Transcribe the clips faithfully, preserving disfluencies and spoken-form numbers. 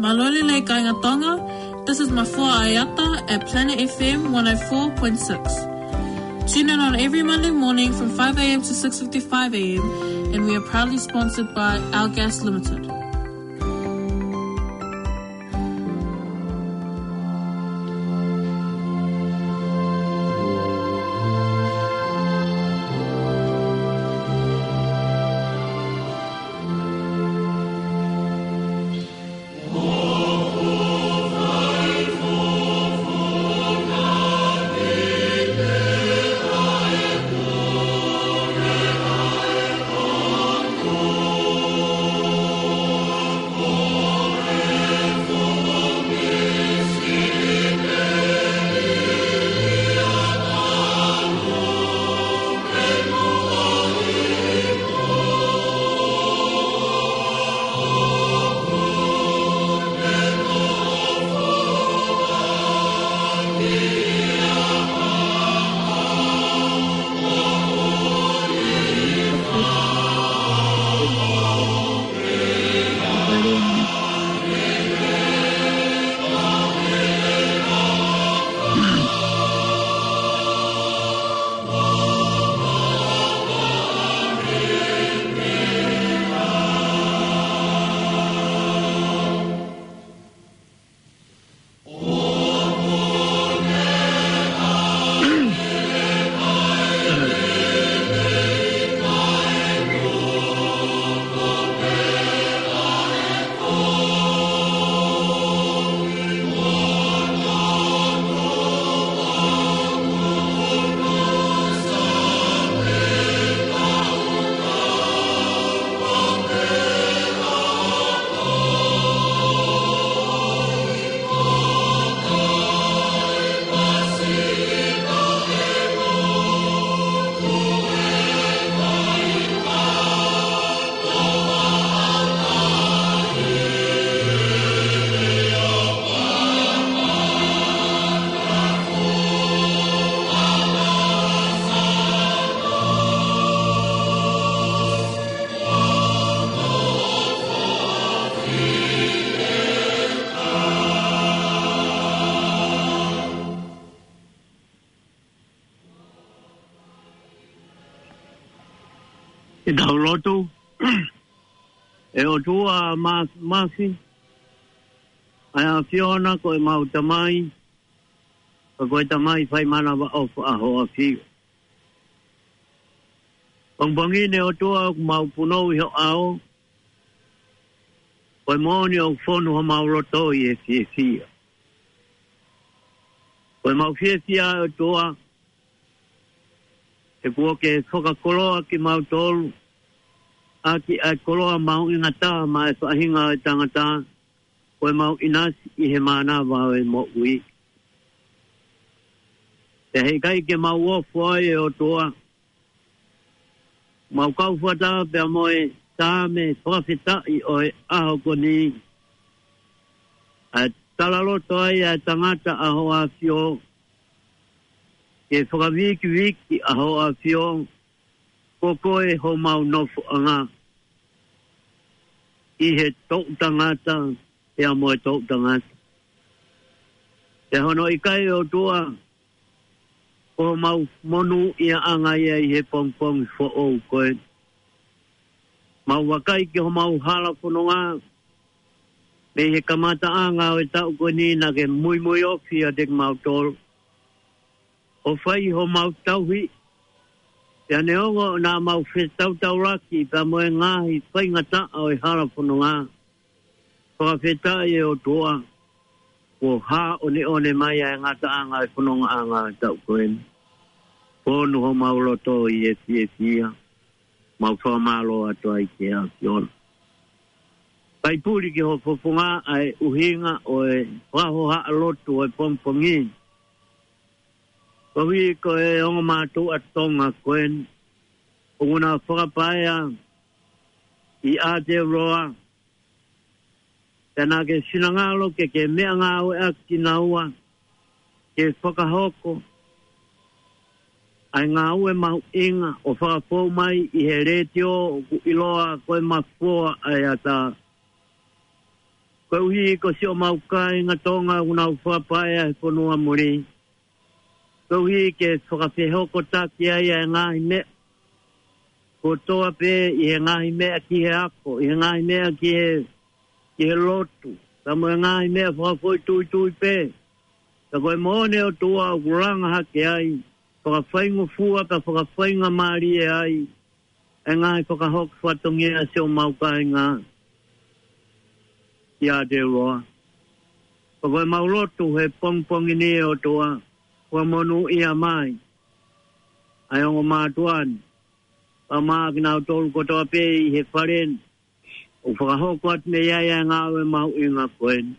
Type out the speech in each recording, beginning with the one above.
Mālō e lelei kāinga Tonga. This is Mafua Aiata at Planet F M one oh four point six. Tune in on every Monday morning from five a.m. to six fifty-five a.m., and we are proudly sponsored by Our Gas Limited. ʻI he tau lotu. ʻE ʻOtua Māfimafi, ʻa e ʻAfiona ko ʻemau Tamai, ka ko e Tamai fai manavaʻofa ʻa hoʻo ʻAfio. Pongipongi ni ʻOtua ʻoku mau punou ʻi ho ʻao, ko e moʻoni ʻoku fonu homau loto ʻi he fiefia. Ko ʻemau fiefia ʻOtua, he kuo ke fakakoloa kimautolu ʻaki ʻa e koloa mahuʻinga taha maʻa e faʻahinga ʻo e tangata, ko ʻemau ʻinasi ʻi he mānava ʻo e moʻui. Pea heʻikai ke mau ofo ai ʻe ʻOtua, mau kau fakataha pea mo e Saame fakafetaʻi ʻo e ʻaho ko eni, ʻa e talaloto ai ʻa e tangata ʻa hoʻo ʻAfio, ke fakavikivikiʻi ʻa hoʻo ʻAfio, ko koe homau nofoʻanga ʻi he toʻutangata pea mo e toʻutangata. Pea hono ʻikai ʻOtua, ko homau monūʻiaʻanga ia ʻi he pongipongi foʻou ko eni. Mau vakai ki homau hala fononga, mei he kamataʻanga ʻo e taʻu ko eni naʻa ke muimui ofi ʻiate kimautolu ʻo fai homau tauhi, pea neongo naʻa mau fetautaulaki pea mo e ngaahi faingataʻa ʻo e hala fononga, fakafetaʻi ʻe ʻOtua, kuo hāʻoneʻone mai ʻa e ngataʻanga ʻo e fonongaʻanga ʻo e taʻu ko eni. Fonu homau loto ʻi he fiefia, mau fakamālō atu ai ki he ʻAfiona. Fai puli ki ho fofonga ʻa e ʻuhinga ʻo e fakahohaʻa lotu ʻo e pongipongi ni. Koeʻuhi ko e ongo mātuʻa Tonga ko eni, ʻoku na fakapaea ʻi Aotearoa, pea naʻa ke finangalo ke ke meʻangāueʻaki kinaua, ke fakahoko ʻa e ngāue mahuʻinga ʻo fakafou mai ʻi he letiō ʻoku ʻiloa ko e Mafua ʻa e Ata. Koeʻuhi ko siʻomau kāinga Tonga ʻoku nau fakapaea he fonua muli. Koeʻuhi ke fakafehokotaki ai ʻa e ngaahi meʻa kotoa pē, ʻi he ngaahi meʻa ki he ako, ʻi he ngaahi meʻa ki he, ki he lotu, pea mo e ngaahi meʻa fakafoʻituitui pē. Ka ko e moʻoni ʻOtua ʻoku langa hake ai, fakafaingofua pea fakafaingamālie ai ʻa e ngaahi fakahoko fatongia ʻa siʻomau kāinga ʻi Aotearoa. Pea ko ʻemau lotu he pongipongi ni ʻOtua, fakamonūʻia mai ʻa e ongo mātuʻa ni, pea mo kinautolu kotoa pē ʻi he fale ni ʻoku fakahoko atu mei ai ʻa e ngāue mahuʻinga ko eni.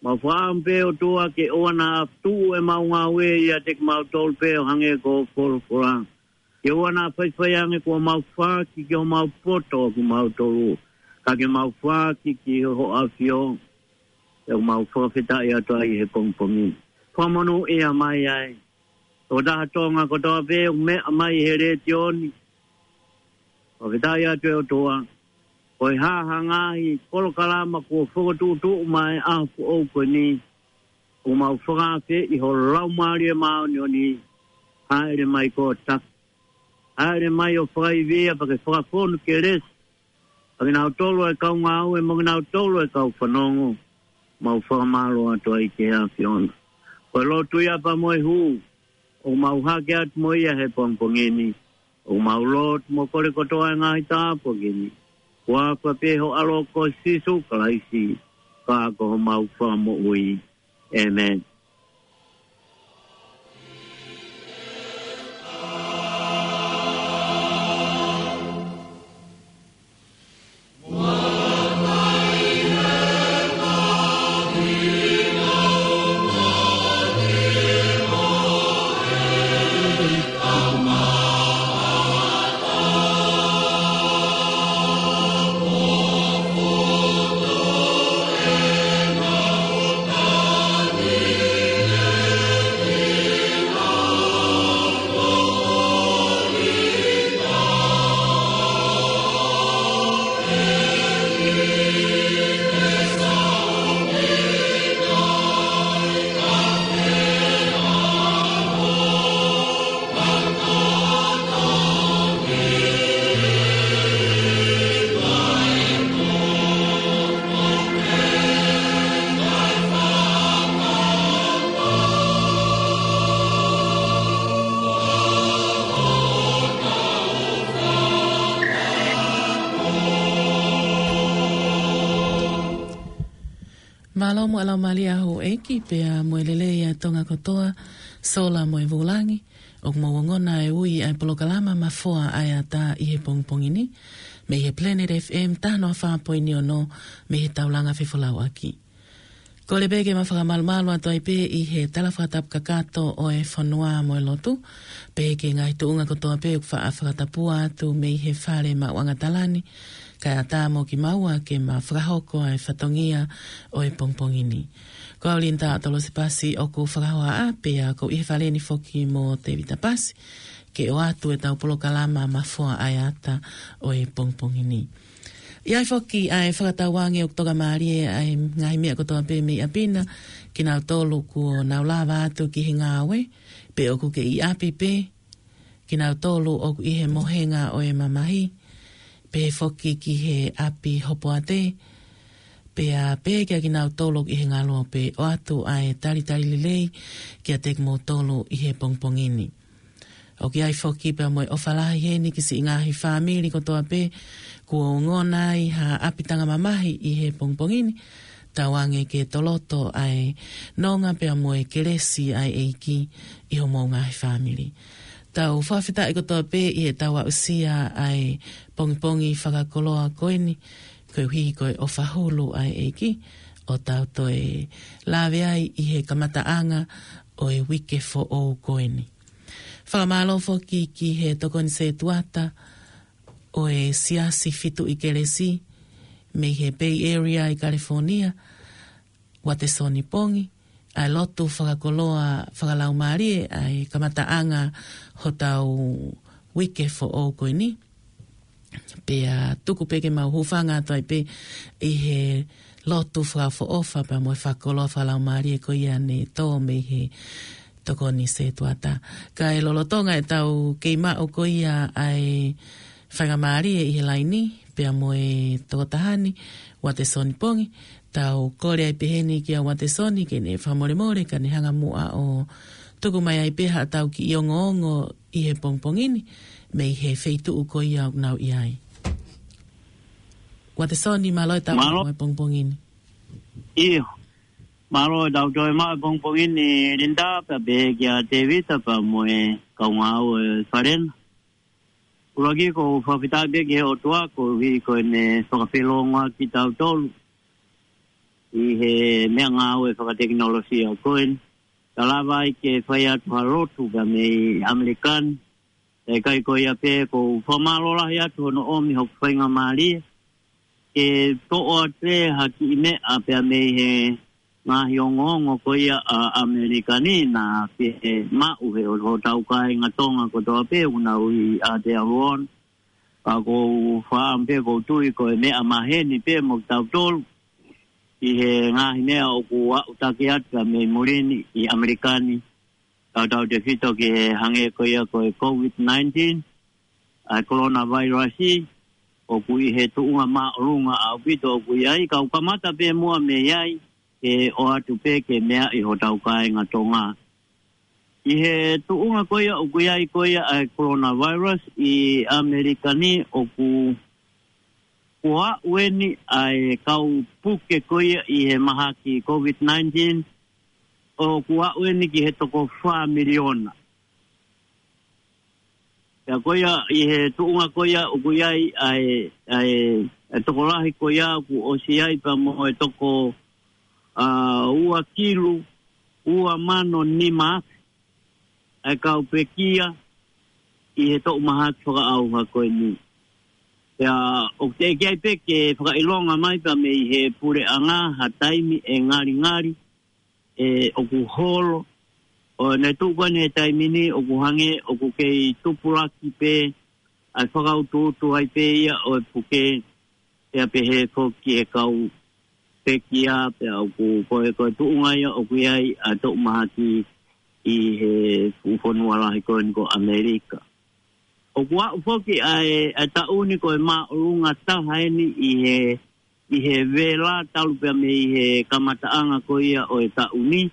Mau fakaʻamu pē ʻOtua ke ʻoua naʻa tuʻu ʻemau ngāue ʻiate kimautolu pē ʻo hangē ko hoʻo folofola. Ke ʻoua naʻa faifai ange kuo mau foaki ki homau poto ʻa kimautolu, ka ke mau foaki ki ho ʻAfio. ʻOku mau fakafetaʻi atu ai he pongipongi ni. Fakamonūʻia mai ai ʻa e tokotaha Tonga kotoa pē ʻoku meʻa mai he letiō ni. Fakafetaʻi atu ʻe ʻOtua, ko e hā ha ngaahi polokalama kuo fokotuʻutuʻu mai ʻaho foʻou ko eni, ʻoku mau fakaafeʻi ho Laumālie Māʻoniʻoni, hāʻele mai koe ʻo taki. Hāʻele mai ʻo fakaivia pea ke fakafonu kelesi ʻa kinautolu ʻa e kau ngāue mo kinautolu ʻa e kau fanongo. Mau fakamālō atu ai ki he ʻAfiona. Ko e lotu ia pea mo e hū ʻoku mau hake atu mo ia he pongipongi ni. ʻOku mau lotu mo kole kotoa ʻa e ngaahi tāpuaki ni, ʻi he huafa pē ho ʻAlo ko Sīsū Kalaisi, ka ko homau Fakamoʻui. ʻĒmeni. Mālō mo e laumālie ʻa houʻeiki pea mo e lelei ʻa Tonga kotoa, sola mo e vūlangi, ʻoku mou ongona e ui ʻa e polokalama Mafua ʻa e Ata ʻi he pongipongi ni, mei he Planet F M taha noa fā poini ono, mei he Taulanga Fefolauʻaki. Kole pē ke ma fakamalumalu atu ai pē ʻi he tala fakatapu kakato ʻo e fonua mo e lotu, pea ki he ngaahi tuʻunga kotoa pē ʻoku faʻa fakatapua atu mei he fale maʻuʻanga tala ni, kae ʻatā mo kimaua ke ma fakahoko ʻa e fatongia ʻo e pongipongi ni. Ko au Linda Tolosipasi ʻoku fakahohaʻa, pea ʻoku ou ʻi he fale ni foki mo Tevita Pasi, ke ʻoatu ʻetau polokalama Mafua ʻa e Ata ʻo e pongipongi ni. ʻI ai foki ʻa e fakatauange ʻoku tokamālie ʻa e ngaahi meʻa kotoa pē mei ʻapi na, kinautolu kuo nau lava atu ki he ngāue, pe ʻoku kei ʻi ʻapi pē, kinautolu ʻoku ʻi he mohenga ʻo e mamahi, pehē foki ki he ʻapi hopoate, pea pehē kia kinautolu ʻoku ʻi he ngaluope, ʻoatu ʻa e talitali lelei kiate kimoutolu ʻi he pongipongi ni. ʻOku ʻi ai foki pea mo e ʻofa lahi heni ki siʻi ngaahi fāmili kotoa pē kuo ongona ai ha ʻapitanga mamahi ʻi he pongipongi ni. tauange ke toloto ʻa e nonga pea mo e kelesi ʻa e ʻEiki ʻi homou ngaahi fāmili. Tau fakafetaʻi kotoa pē ʻi heʻetau aʻusia ʻa e pongipongi fakakoloa ko eni, koeʻuhi ko e ʻofa hulu ʻa e ʻEiki, ʻo tau toe lave ai ʻi he kamataʻanga ʻo e uike foʻou ko eni. Fakamālō foki ki he tokoni setuata ʻo e Siasi Fitu ʻi Kelesi mei he Bay Area ʻi California, Uatesoni Pongi, ʻa e lotu fakakoloa fakalaumālie ʻa e kamataʻanga hotau uike foʻou ko eni. Pea tuku pē ke mau hūfanga atu ai pē ʻi he lotu fakaʻofoʻofa pea mo e fakakoloa fakalaumālie ko ia ne tō mei he tokoni setuata. Kae lolotonga ʻetau kei maʻu ko ia ʻa e faingamālie ʻi he laini, pea mo e tokotaha ni, Uatesoni Pongi, tau kole ai pē heni kia Uatesoni ke ne fakamolemole, ka ne hanga muʻa ʻo tuku mai ai pē haʻatau kiʻi ongoongo ʻi he pongipongi ni, mei he feituʻu ko ia ʻoku nau ʻi ai. Uatesoni, mālō e tau Mālō. Mo e pongipongi ni. ʻIo. Mālō e tau toe maʻu e pongipongi ni, Linda, pea pehē kia Tevita, pea mo e kaungā ngāue ʻa e fale na. ʻUluaki ʻoku ou fakafetaʻi pē ki he ʻOtua koeʻuhi ko ʻene fakafeʻiloaki kitautolu ʻi he meʻangāue fakatekinolosia ko eni. Ka lava ai ke fai atu ha lotu pea mei ʻAmelika ni. ʻIkai ko ia pē, ʻoku ou fakamālō lahi atu hono ʻomi hoku faingamālie ke toʻo atu ha kiʻi meʻa pea mei he ngaahi ongoongo ko ia ʻa ʻAmelika ni naʻa pehē maʻu ʻe hotau kāinga Tonga kotoa pē ʻoku nau ʻi Aotearoa. Ka ʻoku ou faʻa pē ʻoku ou tui ko e meʻa maheni pē mo kitautolu ʻi he ngaahi meʻa ʻoku aʻutaki atu mei muli ni ʻi ʻAmelika ni. Tautautefito ki he hangē ko ia ko e COVID nineteen, ʻa e coronavirus, ʻoku ʻi he tuʻunga māʻolunga ʻaupito ʻoku ʻi ai, ka ʻoku kamata pē muʻa mei ai, ke ʻoatu pē ke meaʻi hotau kāinga Tonga. ʻI he tuʻunga ko ia ʻoku ʻi ai ko ia ʻa e coronavirus ʻi ʻAmelika ni ʻoku, ʻoku aʻu eni ʻa e kau puke ko ia ʻi he mahaki COVID nineteen, ʻoku aʻu eni ki he toko fā miliona. Pea ko ia ʻi he tuʻunga ko ia ʻoku ʻi ai ʻa e, ʻa e, ʻa e tokolahi ko ia ʻoku ʻosi ai pea mo e toko, ʻa, ua kilu, ua mano nima afe ʻa e kau pekia ʻi he toʻu mahaki fakaʻauha ko eni. Pea ʻoku teʻeki ai pē ke fakaʻilonga mai pea mei he puleʻanga ha taimi ʻe ngalingali ʻe ʻoku holo. ʻO ne tuʻu ko eni he taimi ni ʻoku hangē ʻoku kei tupulaki pē ʻa e fakautuutu ai pē ia ʻo e puke, pea pehē foki e kau pekia, pea ʻoku ko e, ko e tuʻunga ia ʻoku ʻi ai ʻa e toʻu mahaki ʻi he fuʻu fonua lahi ko eni ko ʻAmelika. ʻOku aʻu foki ʻa e, ʻa e taʻu ni ko e māʻolunga taha eni ʻi he, ʻi he vela talu pea mei he kamataʻanga ko ia ʻo e taʻu ni.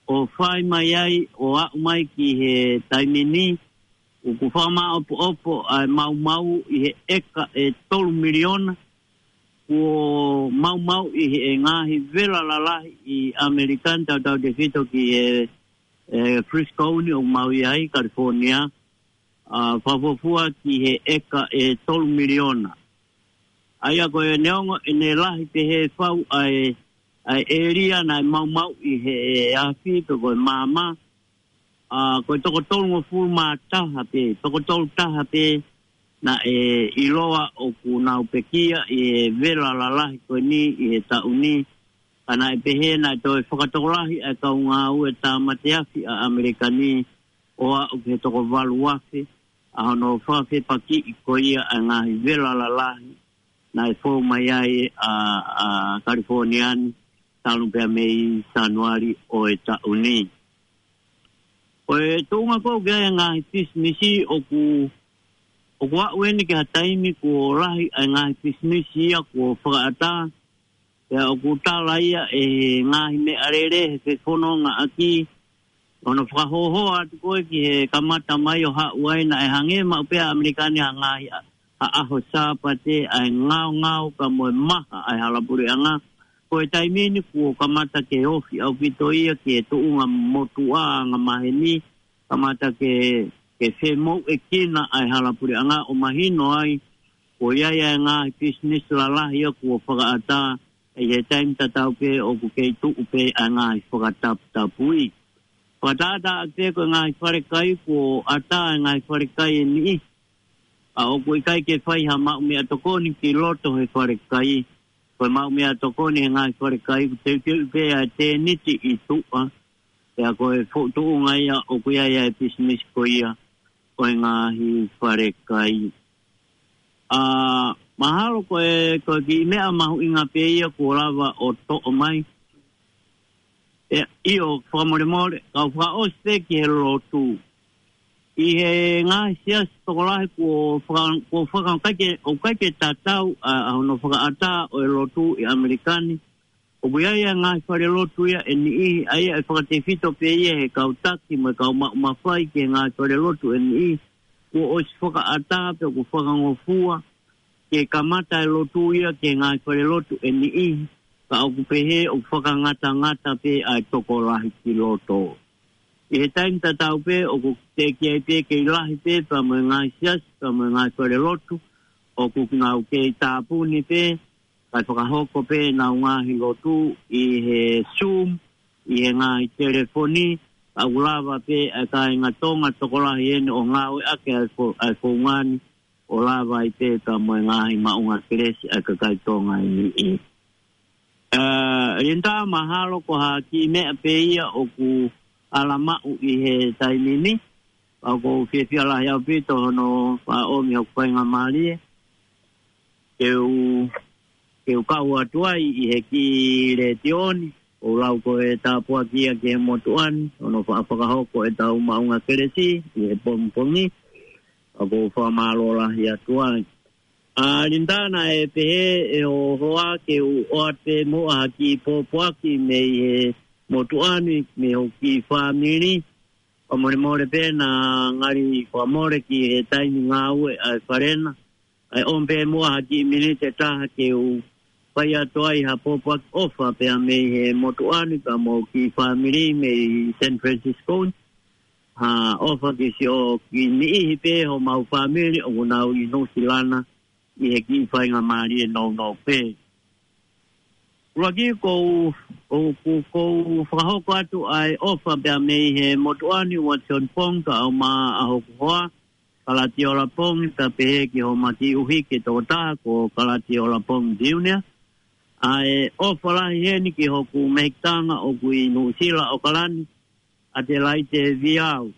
ʻO fai mai ai, ʻo aʻu mai ki he taimi ni, ʻoku fakamāʻopoʻopo ʻa e maumau ʻi he ʻeka ʻe tolu miliona, kuo maumau ʻi he ngaahi vela lalahi ʻi ʻAmelika ni tautautefito ki he, ʻe, Frisco ni ʻoku mau ʻi ai, California, ʻa, fakafuofua ki he ʻeka ʻe tolu miliona. ʻA ia ko e neongo ʻene lahi pehē fau ʻa e, ʻa e ʻēlia naʻe maumau ʻi he afi pe ko e maama, ʻa, ko e toko tolungofulu mā taha pē, toko tolu taha pē naʻe ʻiloa ʻoku nau pekia ʻi he vela lalahi ko eni ʻi he taʻu ni. Ka naʻe pehē naʻe toe fakatokolahi ʻa e kau ngāue tāmate afi ʻa ʻAmelika ni ʻo aʻu ki he toko valu afe ʻa hono fakafepakiʻi ko ia ʻa e ngaahi vela lalahi naʻe fou mai ai ʻa, ʻa California ni talu pea mei Sānuali ʻo e taʻu ni. Ko e tuʻunga ko ē ʻoku ʻi ai e ngaahi pisinisi ʻoku, ʻoku aʻu eni ki ha taimi kuo lahi ʻa e ngaahi pisinisi ia kuo fakaʻatā, pea ʻoku tala ia ʻe he ngaahi meʻalele he fefonongaʻaki, ʻo ne fakahōhō atu ko ē ki he kamata mai ʻo haʻu ai naʻe hangē maʻu pē ʻa ʻAmelika ni ha ngaahi ʻa, ha ʻaho Sāpate ʻa e ngaongao pea mo e maha ʻa e hala puleʻanga, Ko e taimi ni kuo kamata ke ofi ʻaupito ia ki he tuʻunga motuʻa anga maheni, kamata ke, ke femouʻekina ʻa e hala puleʻanga ʻo mahino ai, ko ia ia e ngaahi pisinisi lalahi ia kuo fakaʻatā, ʻi he taimi tatau pē ʻoku kei tuʻu pē ʻa e ngaahi fakataputapui. Fakatātā pē ko e ngaahi falekai kuo ʻatā e ngaahi falekai ʻe niʻihi. ʻA ʻoku ʻikai ke fai ha maʻu meʻatokoni ki loto he falekai. Ko e maʻu meʻatokoni he ngaahi falekai, ʻoku teuteu pē ʻa e tēniti ʻi tuʻa. Pea ko e foʻi tuʻunga ia ʻoku ʻi ai ʻa e pisinisi ko ia ʻo e ngaahi falekai. ʻA, mahalo ko e, ko e kiʻi meʻa mahuʻinga pē ia kuo lava ʻo toʻo mai. ʻE, ʻio, fakamolemole, kau fakaʻosi pē ki he lotu. ʻI he ngaahi siasi tokolahi kuo faka-, kuo faka-, ʻikai ke, ʻoku ʻikai ke tatau ʻa, ʻa hono fakaʻatā ʻo e lotu ʻi ʻAmelika ni. ʻOku ʻi ai ʻa e ngaahi falelotu ia ʻe niʻihi, ʻa ia ʻe fakatefito pē ia he kau taki mo e kau maʻu mafai ki he ngaahi falelotu ʻe niʻihi. Kuo ʻosi fakaʻatā pea kuo fakangofua ke kamata e lotu ia ki he ngaahi falelotu ʻe niʻihi, ka ʻoku pehē ʻoku fakangatangata pē ʻa e tokolahi ki loto. ʻI he taimi tatau pē, ʻoku teʻeki ai pē kei lahi pē, pea mo e ngaahi siasi, pea mo e ngaahi falelotu, ʻoku nau kei tāpuni pē, kae fakahoko pē ʻenau ngaahi lotu ʻi he Zoom, ʻi he ngaahi telefoni, ka ʻoku lava pē ʻa e kāinga Tonga tokolahi eni ʻo ngāueʻaki ʻa e fo-, ʻa e founga ni, ʻo lava ai pē pea mo e ngaahi maʻunga kelesi ʻa e kakai Tonga ʻe niʻihi. ʻA, Linda, mahalo ko ha kiʻi meʻa pē ia ʻoku ala maʻu ʻi he taimi ni, pea ʻoku ou fiefia lahi ʻaupito hono faʻa ʻomi hoku faingamālie ke u, ke u kau atu ai ʻi he kiʻi letiō ni, ʻo lau ko e tāpuaki ia ki he motuʻa ni, hono faʻa fakahoko ʻetau maʻunga kelesi ʻi he pongipongi, pea ʻoku ou fakamālō lahi atu ai. ʻA, Linda, naʻe pehē ʻe ho hoa ke u ʻoatu pē muʻa ha kiʻi pōpoaki mei he motuʻa ni, mei hoku kiʻi fāmili. Fakamolemole pē naʻa ngali fakamole ki he taimi ngāue ʻa e fale na. ʻAi ʻomi pē muʻa ha kiʻi miniti ʻe taha ke u fai atu ai ha pōpoaki ʻofa pea mei he motuʻa ni pea mo hoku kiʻi fāmili mei San Francisco ni. Ha ʻofa ki siʻoku niʻihi pē homau fāmili ʻoku nau ʻi Nuʻusila na ʻi he kiʻi faingamālie nounou pē. ʻUluaki ʻoku ou, ʻoku ou fakahoko atu ʻa e ʻofa pea mei he motuʻa ni Watson Pongi kae ʻumaʻā hoku hoa, Kalatiola Pongi, pea pehē ki homa kiʻi ʻuhiki ʻe toko taha ko Kalatiola Pongi Junior. ʻA e ʻofa lahi heni ki hoku mehikitanga ʻoku ʻi Nuʻusila, ʻAokalani, ʻAtelaite Viau,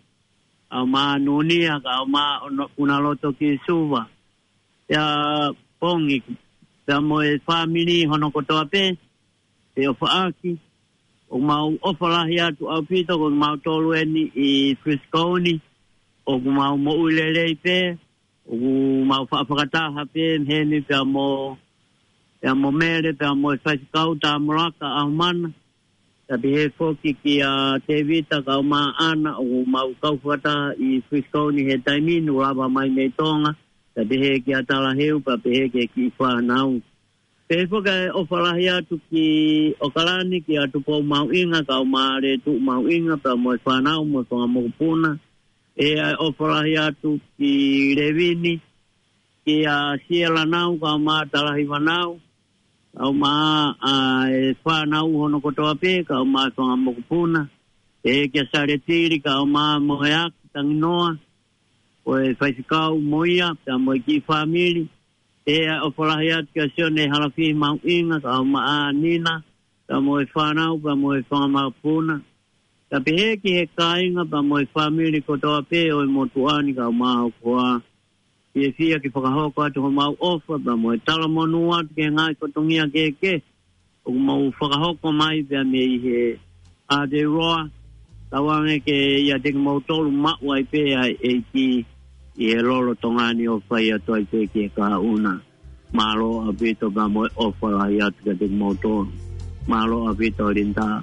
kae ʻumaʻā Nunia, kae ʻumaʻā Ono-, Unaloto ki Suva. Pea Pongi, pea mo e fāmili hono kotoa pē, pea ʻofa ʻaki. ʻOku mau ʻofa lahi atu ʻaupito, ko kimautolu eni ʻi Frisco ni, ʻoku mau moʻui lelei pē, ʻoku mau faʻa fakataha pē heni pea mo, pea mo Mele, pea mo e faifekau Tamolaka ʻAhumana. Pea pehē foki kia Tevita kae ʻumaʻā ʻAna, ʻoku mau kau fakataha ʻi Frisco ni he taimi ni, ʻo lava mai mei Tonga. Pea pehē kia Talaheu, pea pehē ki he kiʻi fānau. Pehē foki ʻa e ʻofa lahi atu ki ʻAokalani, kia Tupou Mahuʻinga, kae ʻumaʻā Lētuʻu Mahuʻinga, pea mo e fānau, mo e fanga mokopuna. ʻE ʻa e ʻofa lahi atu ki Levini, kia Siela Nau, kae ʻumaʻā Talahiva Nau, kae ʻumaʻā ʻa e fānau hono kotoa pē, kae ʻumaʻā e fanga mokopuna. ʻE kia Saletili, kae ʻumaʻā Moheaki Tanginoa, ko e faifekau mo ia, pea mo e kiʻi fāmili. ʻE ʻa e ʻofa lahi atu kia Sione Halafihi Mahuʻinga, kae ʻumaʻā Nina, pea mo e fānau, pea mo e fanga mokopuna. Pea pehē ki he kāinga, pea mo e fāmili kotoa pē ʻo e motuʻa ni kae ʻumaʻā hoku hoa. Fiefia ke fakahoko atu homau ʻofa, pea mo e talamonū atu ki he ngaahi fatongia kehekehe ʻoku mau fakahoko mai pea mei he Aotearoa, tauange ke ʻiate kimoutolu maʻu ai pē ʻa e ʻEiki ʻi he lolotonga ni ʻo fai atu ai pē ki he kahaʻu na. Mālō ʻaupito pea mo e ʻofa lahi atu kiate kimoutolu. Mālō ʻaupito Linda.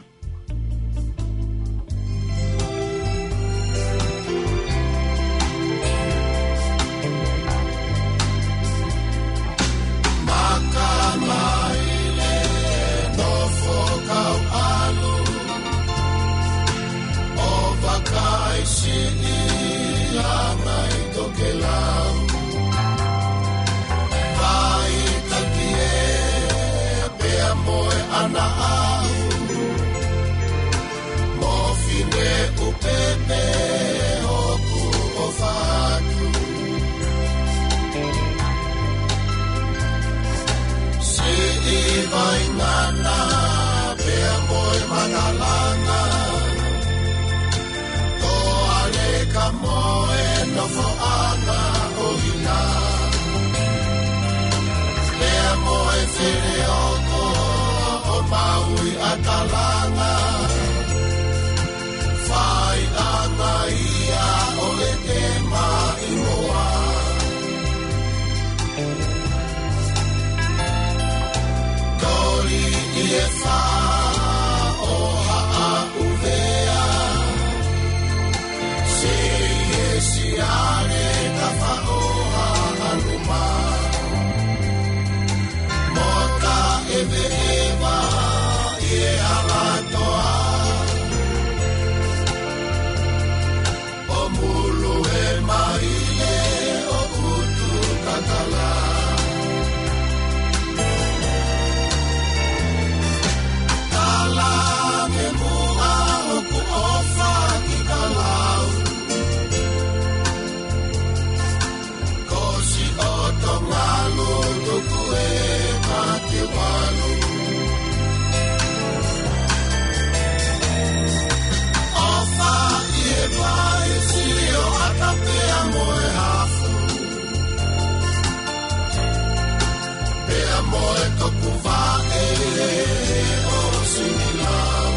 ʻAna ʻahu, mo fine ʻupepe ʻoku ʻofa atu. Siʻi vaingana pea mo e makalanga, toʻaleka mo e nofoʻanga ʻo ina. Pea mo e feleoko ʻo Maui ʻa Kalanga, faiʻanga ia ʻo e te maʻimoa. Toli ʻi e fā ʻo Haʻa ʻUvea, Seie Siale Tafaʻoha ʻAluma, mo Taʻeveʻeva ʻi he Alatoa, ʻo Mulu e Maile ʻo Utukakala. Kalange muʻa hoku ʻofa ki Kalau, Kosi ʻo Tongalu tuku e kati walu. ʻOfa ʻi he Vaisi ʻo ʻAtapea mo e Hafu, pea mo e Tokuvaʻe ʻo Sinilau.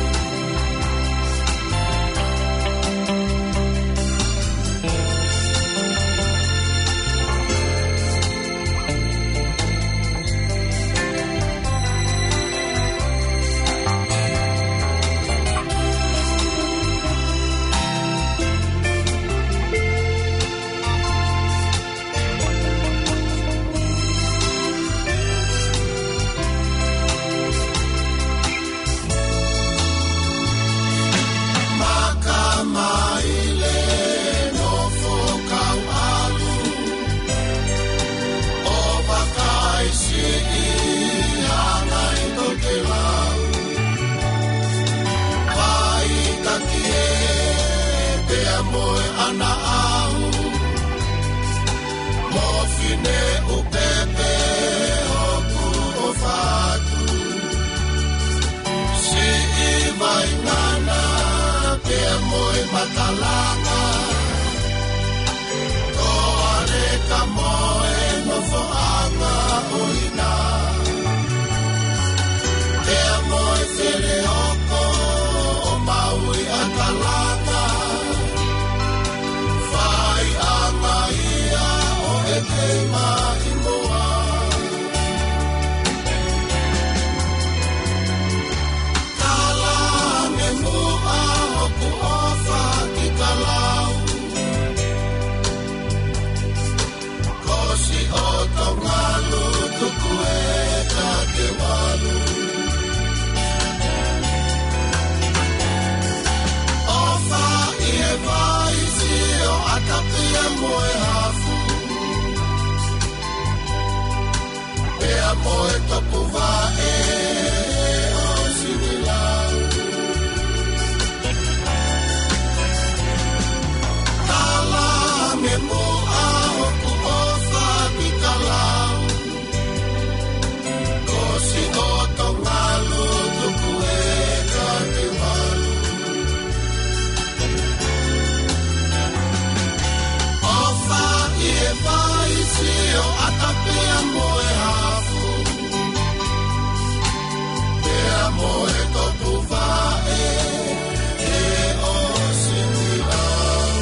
Makamaile, Nofo, Kauʻalu, ʻo Vakaisiʻi, Hangai, Tokelau, Paʻitakie, pea mo e ʻAna ʻAhu, mo fine ʻupepe ʻoku ʻofa atu. Siʻi vaingana pea mo e makalanga, toʻaleka mo e nofoʻanga ʻo ina, pea mo e feleoko ʻo Maui ʻa Kalanga, faiʻanga ia ʻo e te maʻimoa. Kalange muʻa hoku ʻofa ki Kalau, Kosi ʻo Tongalu tuku e kati walu. ʻOfa ʻi he Vaisi ʻo ʻAtapea mo e Hafu, pea mo e Tokuvaʻe ʻo Sinilau. Kalange muʻa hoku ʻofa ki Kalau, Kosi ʻo Tongalu tuku e kati walu. ʻOfa ʻi he Vaisi ʻo ʻAtapea mo e Hafu, pea mo e Tokuvaʻe ʻo Sinilau.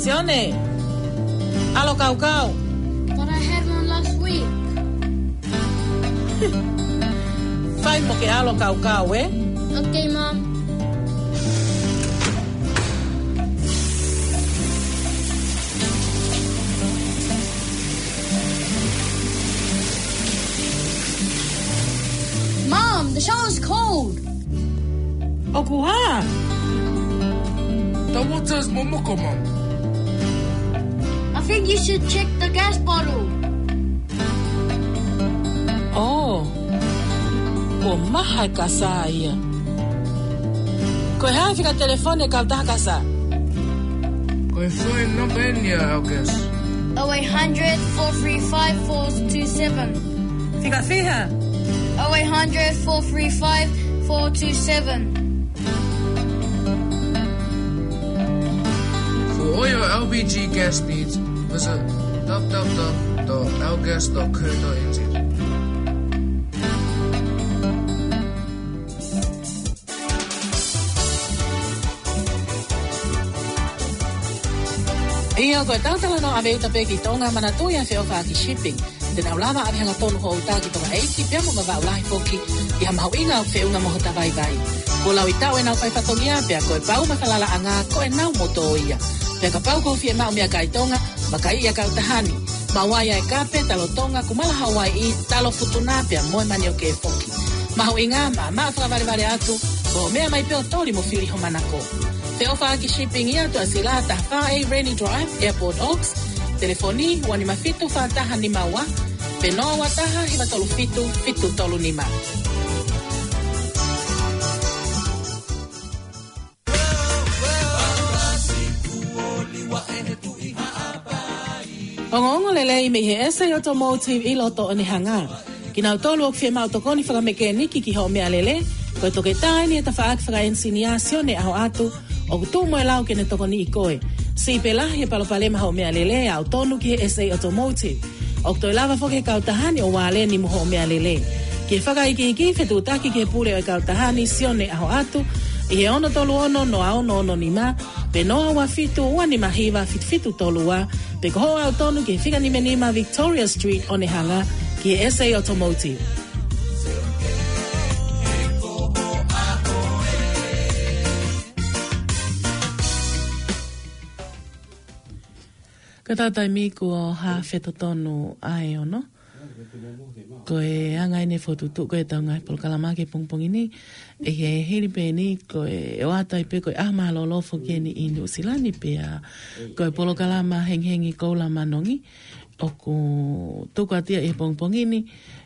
Sione, ʻalu ʻo kaukau. But I had one last week. Fai mo ke ʻalu ʻo kaukau, ē? Okay, Mom. Mom, the shower's cold. ʻOku hā? The water's momoko, Mom. I think you should check the gas bottle. Kuo maha e kasa ia. Ko e hā e fika telefoni e kautaha kasa? Ko e foʻi namba eni ia, August. Oh eight hundred, four three five, four two seven. Fika fiha? Oh eight hundred, four three five, four two seven. For all your L P G gas needs, visit w w w dot l gas dot co dot n z. ʻIo, ko e tau talanoa ʻave uta pē ki Tonga, manatuʻi ʻa e feʻofaʻaki shipping. Te nau lava ʻave hangatonu ho uta ki Tonga ʻEiki, pea mo Vavaʻu lahi foki, ʻi ha mahuʻinga ʻoku feʻunga mo hota vaivai. Kuo laui taʻu ʻenau fai fatongia, pea ko e pau mo e falalaʻanga ko ʻenau motuʻa ia. Pea kapau ʻoku fiemaʻu meʻakai Tonga, vakai ʻa e kautaha ni. Maʻu ai ʻa e kape, talo Tonga, kumala Hawaiʻi, talo Futuna, pea mo e manioke foki. Mahuʻinga, maʻamaʻa fakavalevale atu, ko e meʻa mai pē ʻo toli mo fili ho manako. Feʻofaʻaki shipping ia, Tuʻasila, taha fā A Rennie Drive, Airport Oaks. Telefoni, ua nima fitu fā taha nima ua, pe noa ua taha hiva tolu fitu fitu tolu nima. Ongoongo lelei mei he S A Automotive ʻi loto Onehunga. Kinautolu ʻoku fiemaʻu tokoni fakamekeniki ki hoʻo meʻalele, ko e toketā eni e tafaʻaki fakaʻenisinia Sione ʻAhoʻatu, ʻoku tuʻu mo e lau ke ne tokoniʻi koe. Siʻi pē lahi e palopalema hoʻo meʻalele, aʻu tonu ki he S A Automotive. ʻOku toe lava foki he kautaha ni ʻo vāleni mo hoʻo meʻalele. Ki he fakaikiiki, fetuʻutaki ki he pule ʻo e kautaha ni, Sione ʻAhoʻatu, ʻi he ono tolu ono noa ono ono nima, pe noa ua fitu ua nima hiva fitu fitu tolu ua, pe ko hoʻo aʻu tonu ki he fika nima nima Victoria Street, Onehunga, ki he S A Automotive. Ko e taimi kuo hā fetotonu ʻa e ono. Ko e anga eni e fokotuʻutuʻu ko ē ʻetau ngaahi polokalama ki he pongipongi ni. ʻI he hili pē eni ko e ʻoatu ai pē ko e ʻaho mālōlō foki eni ʻi Nuʻusila ni pea ko e polokalama Hengihengi Koula Manongi ʻoku tuku atu ia ʻi he pongipongi ni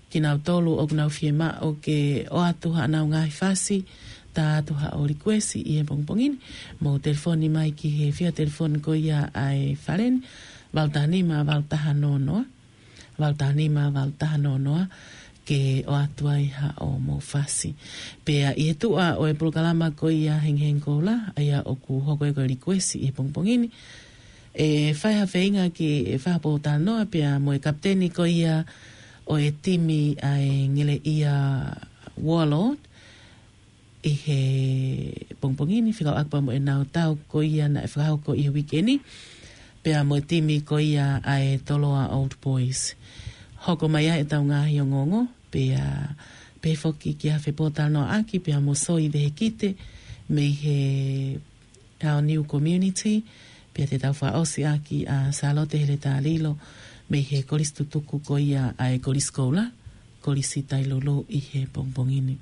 kinautolu ʻoku nau fiemaʻu ke ʻoatu haʻanau ngaahi fasi, tā atu haʻo likuesi ʻi he pongipongi ni. Mou telefoni mai ki he fika telefoni ko ia ʻa e fale ni, valu taha nima, valu taha noa noa, valu taha nima, valu taha noa noa, ke ʻoatu ai haʻo mou fasi. Pea ʻi he tuʻa ʻo e polokalama ko ia Hengihengi Koula, ʻa ia ʻoku hoko ia ko e likuesi ʻi he pongipongi ni, ʻe fai ha feinga ke fai ha pōtalanoa pea mo e kapiteni ko ia ʻo e timi ʻa e Ngeleʻia Warlord ʻi he pongipongi ni, fekauʻaki pea mo ʻenau tau ko ia naʻe fakahoko ʻi he uike ni, pea mo e timi ko ia ʻa e Toloa Old Boys. Hoko mai ai ʻetau ngaahi ongoongo, pea pehē foki ki ha fepōtalanoaʻaki pea mo Soi Vehikite mei he Our New Community, pea te tau fakaʻosi ʻaki ʻa Sālote Heletā Lilo mei he kolisi tutuku ko ia ʻa e Kolisi Koula, Kolisi Tailulu ʻi he pongipongi ni.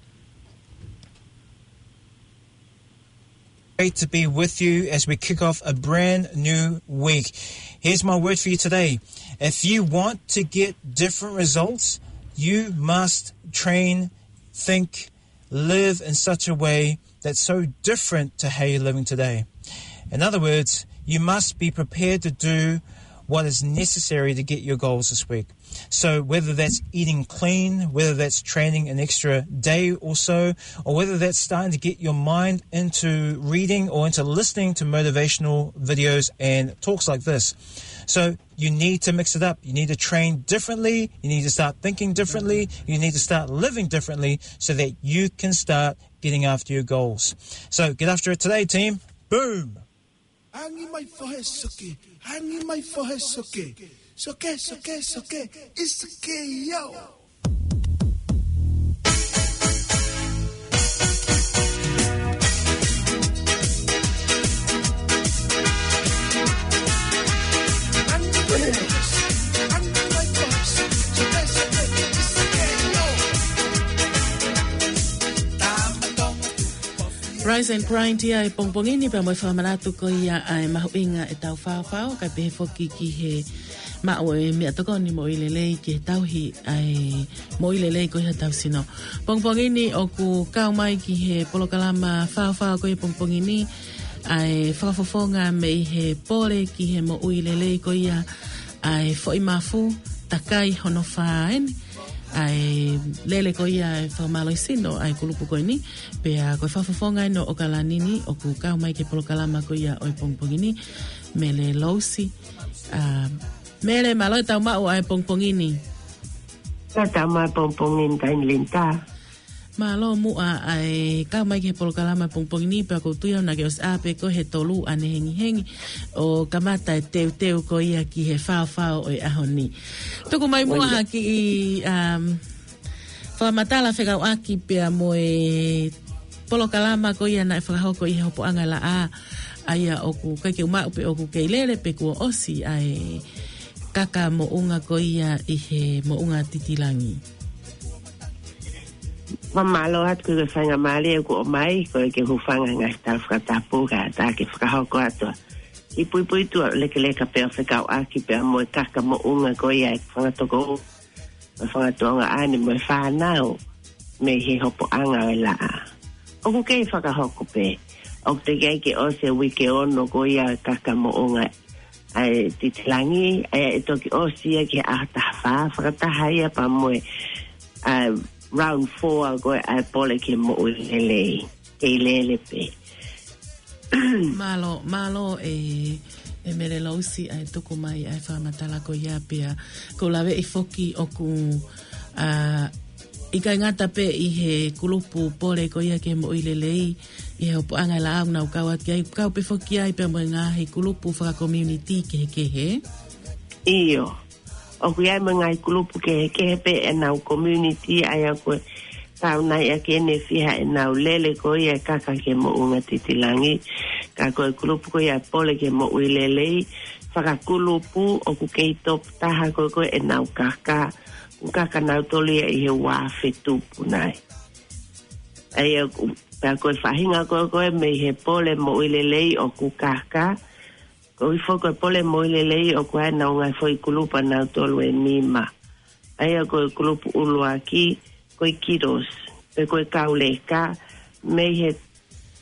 Great to be with you as we kick off a brand new week. Here's my word for you today. If you want to get different results, you must train, think, live in such a way that's so different to how you're living today. In other words, you must be prepared to do what is necessary to get your goals this week. So whether that's eating clean, whether that's training an extra day or so, or whether that's starting to get your mind into reading or into listening to motivational videos and talks like this. So you need to mix it up. You need to train differently. You need to start thinking differently. You need to start living differently so that you can start getting after your goals. So get after it today, team. Boom. Angi mai fohe soke, angi mai fohe soke. Soke, soke, soke, it's okay, yo. Rise and grind ia he pongipongi ni pea mo e fakamanatu ko ia ʻa e mahuʻinga ʻetau faofao, kae pehē foki ki he maʻu e meʻatokoni moʻui lelei ke tauhi ʻa e moʻui lelei ko ia ʻetau sino. Pongipongi ni ʻoku kau mai ki he polokalama faofao ko ia pongipongi ni ʻa e fakafofonga mei he pole ki he moʻui lelei ko ia ʻa e foʻi mafu takai hono fā eni. ʻA e lele ko ia e fakamālohisino ʻa e kulupu ko eni. Pea ko e fakafofonga eni ʻo ʻOkalani ni ʻoku kau mai ki he polokalama ko ia ʻo e pongipongi ni. Mele Lousi. ʻA, Mele, mālō e tau maʻu ʻa e pongipongi ni. Tau maʻu pongipongi ni, Tainilini. Mālō muʻa ʻa e kau mai ki he polokalama pongipongi ni, pea ʻoku ou tui au naʻa ke ʻosi ʻā pē koe he tolu ʻanehengihengi ʻo kamata e teuteu ko ia ki he faofao ʻo e ʻaho ni. Tuku mai muʻa ha kiʻi, um, fakamatala fekauʻaki pea mo e polokalama ko ia naʻe fakahoko ʻi he hopoʻanga laʻā, ʻa ia ʻoku ʻikai ke u maʻu pe ʻoku kei lele pe kuo ʻosi ʻa e kaka moʻunga ko ia ʻi he moʻunga Titilangi. Fakamālō atu ki he faingamālie kuo ʻomai, ko e ke hūfanga he ngaahi tala fakatapu ka ta ke fakahoko atu. ʻI puipuituʻa lekeleka pea fekauʻaki pea mo e kaka moʻunga ko ia e fanga tokoua, mo e fanga tuongaʻane, mo e fānau, mei he hopoʻanga ʻo e laʻā. ʻOku kei fakahoko pē. ʻOku teʻeki ai ke ʻosi e uike ono ko ia e kaka moʻunga ʻa e Titilangi, ʻa ia ʻe toki ʻosi ia ki he ʻaho taha fā, fakataha ia pea mo e, ʻa, round four ko ē ʻa e pole ki he moʻui lelei. Kei lele pē. Mālō, mālō e, e Mele Lousi ʻa e tuku mai ʻa e fakamatala ko ia pea. ʻOku ou laveʻi foki ʻoku, ʻa, ʻikai ngata pē ʻi he kulupu pole ko ia ki he moʻui lelei, ʻi he hopoʻanga laʻā ʻoku nau kau atu ki ai, kau pē foki ai pea mo e ngaahi kulupu fakakomiunitī kehekehe. ʻIo. ʻOku ʻi ai mo e ngaahi kulupu kehekehe pē ʻenau community, ʻa ia ko e tau nai ʻa ke ne fiha ʻenau lele ko ia e kaka ki he moʻunga Titilangi. Ka ko e kulupu ko ia pole ki he moʻui lelei, fakakulupu ʻoku kei top taha ko ē ko ē ʻenau kaka, ʻoku kaka nautolu ia ʻi he ua afe tupu nai. ʻA ia ʻoku, pea ko e faʻahinga ko ē ko ē mei he pole moʻui lelei ʻoku kaka, ko e foʻi ko e pole moʻui lelei ʻoku ʻi ai ʻenau ngaahi foʻi kulupu ʻanautolu ʻe nima. ʻA ia ko e kulupu ʻuluaki, ko e kiddos, pe ko e kau leka, mei he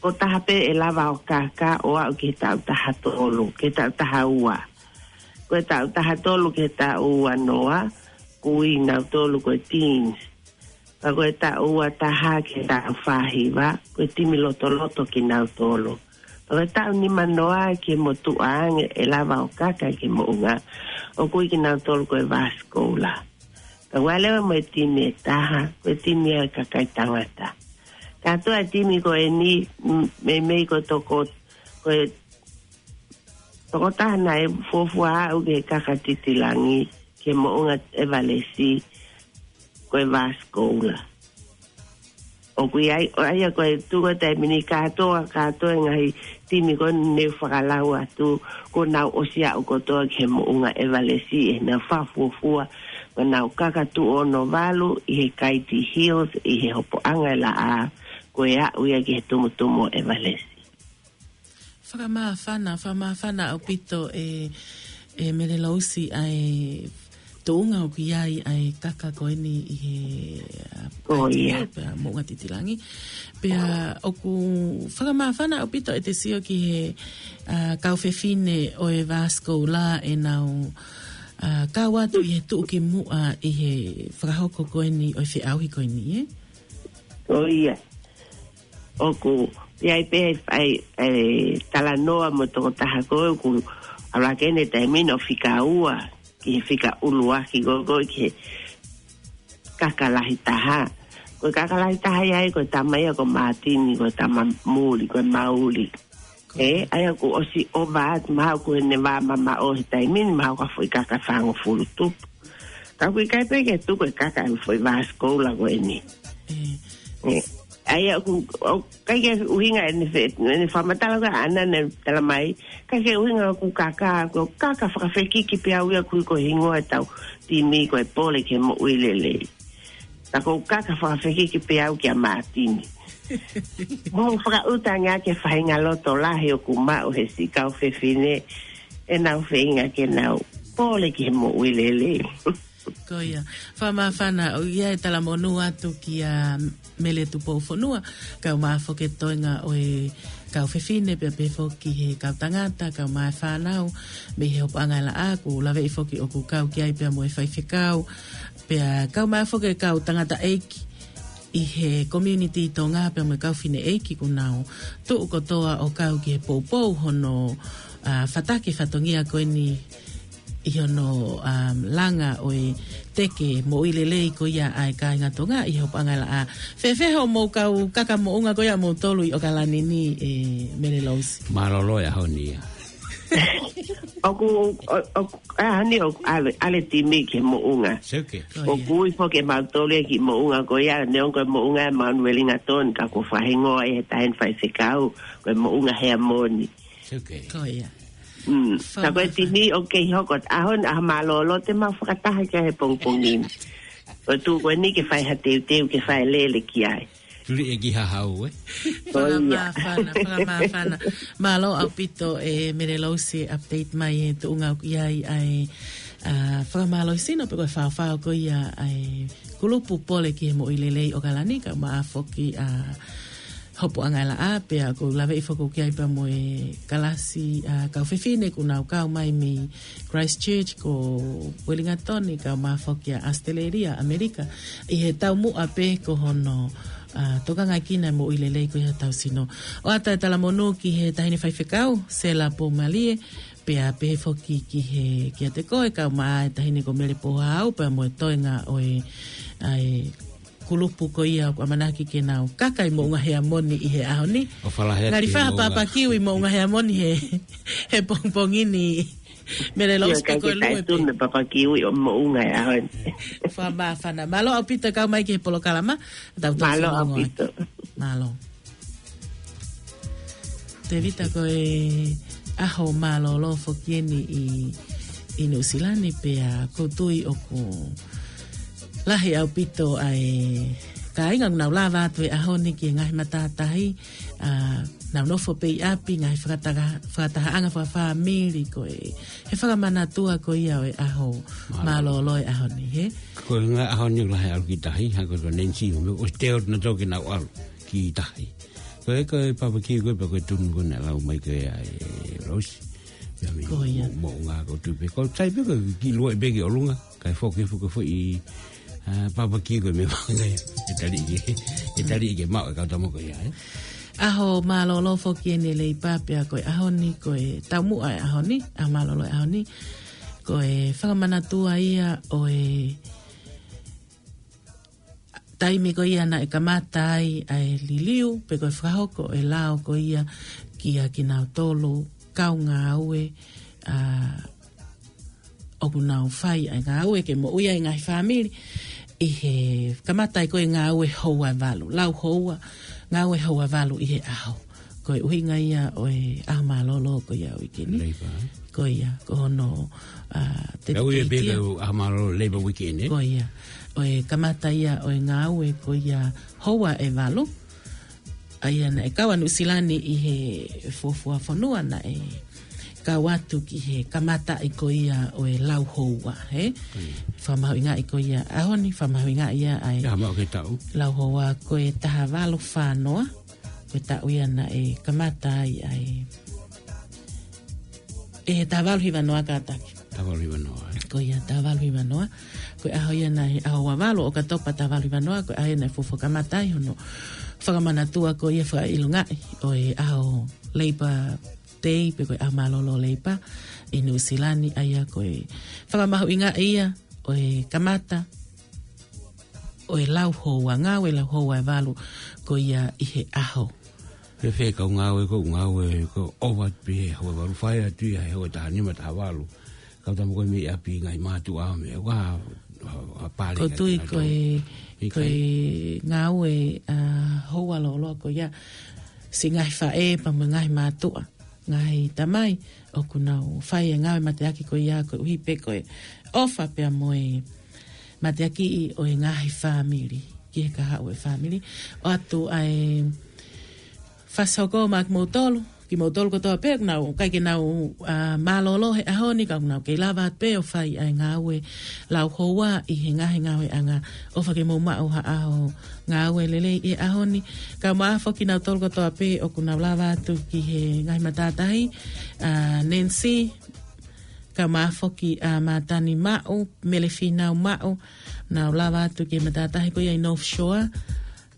ko taha pē ʻe lava ʻo kaka ʻo aʻu ki he taʻu taha tolu, ki he taʻu taha ua. Ko e taʻu taha tolu ki he taʻu ua noa, ʻoku ui nautolu ko e teens. Ka ko e taʻu ua taha ki he taʻu fā hiva, ko e timi lotoloto kinautolu. Ka ko e taʻu nima noa ki he motuʻa ange ʻe lava ʻo kaka ki he moʻunga, ʻoku ui kinautolu ko e Vaskoula. Ka ʻoku ʻi ai leva mo e timi ʻe taha, ko e timi ʻa e kakai tangata. Kātoa e timi ko eni, m-, meimei ko e toko, ko e tokotaha naʻe fuofua aʻu ki he kaka Titilangi, ki he moʻunga ʻEvalesi, ko e Vaskoula. ʻOku ʻi ai, ʻa ia ko e tuku e taimi ni kātoa, kātoa e ngaahi timi ko eni ne u fakalau atu, kuo nau ʻosi aʻu kotoa ki he moʻunga ʻEvalesi, ʻi heʻenau fakafuofua, kuo nau kaka tuʻu ono valu ʻi he Kaiti Hills, ʻi he hopoʻanga ʻo e laʻā, ko e aʻu ia ki he tumutumu ʻo ʻEvalesi. Fakamāfana, fakamāfana ʻaupito e, e Mele Lousi ʻa e tuʻunga ʻoku ʻi ai ʻa e kaka ko eni ʻi he, ʻa, ʻa e moʻunga Titilangi. Pea ʻoku fakamāfana ʻaupito ʻete sio ki he, ʻa, kau fefine ʻo e Vaskoula ʻenau, ʻa, kau atu ʻi he tuʻukimuʻa ʻi he fakahoko ko eni ʻo e feʻauhi ko eni, ē? ʻOku ʻi ai pē ʻa e, ʻa e talanoa mo e tokotaha ko ē ʻoku ʻalu hake ʻene taimi ni ʻo fika ua, ki he fika ʻuluaki ko ē ko ē ki he kaka lahi taha. Ko e kaka lahi taha ia ʻa ia ko e tama ia ko Mātini, ko e tama muli, ko e mauli. ʻE, ʻa ia kuo ʻosi ʻova atu mahalo kuo ne vā mamaʻo he taimi ni mahalo ko e foʻi kaka fāngofulu tupu. Ka ʻoku ʻikai pē ke tuku e kaka ʻa e foʻi Vaskoula ko eni. ʻE, ʻa ia ʻoku, ʻoku ʻikai ke ʻuhinga ʻene fe-, ʻene fakamatala ko ē ʻaʻana ne tala mai, ʻikai ke ʻuhinga ʻoku kaka, ko e kaka fakafekiki pē au ia ʻoku ui ko e hingoa ʻetau timi ko e pole ki he moʻui lelei. Ka ko e kaka fakafekiki pē au kia Mātini. Mo fakaʻuta ange ʻa e faʻahinga loto lahi ʻoku maʻu he siʻi kau fefine ʻenau feinga ke nau pole ki he moʻui lelei. Ko ia. Fakamāfana, ʻoku ʻi ai e talamonū atu kia Mele Tupoufonua, kae ʻumaʻā foki e toenga ʻo e kau fefine, pea pehē foki he kau tangata, kae ʻumaʻā e fānau, mei he hopoʻanga e laʻā, ʻoku laveʻi foki ʻoku kau ki ai pea mo e faifekau, pea kae ʻumaʻā foki e kau tangataʻeiki ʻi he community Tonga pea mo e kau fineʻeiki kuo nau tuʻu kotoa ʻo kau ki he poupou hono, ʻa, fataki e fatongia ko eni ʻi hono, um, langa ʻo e teke moʻui lelei ko ia ʻa e kāinga Tonga ʻi he hopoʻanga e laʻā. Fēfē hoʻomou kau kaka moʻunga ko ia ʻa moutolu ʻi ʻOkalani ni, ʻe Mele Lousi? Mālōlō e ʻaho ni ia. ʻOku, ʻo, ʻoku, ʻa, ni ʻoku ʻalu, ʻalu e timi ki he moʻunga. Seuke. Ko ia. ʻOku ui foki ʻe mautolu ia ki he moʻunga ko ia, neongo ko e moʻunga ʻa Mount Wellington, ka kuo fakahingoa ia ʻe he taʻahine faifekau ko e Moʻunga Heamoni. Seuke. Ko ia. Mm. Fakamāfana. Ka ko e timi ʻoku kei hoko, ʻaho ni ʻaho mālōlō te mau fakataha ki ai he pongipongi ni. Ko e tuʻu ko eni ke fai ha teuteu, ke fai lele ki ai. Tuli e ki hahau, ē? Ko ia. Fakamāfana, fakamāfana. Mālō ʻaupito ʻe Mele Lousi update mai e tuʻunga ʻoku ʻi ai ʻa e, ʻa, fakamālohisino pe ko e faofao ko ia ʻa e kulupu pole ki he moʻui lelei ʻOkalani, kae ʻumaʻā foki ʻa hopoʻanga e laʻā, pea ʻoku laveʻi foki ʻoku ʻi ai pea mo e kalasi, ʻa, kau fefine kuo nau kau mai mei Christchurch, ko Wellington, kae ʻumaʻā foki ʻa ʻAositelēlia, ʻAmelika, ʻi he taumuʻa pē ko hono, ʻa, tokangaʻi kinaua e moʻui lelei ko ia hotau sino. ʻOatu e talamonū ki he taʻahine faifekau, Sela Poumalie, pea pehē foki ki he, kiate koe, kae ʻumaʻā e taʻahine ko Mele Pohau, pea mo e toenga ʻo e, ʻa e kulupu ko ia ʻoku ʻamanaki ke nau kaka ʻi Moʻunga Heamoni ʻi he ʻaho ni. ʻO falahea. Ngali ki he faha moʻunga. Papakiu ʻi Moʻunga Heamoni he, he pongipongi ni. Mele Lousi, pe ko e lue pē. Io, ka ke taʻetunu papakiu ʻi ʻo moʻunga he ʻaho ni. Fakamāfana. Mālō ʻaupito kau mai ki he polokalama. Tau toki fanongo ai. Mālō ʻaupito. Mālō. Tēvita, ko e ʻaho mālōlō foki eni ʻi, ʻi Nuʻusila ni, pea ʻoku ou tui ʻoku lahi ʻaupito ʻa e kāinga ʻoku nau lava atu he ʻaho ni ki he ngaahi matātahi, ʻa, nau nofo pē ʻi ʻapi, ngaahi fakataha-, fakatahaʻanga fakafāmili, ko e, he fakamanatua ko ia ʻo e ʻaho mālōlō. Mālōlō e ʻaho ni, hē? Ko e ngaahi ʻaho ni ʻoku lahi ʻalu ki tahi, hangē ko Nancy, ʻo, ʻo te o na tō ke nau ʻalu ki tahi. Ko e, ko e papakiu ko ē, pe ko e tunu ko ē naʻe lau mai ko ē ʻa e Lousi. Pea mei Ko ia. Mo-, Moʻunga ko tupe. Ko tai pē ko e kiʻi luo ʻi pē ki ʻolunga. Kae foki, foki, foki ʻi, ʻa, papakiu ko e meʻa fanga ia. ʻE tali ke, ʻe tali ke maʻu e kau tama ko ia, ē? ʻAho mālōlō foki eni e Leipa pea ko e ʻaho ni, ko e taumuʻa e ʻaho ni, ʻaho mālōlō e ʻaho ni. Ko e fakamanatua ia ʻo e taimi ko ia naʻe kamata ai ʻa e liliu, pe ko e fakahoko e lao ko ia kia kinautolu kau ngāue, ʻa, ʻoku nau fai ʻa e ngāue ke moʻui ai e ngaahi fāmili, ʻi he kamata ai ko e ngāue houa ʻe valu, lau houa, ngāue houa ʻe valu ʻi he ʻaho. Ko e ʻuhinga ia ʻo e ʻaho mālōlō ko ia ʻo e uike ni. Leipa. Ko ia, ko hono, ʻa, Lau ia dedicate pē ia. Ko e ʻaho mālōlō Leipa Weekend, ē? Ko ia. ʻO e kamata ia ʻo e ngāue ko ia houa ʻe valu. ʻA ia naʻe kau ʻa Nuʻusila ni ʻi he fuofua fonua naʻe kau atu ki he kamataʻi ko ia ʻo e lau houa, hē? Ko ia. Fakamahuʻingaʻi ko ia ʻaho ni, fakamahuʻingaʻi ia ʻa e ʻAho mālōlō ki he taʻu. Lau houa ko e taha valu fā noa. Ko e taʻu ia naʻe kamata ai ʻa e, ʻe he taha valu hiva noa kātaki. Taha valu hiva noa, ē? Ko ia, taha valu hiva noa. Ko e ʻaho ia naʻe, ʻaho ua valu ʻo ʻOkatopa taha valu hiva noa, ko e ʻaho ia naʻe fuofua kamata ai hono fakamanatua ko ia fakaʻilongaʻi ʻo e ʻaho Leipa Day, pe ko e ʻaho mālōlō Leipa ʻi Nuʻusila ni, ʻa ia ko e fakamahuʻingaʻi ia ʻo e kamata ʻo e lau houa, ngāue lau houa ʻe valu ko ia ʻi he ʻaho. Fēfē kau ngāue ko, ngāue ko ʻova pē he houa ʻe valu, fai atu ia he houa ʻe taha nima, taha valu. Kau tama ko ē mei ʻapi, ngaahi mātuʻa, meʻa, ua, ua, ua pale. Ko e tui ko e, ko e ngāue, ʻa, houa lōloa ko ia, siʻi ngaahi faʻē pea mo e ngaahi mātuʻa, ngaahi tamai, ʻoku nau fai e ngāue mateaki ko ia koeʻuhi pē ko e ʻofa pea mo e mateakiʻi ʻo e ngaahi fāmili ki he kahaʻu e fāmili. ʻOatu ʻa e fasi hoko maʻa kimoutolu, kimoutolu kotoa pē ʻoku nau, ʻikai ke nau, ʻa, mālōlō he ʻaho ni, ka ʻoku nau kei lava atu pē ʻo fai ʻa e ngāue lauhoua ʻi he ngaahi ngāueʻanga. ʻOfa ke mou maʻu ha ʻaho ngāue lelei he ʻaho ni. Kae ʻumaʻā foki kinautolu kotoa pē ʻoku nau lava atu ki he ngaahi matātahi, ʻa, Nancy, kae ʻumaʻā foki ʻa Mātani Maʻu, Mele Fīnau Maʻu, nau lava atu ki he matātahi ko ia ʻi North Shore.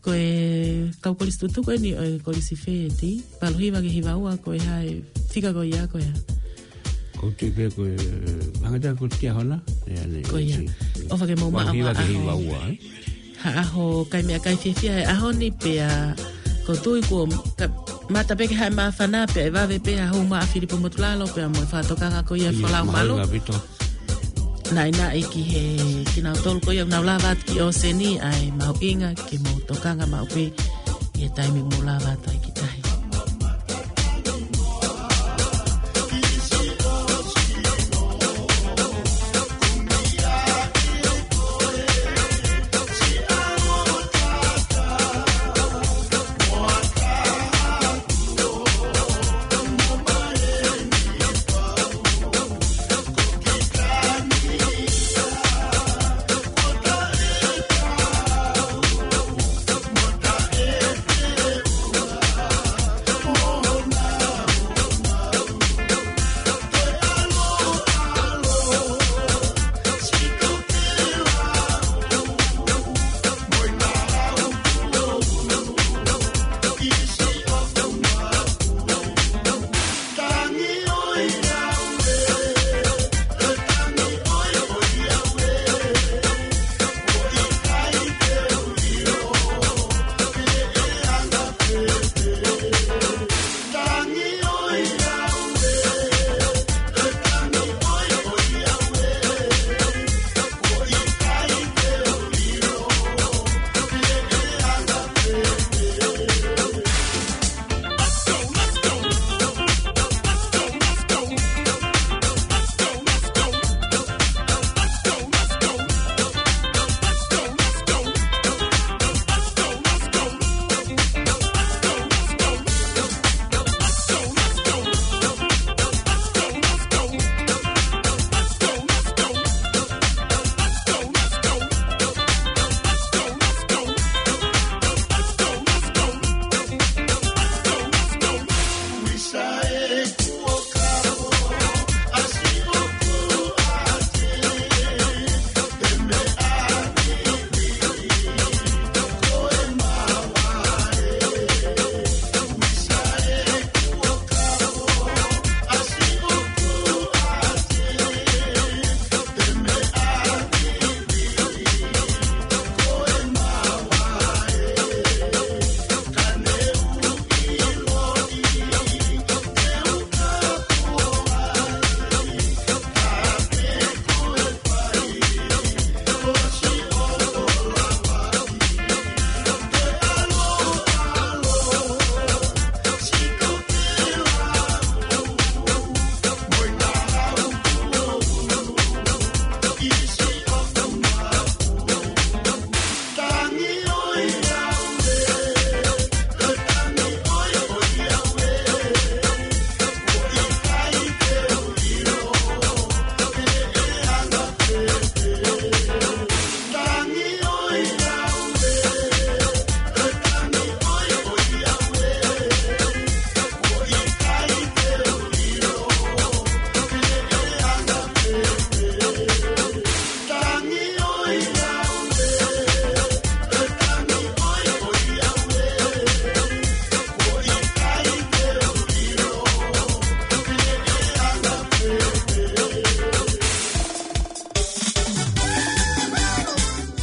Ko e kau kolisi tutuku eni ʻo e kolisi fē, Tī? Valu hiva ki he hiva ua, ko e hā e fika ko ia, ko e hā? Ko te pe ko e, hanga tā ko te hona, ʻe ane, ko ia. Tī. ʻOfa ke mou maʻu ha ʻaho. Valu hiva ki he hiva ua, ē? Ha ʻaho kai meʻakai fiefia he ʻaho ni pea ko tui ko ka mata pē ke hae māfana pea ʻe vave pē ha hū maʻa Filipo Motulalo pea mo e fakatokanga ko ia ʻa e Folau Malu. Mahuʻinga ʻaupito. Naʻinaʻi ki he kinautolu ko ia ʻoku nau lava atu ki ʻōseni, ʻa e mahuʻinga ke mou tokanga maʻu pē ʻi he taimi ʻoku mou lava atu ai ki tahi.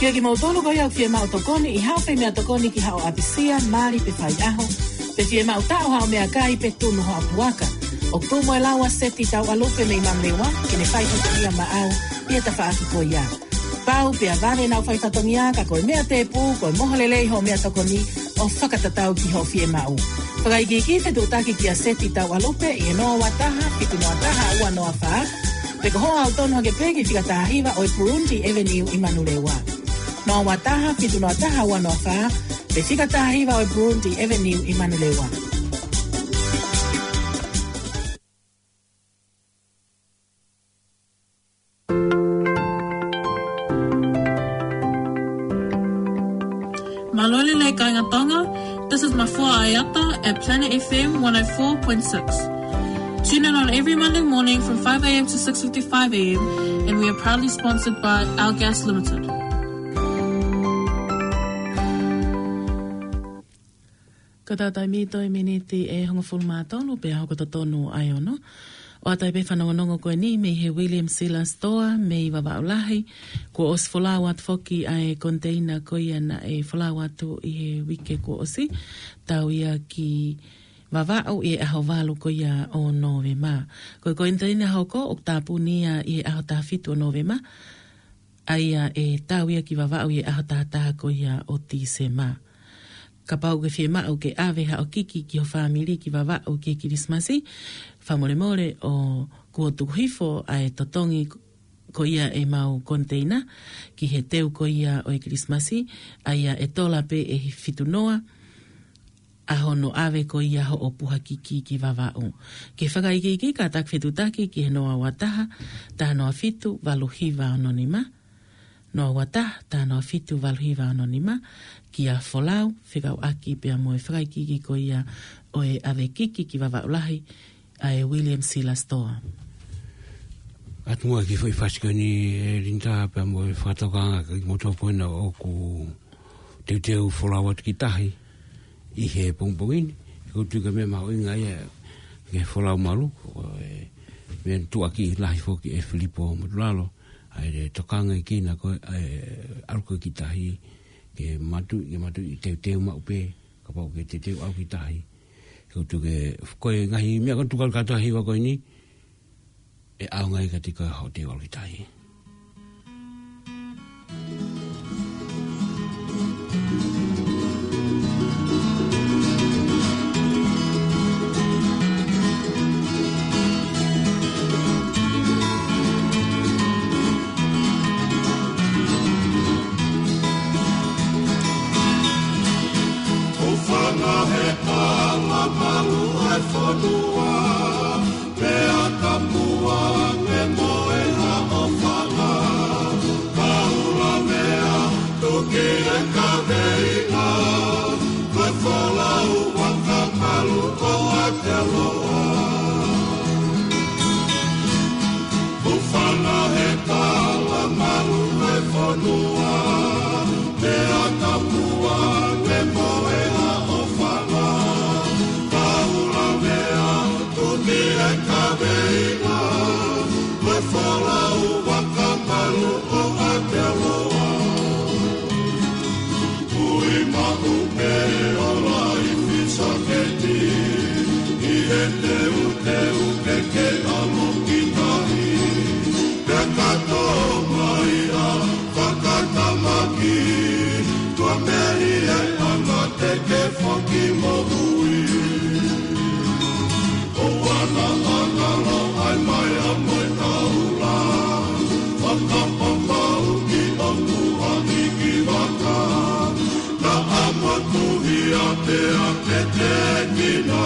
Kiate kimoutolu ko ia ʻoku fiemaʻu tokoni ʻi haʻo fai meʻatokoni ki haʻo ʻapisia, mali pe faiʻaho, pe fiemaʻu taʻu haʻo meʻakai pe tunu haʻo puaka. ʻOku tuʻu mo e lau ʻa Seti Tauʻalupe mei Manulewa ke ne fai fatongia maʻau ʻi he tafaʻaki ko ia. Pau pea vale ʻenau fai fatongia ka ko e meʻa tēpū, ko e moho lelei hoʻo meʻatokoni ʻo fakatatau ki hoʻo fiemaʻu. Fakaikiiki, fetuʻutaki kia Seti Tauʻalupe ʻi he noa ua taha, fitu noa taha, ua noa fā, pe ko hoʻo aʻu tonu hake pē ki fika taha hiva ʻo e Burundi Avenue ʻi Manulewa. Noa ua taha, fitu noa taha, ua noa fā, pe fika taha hiva ʻo e Burundi Avenue ʻi Manulewa. Mālō e lelei kāinga Tonga. This is Mafua Aiata at Planet F M one oh four point six. Tune in on every Monday morning from five a.m. to six fifty-five a.m., and we are proudly sponsored by Our Gas Limited. Ko e taimi toe miniti ʻe hongofulu mā tolu pea hoko totonu ʻa e ono. ʻOatu ai pē fanongonongo ko eni mei he William Sila Store mei Vavaʻu Lahi. Kuo ʻosi folau atu foki ʻa e koniteina ko ia naʻe folau atu ʻi he uike kuo ʻosi, tau ia ki Vavaʻu ʻi he ʻaho valu ko ia ʻo Nōvema. Ko e koniteina hoko ʻoku tāpuni ia ʻi he ʻaho taha fitu ʻo Nōvema, ʻa ia ʻe tau ia ki Vavaʻu ʻi he ʻaho taha taha ko ia ʻo Tīsema. Kapau ʻoku ke fiemaʻu ke ʻave haʻo kiki ki ho fāmili ki Vavaʻu ki he Kilisimasi, fakamolemole ʻoku tuku hifo ʻa e totongi ko ia ʻemau koniteina ki he teu ko ia ʻo e Kilisimasi, ʻa ia ʻe tola pē ʻe fitu noa ʻa hono ʻave ko ia hoʻo puha kiki ki Vavaʻu. Ke fakaikiiki, kātaki fetuʻutaki ki he noa ua taha, taha noa fitu, valu hiva ono nima. Noa ua taha, taha noa fitu, valu hiva ono nima, kia folau, fekauʻaki pea mo e fakaikiiki ko ia ʻo e ʻave kiki ki Vavaʻu Lahi, ʻa e William Sila Store. Atu muʻa ki he foʻi fasi ko eni, ʻe Linda, pea mo e fakatokanga ki he motu pō ena ʻoku teuteu folau atu ki tahi ʻi he pongipongi ni. Ko e tuʻu ki he meʻa mahuʻinga ia ki he folau malu, ʻo e meʻa tuʻaki lahi foki ʻe Filipo Motulalo, ʻa e tokangaʻi kinaua ko e, ʻa e ʻalu ko ē ki tahi, ke matu, ke matu ʻi teuteu maʻu pē, kapau ke teuteu ʻalu ki tahi. Ko e tuʻu ki he, ko e ngaahi meʻa ko e tuʻu ki he kātoa hiva ko eni, ʻe ʻaonga ia kiate koe hoʻo teuteu ʻalu ki tahi. ʻOfanga he kala malu ʻa e fonua, pea ka mua ke moe ha ʻofanga, ka ʻulavea tuki e kaveinga, ko e folau ʻa Kapalua ko Aotearoa. ʻOfanga he kala malu ʻa e fonua, pea ka mua ke moe ha ʻofanga, ka ʻulavea tuki e kaveinga, ko e folau ʻa Kapalua ko Aotearoa. Ui maʻu pē ʻo laifi sāketi, ʻi he teuteu ke ke ʻalu ki tahi. Pea ka tō mai ʻa fakatamaki, tuʻa pē ʻi he anga te ke foki moʻui. ʻOua naʻa ngalo ai mai ʻa mo e taula, fakapapauʻi ʻoku ʻangi ki vaka. Naʻa mo tuhi a pea ke tēkina,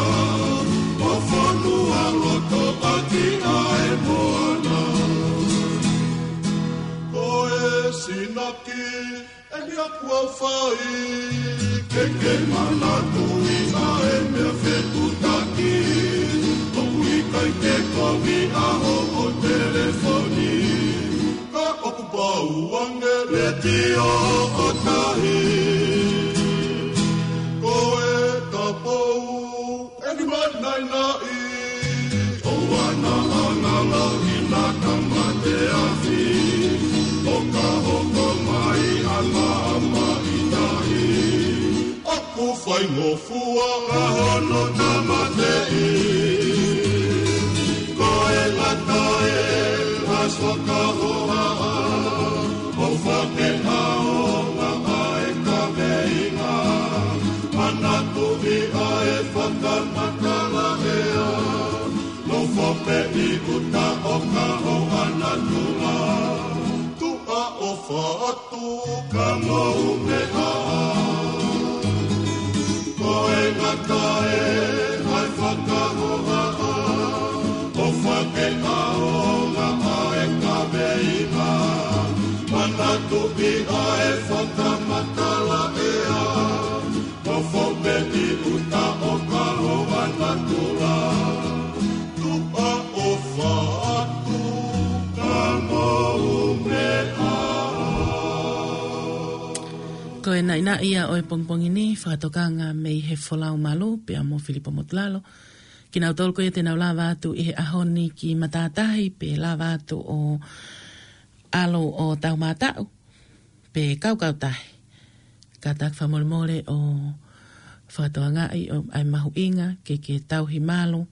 ʻo fonualoto ʻaki ʻa e moana. Ko e sinaki eni ʻoku ou fai, ke ke manatuʻi ʻa e meʻa fetuʻutaki, ʻoku ʻikai ke kovi ʻa hoʻo telefoni, ka ʻoku pau ange letiō ʻo tahi. Ko e kapau ʻe kiʻi manainaʻi, ʻoua naʻa ngalo ʻi he tamate afi, ʻo ka hoko mai ʻa e maʻamaʻa ʻi tahi, ʻoku faingofua ʻa hono tāmateʻi. Ko e ngata ē ʻa e fakahohaʻa, ʻo fakaʻaonga ʻa e kaveinga, manatuʻi ʻa e fakamatala ʻea, nofo pē ʻi ʻuta ʻo ka hoʻo natula. Tuʻa ʻofa atu ka mou meʻa. Ko e ngata ē ʻa e fakahohaʻa, ʻo fakaʻaonga ʻa e kaveinga, manatuʻi ʻa e fakamatala ʻea, Ko e naʻinaʻi ia ʻo e pongipongi ni, fakatokanga mei he Folau Malu, pea mo Filipo Motulalo. Kinautolu ko ia te nau lava atu ʻi he ʻaho ni ki matātahi, pe lava atu ʻo ʻalu ʻo taumātaʻu, pe kaukautahi. Kātaki fakamolemole ʻo fakatokangaʻi ʻa e mahuʻinga ke ke tauhi malu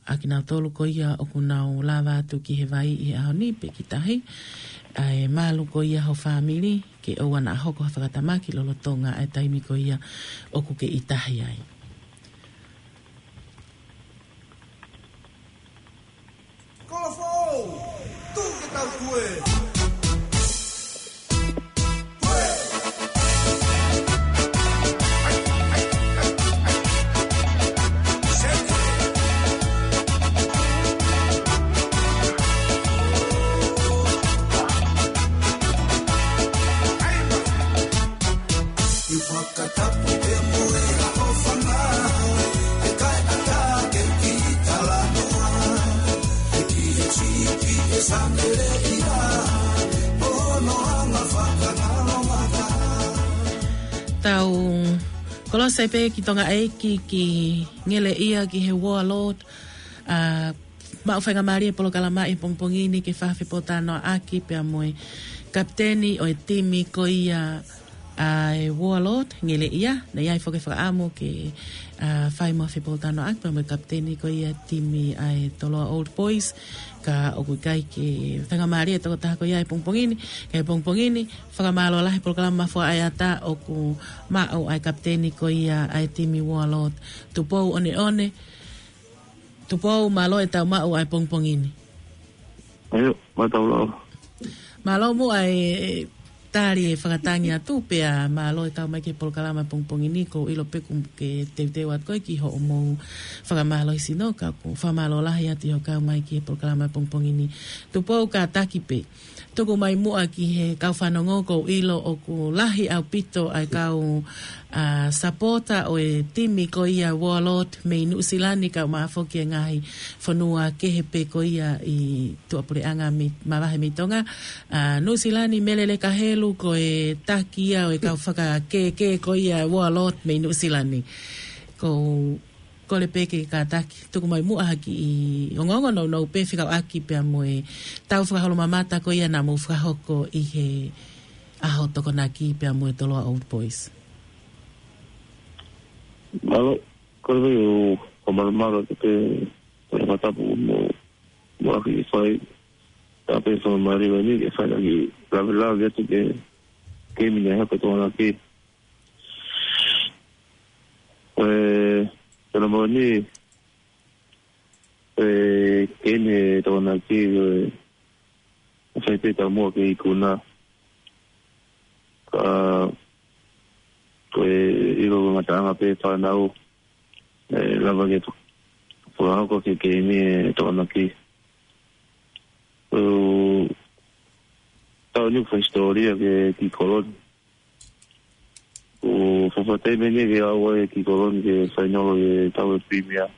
ʻa kinautolu ko ia ʻoku nau lava atu ki he vai ʻi he ʻaho ni pe ki tahi. ʻA e malu ko ia ho fāmili, ke ʻoua naʻa hoko ha fakatamaki lolotonga ʻa e taimi ko ia ʻoku ke ʻi tahi ai. Kolofoʻou, tuku ke tau kue. Tau kolose pē ki Tonga ʻEiki ki Ngeleʻia ki he Warlord, ʻa, maʻu faingamālie e polokalama ʻi he pongipongi ni ke fakafepōtalanoaʻaki pea mo e kapiteni ʻo e timi ko ia ʻa e Warlord, Ngeleʻia. Naʻe ʻi ai foki e fakaʻamu ke, ʻa, fai mo ha fepōtalanoaʻaki pea mo e kapiteni ko ia timi ʻa e Toloa Old Boys, ka ʻoku ʻikai ke faingamālie e tokotaha ko ia ʻi he pongipongi ni. Ka ʻi he pongipongi ni, fakamālō lahi e polokalama Mafuaʻa ʻAiata ʻoku maʻu ʻa e kapiteni ko ia ʻa e timi Warlord, Tupou ʻOneʻone. Tupou, mālō e tau maʻu ʻa e pongipongi ni. ʻIo, mātau lau. Mālō muʻa e tali e fakatangi atu pea mālō e kau mai ki he polokalama pongipongi ni, ʻoku ou ʻilo pē ʻoku ke teuteu atu koe ki hoʻomou fakamālohisino, ka ʻoku ou fakamālō lahi atu ʻi hoʻo kau mai ki he polokalama pongipongi ni. Tupou, kātaki pē. Tuku mai muʻa ki he kau fanongo, ʻoku ou ʻilo ʻoku lahi ʻaupito ʻa e kau, ʻa, sapota ʻo e timi ko ia Warlord mei Nuʻusilani, kae ʻumaʻā foki e ngaahi fonua kehe pē ko ia ʻi tuʻapuleʻanga mei, mavahe mei Tonga. ʻA, Nuʻusilani, Mele Lekahelu, ko e taki ia ʻo e kau fakakēkē ko ia Warlord mei Nuʻusilani. ʻOku ou kole pē ke kātaki, tuku mai muʻa ha kiʻi ongoongo nounou pē fekauʻaki pea mo e tau fakaholomamata ko ia naʻa mou fakahoko ʻi he ʻaho Tokonaki pea mo e Toloa Old Boys. Mālō, kole pē ʻo fakamālō, mālō atu pē, ʻo e fakatapu mo, mo ʻaki fai, tā pē fakamālō ni, ke fai ʻaki, lave lave atu ke, ke mine hapa Tokonaki. ʻE, tana mau ni, ʻe, ke ne Tokonaki, ʻe, ʻe fai pē taumuʻa ke ikuna. Ka, ko e ʻilo ngataʻanga pē fānau, ʻe, lava ke fakahoko ke, ke ne Tokonaki. ʻE, tau ni fai hisitōlia ke ki Koloni. ʻO fakafatai mene ke au ai ki Koloni ke fainolo e tau e Premier.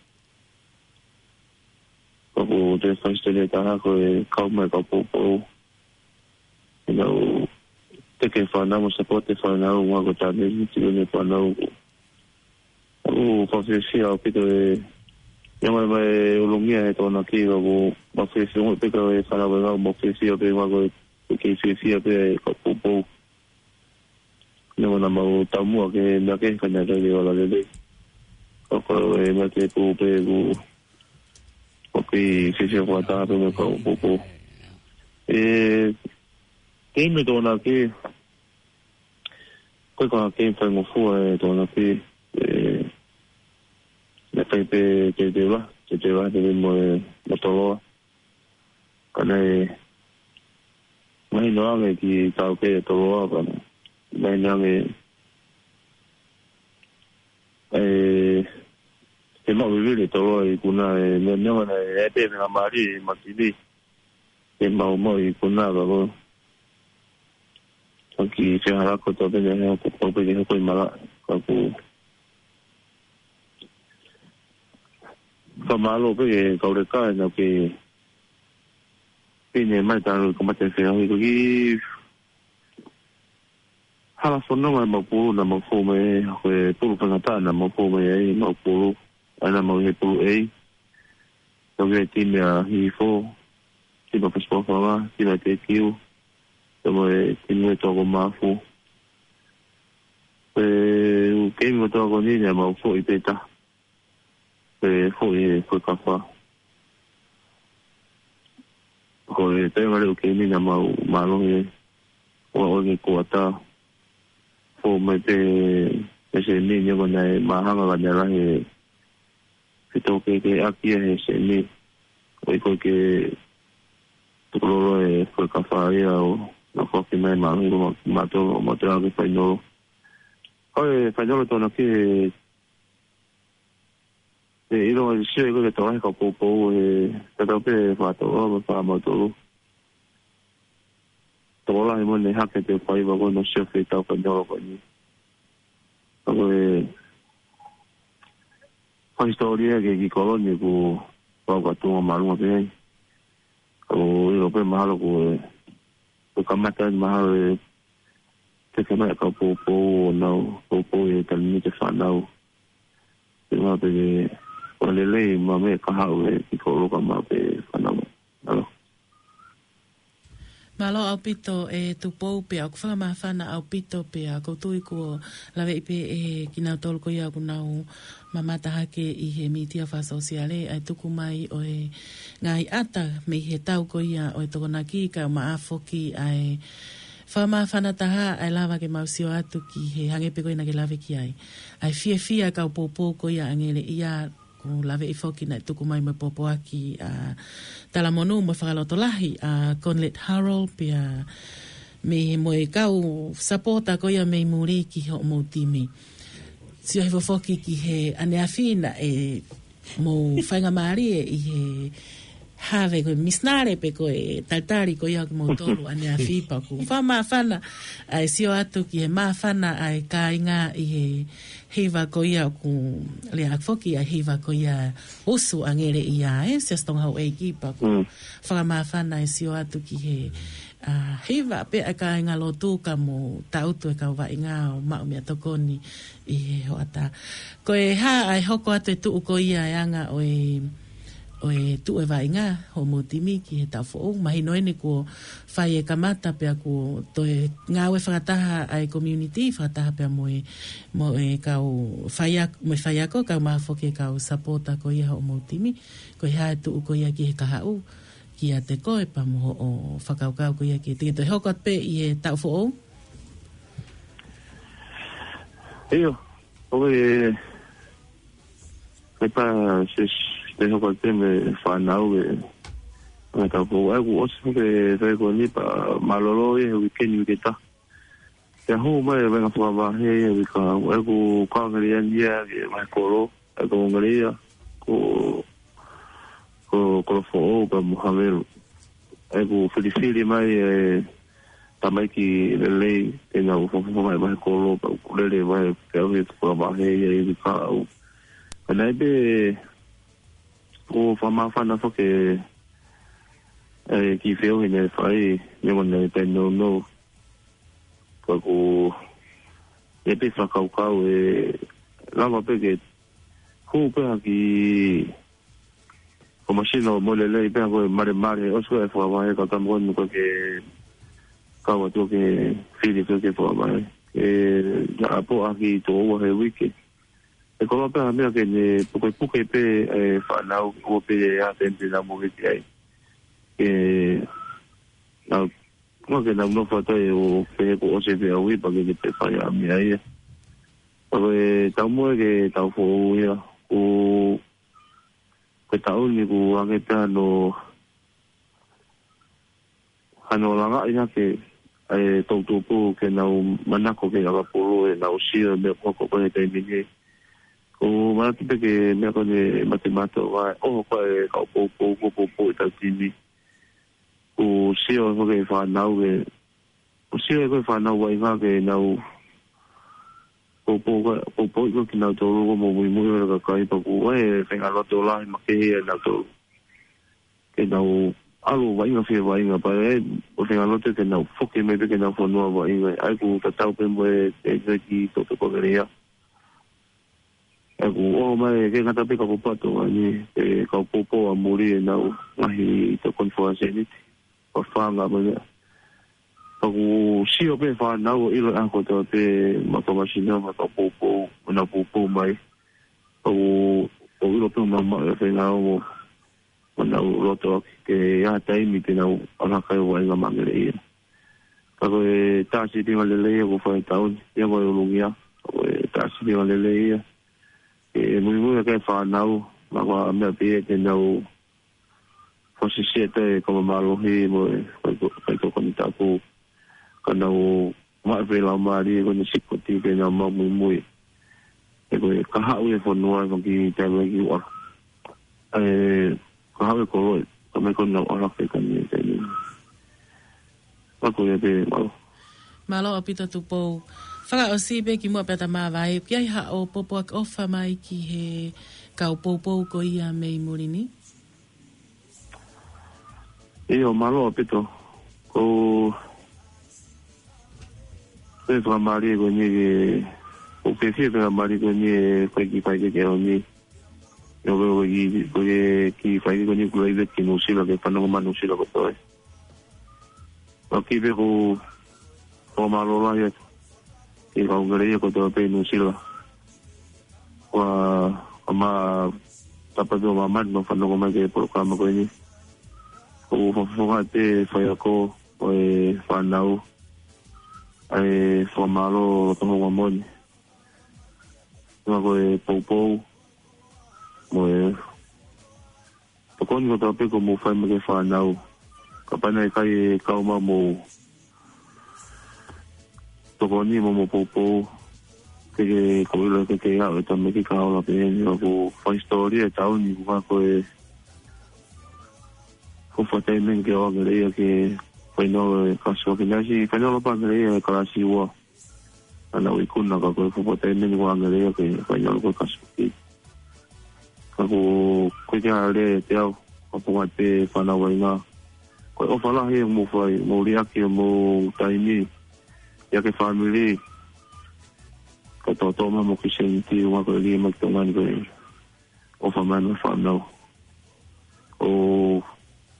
Ka ko te fai hisitōlia taha ko e kau mai kau poupou. ʻInau te ke fānau mo support e fānau, ʻumaʻā ko Tane, tino ne fānau. ʻO fakafiefia ʻaupito e, ia mai mai ʻulungia he Tokonaki, ka ko ma fiefia mo peka e fānau e ngau, ma fiefia pē ma ko e ke fiefia pē e kau poupou. Neongo naʻa mau taumuʻa ke meʻa ke, ka naʻe ʻikai ke ola lelei. Ka ko e meʻa ke pū pē ku, ʻoku ou fiefia fakataha pē mo e kau poupou. ʻE, keimi Tokonaki, ko e ka keimi faingofua e Tokonaki, ʻe, naʻe fai pē teuteu lahi, teuteu lahi pē mo e, mo Toloa. Ka naʻe mahino ange ki he taukei ʻa Toloa, ka naʻe mahino ange, ʻe, ʻe maʻu vivili Toloa ʻi he ikuna, ʻe, meʻa, meʻa naʻe, ʻe, pē meʻa mali, ʻe, makini, ʻe maʻu maʻu ʻi he ikuna, ka ko, ka ki he hala ko tō pē ne, he ko, ko pē ke hoko ʻi mala, ka ko, ka mālō pē ke kauleka, ʻe, naʻa ke, pine mai tanu ka mate fea, ʻi ko ki, hala fononga ʻemau pulu naʻa mau fou mai ai, ko e pulu faingataʻa naʻa mau fou mai ai, mau pulu, ʻa ia naʻa mau ʻi he pulu A. Tau ki he timi ʻa Hihifo, timi ʻa Fasipofonga, timi ʻa Tekiu, pea mo e timi ʻa Toko Mafu. Pea ʻū keimi ʻa Toko ni naʻa mau foʻi pē taha. Pea foʻi he Fuekafa. Ko e taimi ʻa e ʻū keimi naʻa mau mālohi ʻo aʻu ki he kuata. Fou mai pē he semi, neongo naʻe māhanga ka naʻe lahi e fitōkehekeheʻaki ia he semi. ʻOku ʻikai ke tukulolo e Fuekafa ia ʻo naʻa foki mai mālohi ʻo ma-, mātou, ʻo mātou ʻalu ki he fainolo. Ko e fainolo tonu ki he ʻE ʻilo ʻa e sio ko ē ki he tokolahi kau poupou he tatau pē fā tolu mo e fā mautolu. Tokolahi mo ne hake te faiva ko ē ʻo sio ki he tau fainolo ko eni. Ko e fai hisitōlia ki he kiʻi kolo ni ʻoku pau ka tuʻunga māʻolunga pē ai. ʻOku ʻilo pē mahalo ko e, ko e kamata eni mahalo e te ke mai kau poupou ʻo nau poupou e tali ni ki he fānau. Te mā pē ke ʻo lelei mā me ka haʻu e kiʻi kolo ka mā pē fānau. Mālō. Mālō ʻaupito e Tupou pea ʻoku fakamāfana ʻaupito pea ʻoku ou tui kuo laveʻi pē ʻe kinautolu ko ia ʻoku nau mamata hake ʻi he mītia fakasōsiale ʻa e tuku mai ʻo e ngaahi ʻata mei he tau ko ia ʻo e Tokonaki kae ʻumaʻā foki ʻa e fakamāfana taha ʻa e lava ke mau sio atu ki he hangē pē ko ia naʻa ke lave ki ai. ʻA e fiefia kau poupou ko ia ʻAngele ia, ʻoku laveʻi foki naʻe tuku mai mo e pōpoaki ʻa Talamonū mo e fakalotolahi ʻa Conlett Harold pea mei he mo e kau sapota ko ia mei muli ki hoʻomou timi. Sio hifo foki ki he ʻaneafi naʻe mou faingamālie ʻi he have ko e misinale pe ko e talitali ko ia ʻo kimoutolu ʻaneafi pea ʻoku fakamāfana ʻa e sio atu ki he māfana ʻa e kāinga ʻi he hiva ko ia ʻoku lea foki ʻa e hiva ko ia Usu ʻAngele ia ē, Siasi Tonga Houʻeiki pea ʻoku fakamāfana e sio atu ki he, ʻa, hiva pē ʻa e kāinga lotu ka mo tautu e kau vaʻinga ʻo maʻu meʻatokoni ʻi he hoʻatā. Ko e hā ʻa e hoko atu e tuʻu ko ia e anga ʻo e, ʻo e tuʻu e vaʻinga hoʻomou timi ki he taʻu foʻou? Mahino eni kuo fai e kamata pea kuo toe ngāue fakataha ʻa e community, fakataha pea mo e, mo e kau faiako, mo e faiako, kae ʻumaʻā foki e kau sapota ko ia hoʻomou timi. Ko e hā e tuʻu ko ia ki he kahaʻu, kiate koe pea mo hoʻo fakakaukau ko ia ke te ke toe hoko atu pē ʻi he taʻu foʻou? ʻIo, ʻoku ou, ʻe pā, Siasi, te hoko atu pē mo e fānau ʻi he taʻu foʻou. ʻOku ʻosi foki e taʻu ko eni pea mālōlō ia he uike ni, uike taha. Pea hū mai e vaʻinga fakavahe ia he uike kahaʻu. ʻOku kau ngari ʻeni ia ki he vahe kolo, ʻoku ngari ia ko, ko Kolofoʻou pea mo Havelu. ʻOku filifili mai e tamaiki lelei ke nau fakafofonga mai vahe kolo pea ʻoku lele mai pea ʻoku fakavahe ia he uike kahaʻu. Ka naʻe pē ʻoku fakamāfana foki e kiʻi feohi naʻe fai, neongo naʻe taʻenounou. Ka ʻoku ʻi ai pē fakakaukau ʻe lava pē ke hū pē ha kiʻi ko masino mo lelei pē ha ko e malemale, ʻosi ko e fakavahe ka ka mo ko e ke kau atu ke fili ko e ke fakavahe. ʻE, naʻa pō ʻaki tō ua he uike. ʻE koloa pē ha meʻa ke ne pukepuke pē e fānau, ʻo pē ʻe ha tente na mo ke ki ai. ʻE, na, mo ke na nofo atu ai ʻo pehē kuo ʻosi e feʻauhi pea ke ke pē fai ha meʻa ia. Pea ko e taumuʻa ke taʻu foʻou ia, ʻoku, ko e taʻu ni ʻoku hangē pē hano, hano langaʻi hake ʻa e toʻu tupu ke nau manako ke ʻakapulu ʻenau sio e meʻa ko ē ko e taimi ni. ʻOku manatu pē ki he meʻa ko eni mate mato vai, ʻoho ko e kau poupou, ko e poupou ʻetau timi. ʻOku sio ko e fānau ke, ʻoku sio ko e fānau vaʻinga ke nau poupou, poupou ko kinautolu ko e muimui ʻo e kakai pea ʻoku ʻi ai e faʻahinga loto lahi makehe ʻia nautolu. Ke nau ʻalu vaʻinga fie vaʻinga pea ʻe, ʻo fenga lote ke nau foki mai pē ke nau fonua vaʻinga. ʻA ia ʻoku tatau pē mo e, e, e ki Toto Kongeleia. ʻA ia ʻoku ʻoho mai ke ngata pē ka ko pato, ʻa ia, e, kau poupou ʻa muli ʻenau ngaahi tokoni fakasēniti. Ko fanga mai ia. Pea ʻoku sio pē fānau ʻo ʻilo ʻa kotoa pē ma kau masino ma kau poupou, ma nau poupou mai. ʻOku, ʻoku ʻilo pē ma ma e fenga o mo, mo nau loto ke ʻi ai ha taimi te nau ʻalu hake ʻo vaʻinga mo Angeleia. Ka ko e tā sitinga lelei ia ʻoku fai he taʻu ni, ia ko e ʻulungia, ko e tā sitinga lelei ia. ʻE muimui ʻa e fānau, ma ko e meʻa pē ia ke nau fosisia ʻa e kau mālohi mo e, ko e, ko e tokoni tapu. Ka nau maʻu pē laumālie ko eni sikoti ke nau maʻu muimui. ʻE ko e kahaʻu e fonua ʻe faki taimi ki ua. ʻE kahaʻu e kolo ʻe, ka mai ko nau ala ke ka ni taimi. Ma ko ia pē, mālō. Mālō ʻaupito Tupou. Fakaʻosi pē kimuʻa pea ta māvae, ʻoku ʻi ai haʻo pōpoaki ʻofa mai ki he kau poupou ko ia mei muli ni? ʻIo, mālō ʻaupito. Ko, ko e fakamālie ko eni ke, ʻoku fiefia pē fakamālie ko eni e fai ki fai ke ke ʻaho ni. ʻIo, ko e, ko e kiʻi, ko e kiʻi fai ko eni kuo laive ki Nuʻusila ke fanongo mai Nuʻusila kotoa. ʻOku kiʻi pē ko, ko mālō lahi atu ki he kau Angeleia kotoa pē Nuʻusila. Ko e, ko e ma tapa pē ʻo māmani ʻo fanongo mai ki he polokalama ko eni. ʻOku fakafofonga atu e faiako mo e fānau, ʻa e fakamālō loto houngaʻia moʻoni. Mo e kau poupou, mo e tokoni kotoa pē ʻoku mou fai mai ki he fānau. Kapau naʻe ʻikai e kau mai hoʻomou tokoni mo hoʻomou poupou, teʻeki ke ʻilo ke ke aʻu he taimi ke ka ola pē eni. ʻOku fai hisitōlia e taʻu ni, ko e, ko e fakaʻamu ke ʻalu Angeleia ki he fainolo e kalasi ua, ke nasi fainolo pē Angeleia he kalasi ua. ʻA ia ʻoku ikuna ka ko e fuʻu pō taimi ni ʻoku ʻalu Angeleia ke fainolo ko e kalasi ua. Ka ko, ko e kiʻi lea ʻe teau, ka ko e ngaahi pē fānau vaʻinga. Ko e ʻofa lahi ʻoku mou fai, mou liʻaki hoʻomou taimi, ʻiate kinautolu e fāmili, ka tōtō mai mo e kiʻi sēniti, ʻoku ʻikai ke lī mai ki Tonga ni ko e ʻofa mai mo e fānau. ʻOku,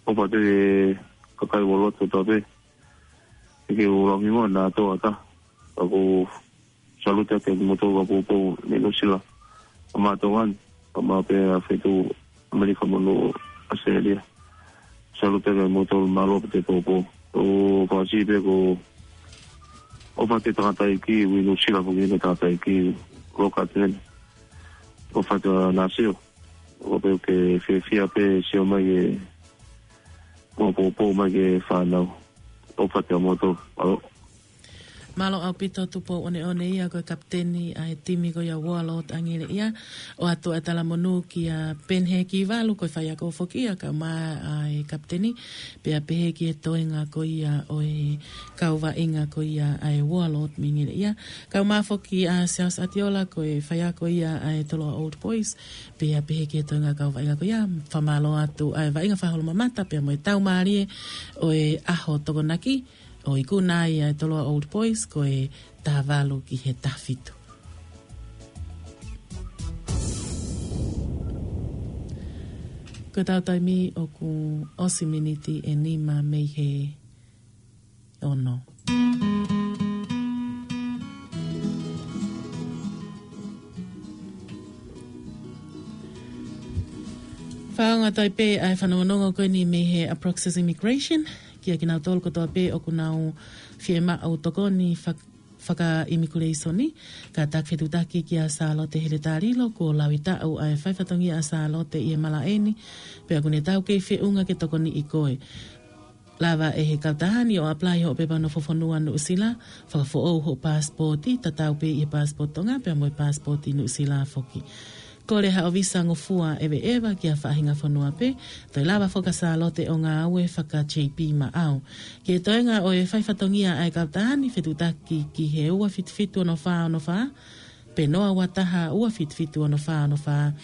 ʻofa atu ki he kakai Uarot kotoa pē, ʻikai ke u lau hingoa naʻa tō ata. ʻOku salute atu kiate kimoutolu kau poupou mei Nuʻusila. Kae ʻumaʻā Tonga ni, kae ʻumaʻā pē ʻa e feituʻu ʻAmelika mo Nuʻusila. Salute atu kiate kimoutolu, mālō pē hoʻomou poupou. ʻOku fakaʻosi pē ko e ʻofa atu ki he tangataʻeiki ʻi Nuʻusila, foki ki he tangataʻeiki loka atu heni. ʻOfa atu ʻa Nasio. ʻOku pehē ʻoku ke fiefia pē sio mai ki he, mo poupou mai ki he fānau. ʻOfa atu kiate kimoutolu. Mālō. Mālō ʻaupito Tupou ʻOneʻone ia ko e kapiteni ʻa e timi ko ia Uarot Angeleia. ʻOatu ʻa e talamonū kia Penhe Kivalu ko e faiako foki ia kae ʻumaʻā ʻa e kapiteni. Pea pehē ki he toenga ko ia ʻo e kau vaʻinga ko ia ʻa e Uarot mei Angeleia. Kae ʻumaʻā foki ʻa Siaosi ʻAtiola ko e faiako ia ʻa e Toloa Old Boys. Pea pehē ki he toenga kau vaʻinga ko ia, fakamālō atu ʻa e vaʻinga fakaholomamata, pea mo e tau mālie ʻo e ʻaho Tokonaki, ʻo ikuna ai ʻa e Toloa Old Boys, ko e taha valu ki he taha fitu. Ko e tau taimi ʻoku ʻosi miniti ʻe nima mei he ono. Fakaongo atu ai pē ʻa e fanongonongo ko eni mei he Approx's Immigration, kia kinautolu kotoa pē ʻoku nau fiemaʻu tokoni fak-, fakaʻimikuleisoni, kātaki fetuʻutaki kia Sālote Heletalilo, kuo laui taʻu ʻa e faifatongia ʻa Sālote ʻi he malaʻe ni, pea ʻoku ne taukei feʻunga ke tokoniʻi koe. Lava ʻe he kautaha ni ʻo apply hoʻo pepa nofo fonua Nuʻusila, fakafoʻou hoʻo paasipooti, tatau pē ʻi he paasipooti Tonga, pea mo e paasipooti Nuʻusila foki. Kole haʻo visa ngofua ʻeveʻeva ki ha faʻahinga fonua pē, toe lava foki ʻa Sālote ʻo ngāue faka-J P maʻau. Ki he toenga ʻo e faifatongia ʻa e kautaha ni, fetuʻutaki ki he ua fitu fitu ono fā ono fā, pe noa ua taha ua fitu fitu ono fā ono fā,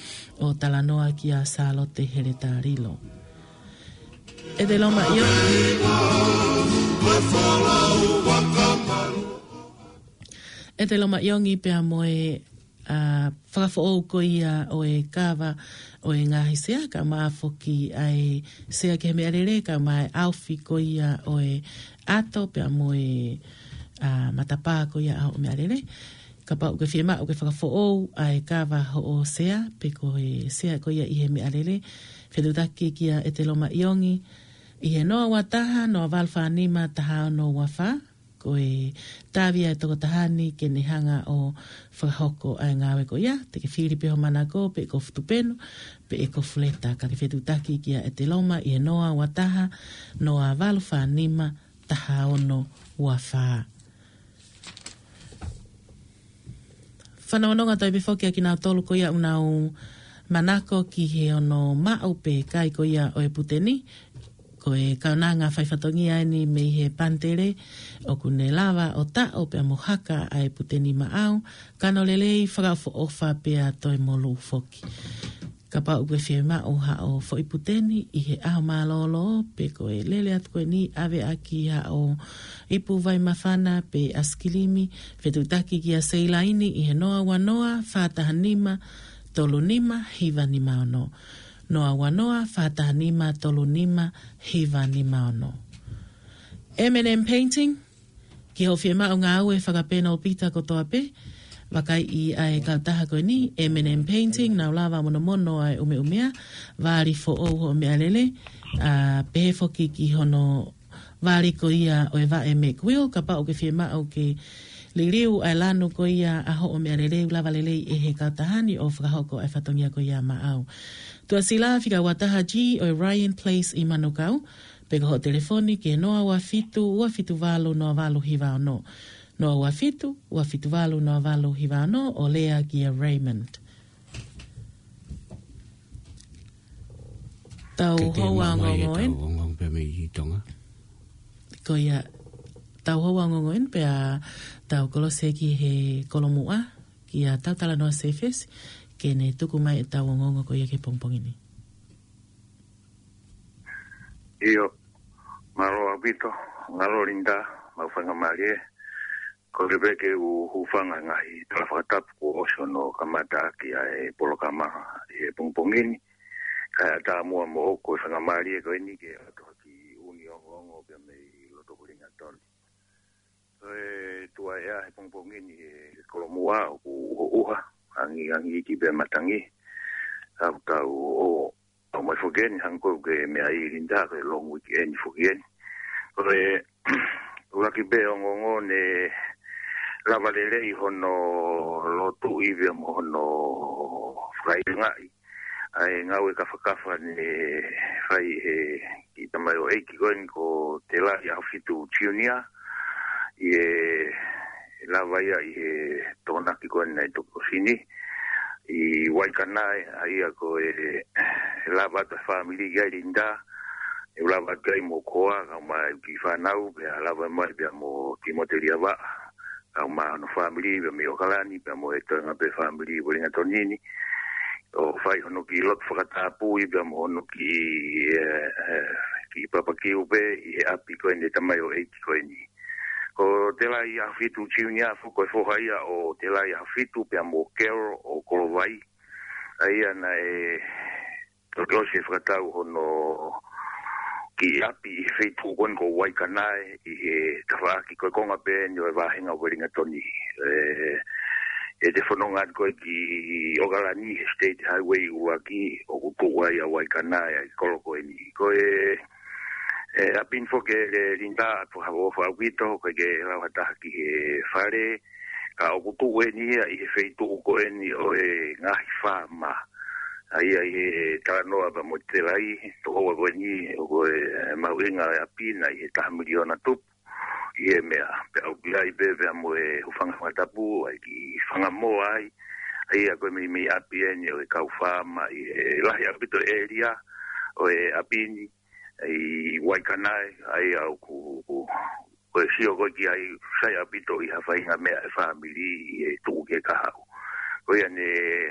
ʻo talanoa kia Sālote Heletalilo. ʻEteloma ʻIongi. ʻEteloma ʻIongi pea mo e, ʻa, fakafoʻou ko ia ʻo e kava ʻo e ngaahi sea, kae ʻumaʻā foki ʻa e sea ki he meʻalele, kae ʻumaʻā e ʻaofi ko ia ʻo e ʻato pea mo e, ʻa, matapā ko ia ʻa hoʻo meʻalele. Kapau ʻoku ke fiemaʻu ke fakafoʻou ʻa e kava hoʻo sea, pe ko e sea ko ia ʻi he meʻalele, fetuʻutaki kia ʻEteloma ʻIongi, ʻi he noa ua taha, noa valu fā nima, taha ono ua fā, ko e tāvia e tokotaha ni ke ne hanga ʻo fakahoko ʻa e ngāue ko ia, te ke fili pē ho manako, pe ko e fuʻu tupenu, pe ko e fuʻu leta, ka ke fetuʻutaki kia ʻEteloma ʻi he noa ua taha, noa valu fā nima, taha ono ua fā. Fanongonongo atu ai pē foki ʻa kinautolu ko ia ʻoku nau manako ki he ono maʻu pe kai ko ia ʻo e puteni. Ko e kaunanga faifatongia eni mei he Pantere, ʻoku ne lava ʻo taʻo pea mo haka ʻa e puteni maʻau, kano lelei, fakaʻofoʻofa pea toe molū foki. Kapau ʻoku ke fiemaʻu haʻo foʻi puteni ʻi he ʻaho mālōlō, pe ko e lele atu ko eni ʻave ʻaki haʻo ipu vai māfana pe ʻaisikilimi, fetuʻutaki kia Seilaini ʻi he noa ua noa, fā taha nima, tolu nima, hiva nima ono. Noa ua noa, fā taha nima, tolu nima, hiva nima ono. M and M Painting, ki hoʻo fiemaʻu ngāue fakapenopita kotoa pē, vakaiʻi ʻa e kautaha ko eni, M and M Painting, nau lava monomono ʻa e ʻumeʻumea, vali foʻou hoʻo meʻalele, ʻa, pehē foki ki hono vali ko ia ʻo e vaʻe Mack Weldon, kapau ʻoku ke fiemaʻu ke liliu ʻa e lanu ko ia ʻa hoʻo meʻalele, ʻoku lava lelei ʻe he kautaha ni ʻo fakahoko ʻa e fatongia ko ia maʻau. Tuʻasila, fika ua taha G ʻo e Ryan Place ʻi Manukau, pe ko hoʻo telefoni ki he noa ua fitu, ua fitu valu, noa valu hiva ono. Noa ua fitu, ua fitu valu, noa valu hiva ono, ʻo lea kia Raymond. Tau Ke ke hou maʻu mai e ongoongo eni. Tau ongoongo pē mei Tonga. Ko ia, tau hou ongoongo eni pea tau kolosi ki he kolomuʻa, kia Tautalanoa Sefesi, ke ne tuku mai ʻetau ongoongo ko ia ki he pongipongi ni. ʻIo, mālō ʻaupito, mālō Linda, mau faingamālie. Ko e pē ke u hūfanga he ngaahi tala fakatapu kuo ʻosi hono kamata ʻaki ʻa e polokalama ʻi he pongipongi ni. Kae ʻatā muʻa moʻoku e faingamālie ko eni ke ʻoatu ha kiʻi ʻū ongoongo pea mei loto Uelingatoni. Ko e tuʻa ʻea he pongipongi ni he kolomuʻa ʻoku ʻuha, angi, angi iki pea matangi. Tau tau ʻo ʻomai foki eni hangē ko e meʻa ʻi Linda, ko e long weekend foki eni. Ko e ʻuluaki pē ongoongo, ne lava lelei hono lotuʻi pea mo hono fakaʻilongaʻi ʻa e ngāue kafakafa ne fai ʻe he kiʻi tamaioʻeiki ko eni ko Telai ʻAhofitu Junior, ʻi he lava ia ʻi he Tokonaki ko eni naʻe toki ʻosi ni, ʻi Waikanae, ʻa ia ko e lava atu e fāmili ki ai Linda, ʻe lava atu ai mo koa, kae ʻumaʻā e kiʻi fānau, pea lava mai pea mo Timote Liavaʻa, kae ʻumaʻā hono fāmili, pea mei ʻOkalani, pea mo e toenga pē fāmili Uelingatoni ni. ʻO fai hono kiʻi lotu fakatapui, pea mo hono kiʻi, ē, ē, kiʻi papakiu pē, ʻi he ʻapi ko eni e tamaioʻeiki ko eni. Ko Telai ʻAhofitu Junior foki ko e foha ia ʻo Telai ʻAhofitu pea mo Carol ʻo Kolovai. ʻA ia naʻe toki ʻosi e fakatau hono kiʻi ʻapi ʻi he feituʻu ko eni ko Waikanae ʻi he tafaʻaki ko e konga pē eni ʻo e vāhenga Uelingatoni. ʻE, ʻe te fononga atu ko ē ki ʻOkalani he State Highway ʻuluaki ʻoku tuʻu ai ʻa Waikanae ʻa e kolo ko eni. Ko e, ʻe, ʻapi ni foki ē Linda ʻoku ʻofa ʻaupito, ʻoku ʻikai ke lau ha taha ki he fale, ka ʻoku tuʻu eni ia ʻi he feituʻu ko eni ʻo e ngaahi faama. ʻA ia ʻi he talanoa pea mo Telai, tokoua ko eni, ʻoku ʻi he mahuʻinga ʻo e ʻapi na ʻi he taha miliona tupu ʻi he meʻa. Pea ʻoku ʻi ai pē, pea mo e hūfanga fakatapu, ʻa e kiʻi fanga moa ai. ʻA ia ko e meimei ʻapi eni ʻo e kau faama ʻi he lahi ʻaupito ʻēlia ʻo e ʻapi ni, ʻi Waikanae, ʻa ia ʻoku, ʻoku, ko e sio ko ē ki ai, sai ʻaupito ʻi ha faʻahinga meʻa ʻe fāmili ʻi he tuʻu ki he kahaʻu. Ko ia ne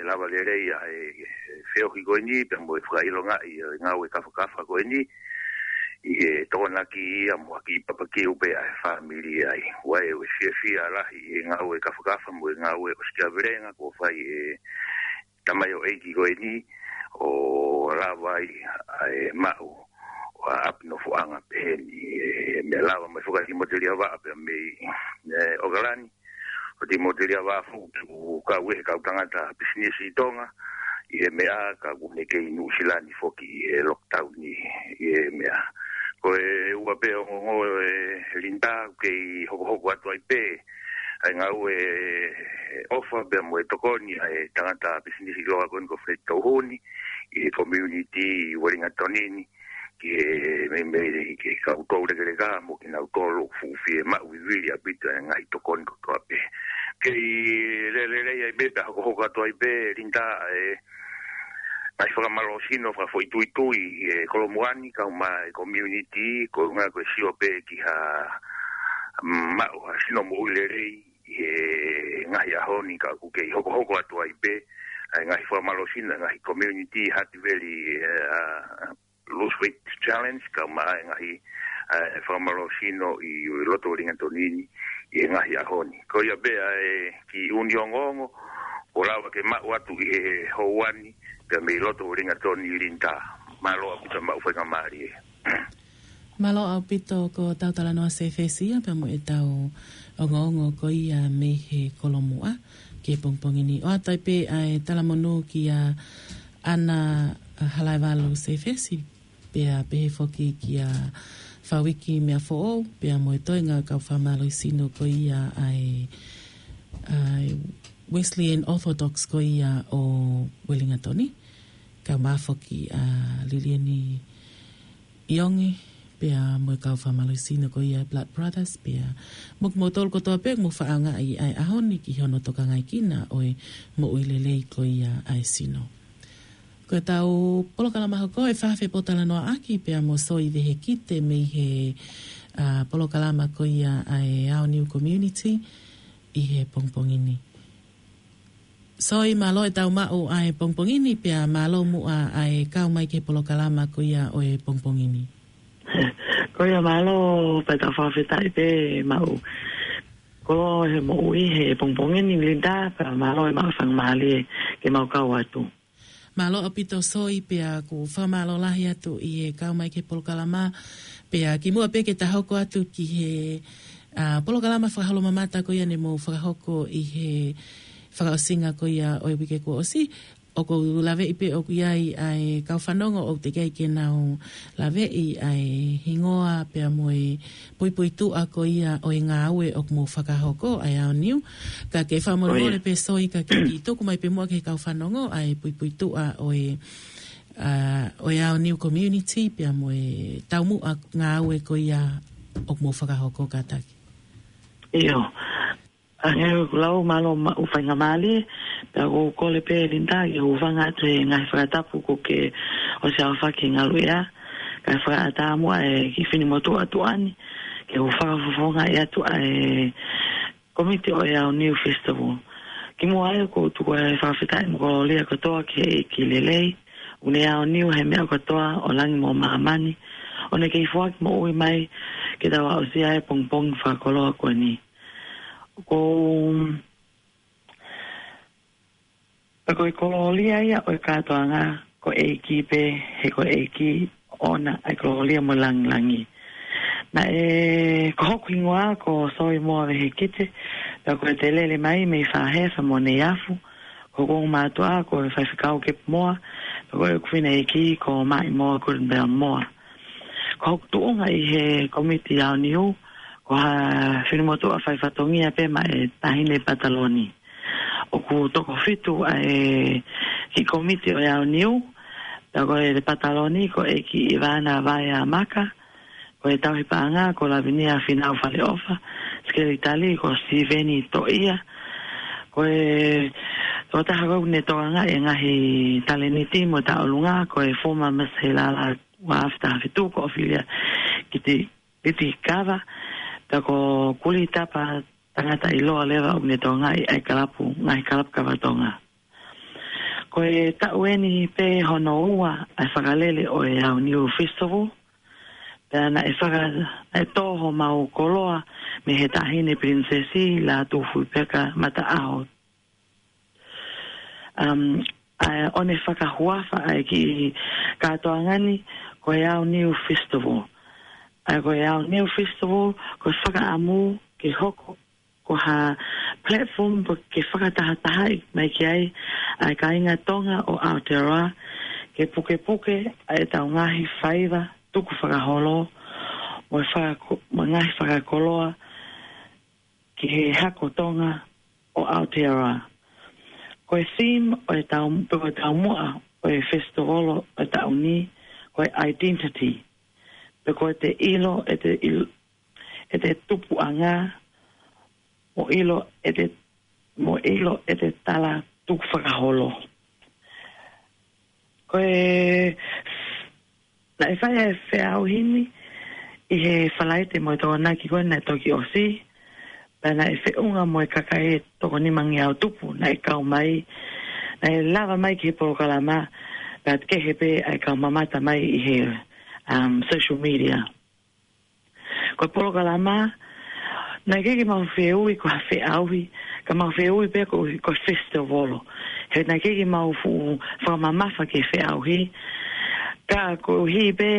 lava lelei ʻa e feohi ko eni, pea mo e fakaʻilongaʻi ʻo e ngāue kafakafa ko eni. ʻi he tokonaki ia mo ha kiʻi papakiu pē ʻa e fāmili ai. ʻOku ʻi ai e fiefia lahi ʻi he ngāue kafakafa mo e ngāue ʻosikiavelenga kuo fai ʻe he tamaioʻeiki ko eni ʻo lava ai ʻa e maʻu ʻa e ʻapi nofoʻanga pehē ni, ʻe meʻa lava mai foki ʻa Timoteli Avaʻa pea mei, ē, ʻAokalani. ʻO Timoteli Avaʻa foki ʻoku kau ʻi he kau tangata pisinisi ʻi Tonga ʻi he meʻa, ka ʻoku ne kei Nuʻusila ni foki ʻi he lockdown ni ʻi he meʻa. Ko e ua pē ongoongo, ē, Linda, ʻoku kei hokohoko atu ai pē ʻa e ngāue ʻofa pea mo e tokoni ʻa e tangata pisinisi ʻiloa ko eni ko Fred Touhuni ʻi he community ʻi Uelingatoni ni, ki he meimei ki he kau toulekeleka mo kinautolu ʻoku fuʻu fiemaʻu vivili ʻaupito e ngaahi tokoni kotoa pē. Kei lelelei ai pē, pea hokohoko atu ai pē, Linda, ʻa e ngaahi fakamālō sino fakafoʻituitui ʻi he Kolomuʻa ni, kae ʻumaʻā e community, ko e ʻuhinga ko e sio pē ki ha, mm, maʻu ha sino moʻui lelei ʻi he ngaahi ʻaho ni, ka ʻoku kei hokohoko atu ai pē ʻa e ngaahi fakamālō sino, ngaahi community, Hutt Valley, ē, ʻa, Lose Weight Challenge, kae ʻumaʻā e ngaahi, ē, fakamālō sino ʻi loto Uelingatoni ni ʻi he ngaahi ʻaho ni. Ko ia pē ʻa e kiʻi ʻū ongoongo ʻoku lava ke maʻu atu ʻi he houa ni, pea mei loto Uelingatoni, Linda. Mālō ʻaupito, maʻu faingamālie. Mālō ʻaupito, ko ʻetau talanoa Sefesi ia pea mo ʻetau ongoongo ko ia mei he Kolomuʻa ki he pongipongi ni. ʻOatu ai pē ʻa e talamonū kia ʻAna Halaevalu Sefesi, pea pehē foki kia Fauiki Meafoʻou, pea mo e toenga kau fakamālō sino ko ia ʻa e, ʻa e Wesleyan Orthodox ko ia ʻo Uelingatoni, kae ʻumaʻā foki ʻa Lilieni ʻIongi, pea mo e kau fakamālō sino ko ia Blood Brothers, pea mo kimoutolu kotoa pē ʻoku mou fakaʻaongaʻi ʻa e ʻaho ni ki hono tokangaʻi kinaua ʻo e moʻui lelei ko ia ʻa e sino. Ko ʻetau polokalama hoko ʻe fakafoki pōtalanoaʻaki pea mo Soi Vehikite mei he, ā, polokalama ko ia ʻa e Aoniu Community ʻi he pongipongi ni. Soi, mālō ʻetau maʻu ʻa e pongipongi ni, pea mālō muʻa ʻa e kau mai ki he polokalama ko ia ʻo e pongipongi ni. Ko ia, mālō pē, tau fakafetaʻi pē maʻu koloa he moʻui he pongipongi ni, Linda, pea mālō e maʻu faingamālie ke mau kau atu. Mālō ʻaupito Soi, pea ʻoku fakamālō lahi atu ʻi he kau mai ki he polokalama, pea kimuʻa pē ke ta hoko atu ki he, ā, polokalama fakaholoʻofa ko ia ne mou fakahoko ʻi he fakaʻosinga ko ia ʻo e uike kuo ʻosi, ʻoku ou laveʻi pē ʻoku ʻi ai ʻa e kau fanongo ʻoku teʻeki ai ke nau laveʻi ʻa e hingoa pea mo e puipuituʻa ko ia ʻo e ngāue ʻoku mou fakahoko ʻa e Aoniu. Ka ke fakamolemole pē Soi ka ke kiʻi tuku mai pē muʻa ki he kau fanongo ʻa e puipuituʻa ʻo e, ā, ʻo e Aoniu Community pea mo e taumuʻa ngāue ko ia ʻoku mou fakahoko, kātaki. ʻIo. Hangē ko ʻeku lau, mālō maʻu faingamālie, pea ʻoku ou kole pē Linda ke u hūfanga atu he ngaahi fakatapu kuo ke ʻosi aofaki ngaluʻea, kae fakaʻatā muʻa e kiʻi finimotuʻa tuʻa ni ke u fakafofongaʻi atu ʻa e komiti ʻo e Aoniu Festival. Kimuʻa ai ʻoku ou tuku ʻa e fakafetaʻi mo e kolōlia kotoa ki he ʻEiki lelei, ʻoku ne aoniu he meʻa kotoa ʻo langi mo māmani, ʻo ne kei foaki moʻui mai ke tau aʻusia e pongipongi fakakoloa ko eni. Ko, pea ko e kolōlia ia ʻo e kātoanga ko e ʻEiki pē, he ko e ʻEiki ʻoʻona ʻa e kolōlia mo e langilangi. Naʻe, ko hoku hingoa ko Soi Moa Vehikite, pea ko e telele mai mei Fāhefa mo Neiafu, ko hoku ongo mātuʻa ko e Faifekau Kepu Moa, pea ko ʻeku fefine ʻeiki ko Maʻi Moa Kulinibela Moa. Ko hoku tuʻunga ʻi he komiti Aoniu, ko ha finimotuʻa faifatongia pē maʻa e Taʻahine Pataloni. ʻOku toko fitu ʻa e kiʻi komiti ʻo e Aoniu, pea ko e Pataloni ko ʻEiki ʻIvana Vaeamaka, ko e Tauhi Paʻanga ko Lavinia Finau Faleʻofa, Sekelitali ko Siveni Toʻia, ko e tokotaha ko ē ʻoku ne tokangaʻi e ngaahi talēniti mo e tauʻolunga ko e former Miss Heilala ua afe taha fitu ko ʻOfilia Kiti, Kiti Kava, pea ko Kulitapa tangata ʻiloa leva ʻoku ne tokangaʻi ʻa e kalapu, ngaahi kalapu kava Tonga. Ko e taʻu eni pē hono ua ʻa e fakalele ʻo e Aoniu Festival, Pea naʻe faka-, naʻe tō homau koloa mei he Taʻahine Pilinisesi Lātūfuipeka Mataʻaho. Um, ʻa e ʻo ne fakahuafa ʻa e kiʻi kātoanga ni ko e Ao Niu Festival. ʻA e ko e Ao Niu Festival, ko e fakaʻamu ke hoko ko ha platform pe ke fakatahatahaʻi mai ki ai ʻa e kāinga Tonga ʻo Aotearoa, ke pukepuke ʻa e tau ngaahi faiva tukufakaholo, mo e fakako-, mo e ngaahi fakakoloa ki he hako Tonga ʻo Aotearoa. Ko e theme ʻo e tau, pe ko e taumuʻa ʻo e festival ʻo e taʻu ni, ko e identity. Pe ko e te ʻilo, ʻete ʻil-, ʻete tupuʻanga, mo ʻilo ʻete, mo ʻilo ʻete tala tukufakaholo. Ko e, naʻe fai ʻa e feʻauhi ni ʻi he Falaite mo e Tokonaki ko ē naʻe toki ʻosi, pea naʻe feʻunga mo e kakai ʻe toko nimangeau tupu naʻe kau mai, naʻe lava mai ki he polokalama, pea kehe pē ʻa e kau mamata mai ʻi he, um, social media. Ko e polokalama, naʻe ʻikai ke mau fehuʻi ko ha feʻauhi, ka mau fehuʻi pē ko, ko e festival. He naʻe ʻikai ke mau fuʻu fakamamafa ki he feʻauhi. Ka koeʻuhi pē,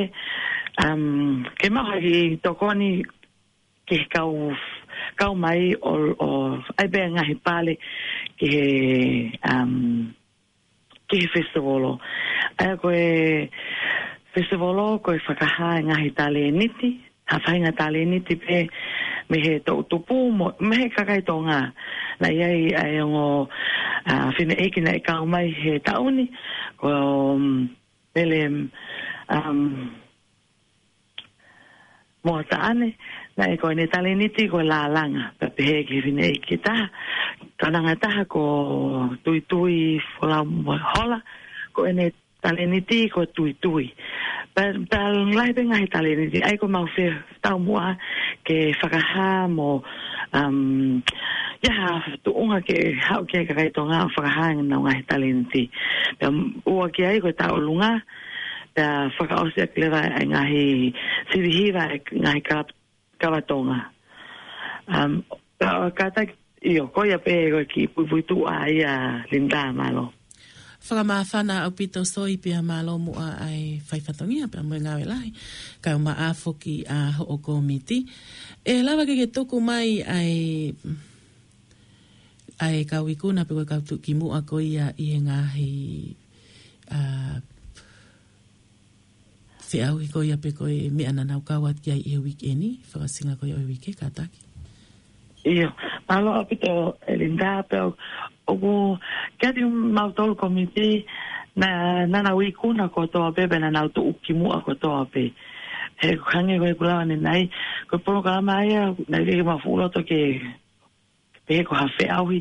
um, ke mau haki tokoni ki he kau, kau mai ʻo, ʻo ʻai pē ngaahi pale ki he, um, ki he festival. ʻA ia ko e festival ko e fakahā e ngaahi talēniti, ha faʻahinga talēniti pē mei he toʻutupu mo, mei he kakai Tonga. Naʻe ʻi ai ʻa e ongo, ʻa, fineʻeiki naʻe kau mai he taʻu ni, ko, um, Mele, um, Moataʻane, naʻe ko ʻene talēniti ko e lālanga, pea pehē ki he fineʻeiki taha, tangataʻeiki taha ko Tuitui Folau Mohola, ko ʻene talēniti ko e tuitui. Pea, pea lahi pē ngaahi talēniti, ʻa ia ko mau fetaumuʻa ke fakahā mo, um, ʻi ai ha tuʻunga ke haʻu ki ai kakai Tonga ʻo fakahā ʻenau ngaahi talēniti. Pea ʻoua ki ai ko e tauʻolunga, pea fakaʻosi ʻaki leva ʻa e ngaahi sivihiva ʻa e ngaahi kava, kava Tonga. Um, ka, kātaki, ʻio, ko ia pē ko e kiʻi puipuituʻa ia Linda, mālō. Fakamāfana ʻaupito Soi pea mālō muʻa ʻa e fai fatongia pea mo e ngāue lahi. Kae ʻumaʻā foki ʻa hoʻo kōmiti. ʻE lava ke ke tuku mai ʻa e, ʻa e kau ikuna pe ko e kau tuʻukimuʻa ko ia ʻi he ngaahi, ʻa, feʻauhi ko ia pe ko e meʻa naʻa nau kau atu ki ai ʻi he uike ni, fakaʻosinga ko ia ʻo e uike, kātaki. ʻIo, mālō ʻaupito ʻe Linda, pea ʻoku, kiate kimautolu kōmiti, naʻa, naʻa nau ikuna kotoa pē, pea naʻa nau tuʻukimuʻa kotoa pē. He hangē ko ʻeku lave ʻanenai, ko e polokalama ia, naʻe ʻikai ke mau fuʻu loto ke pehē ko ha feʻauhi.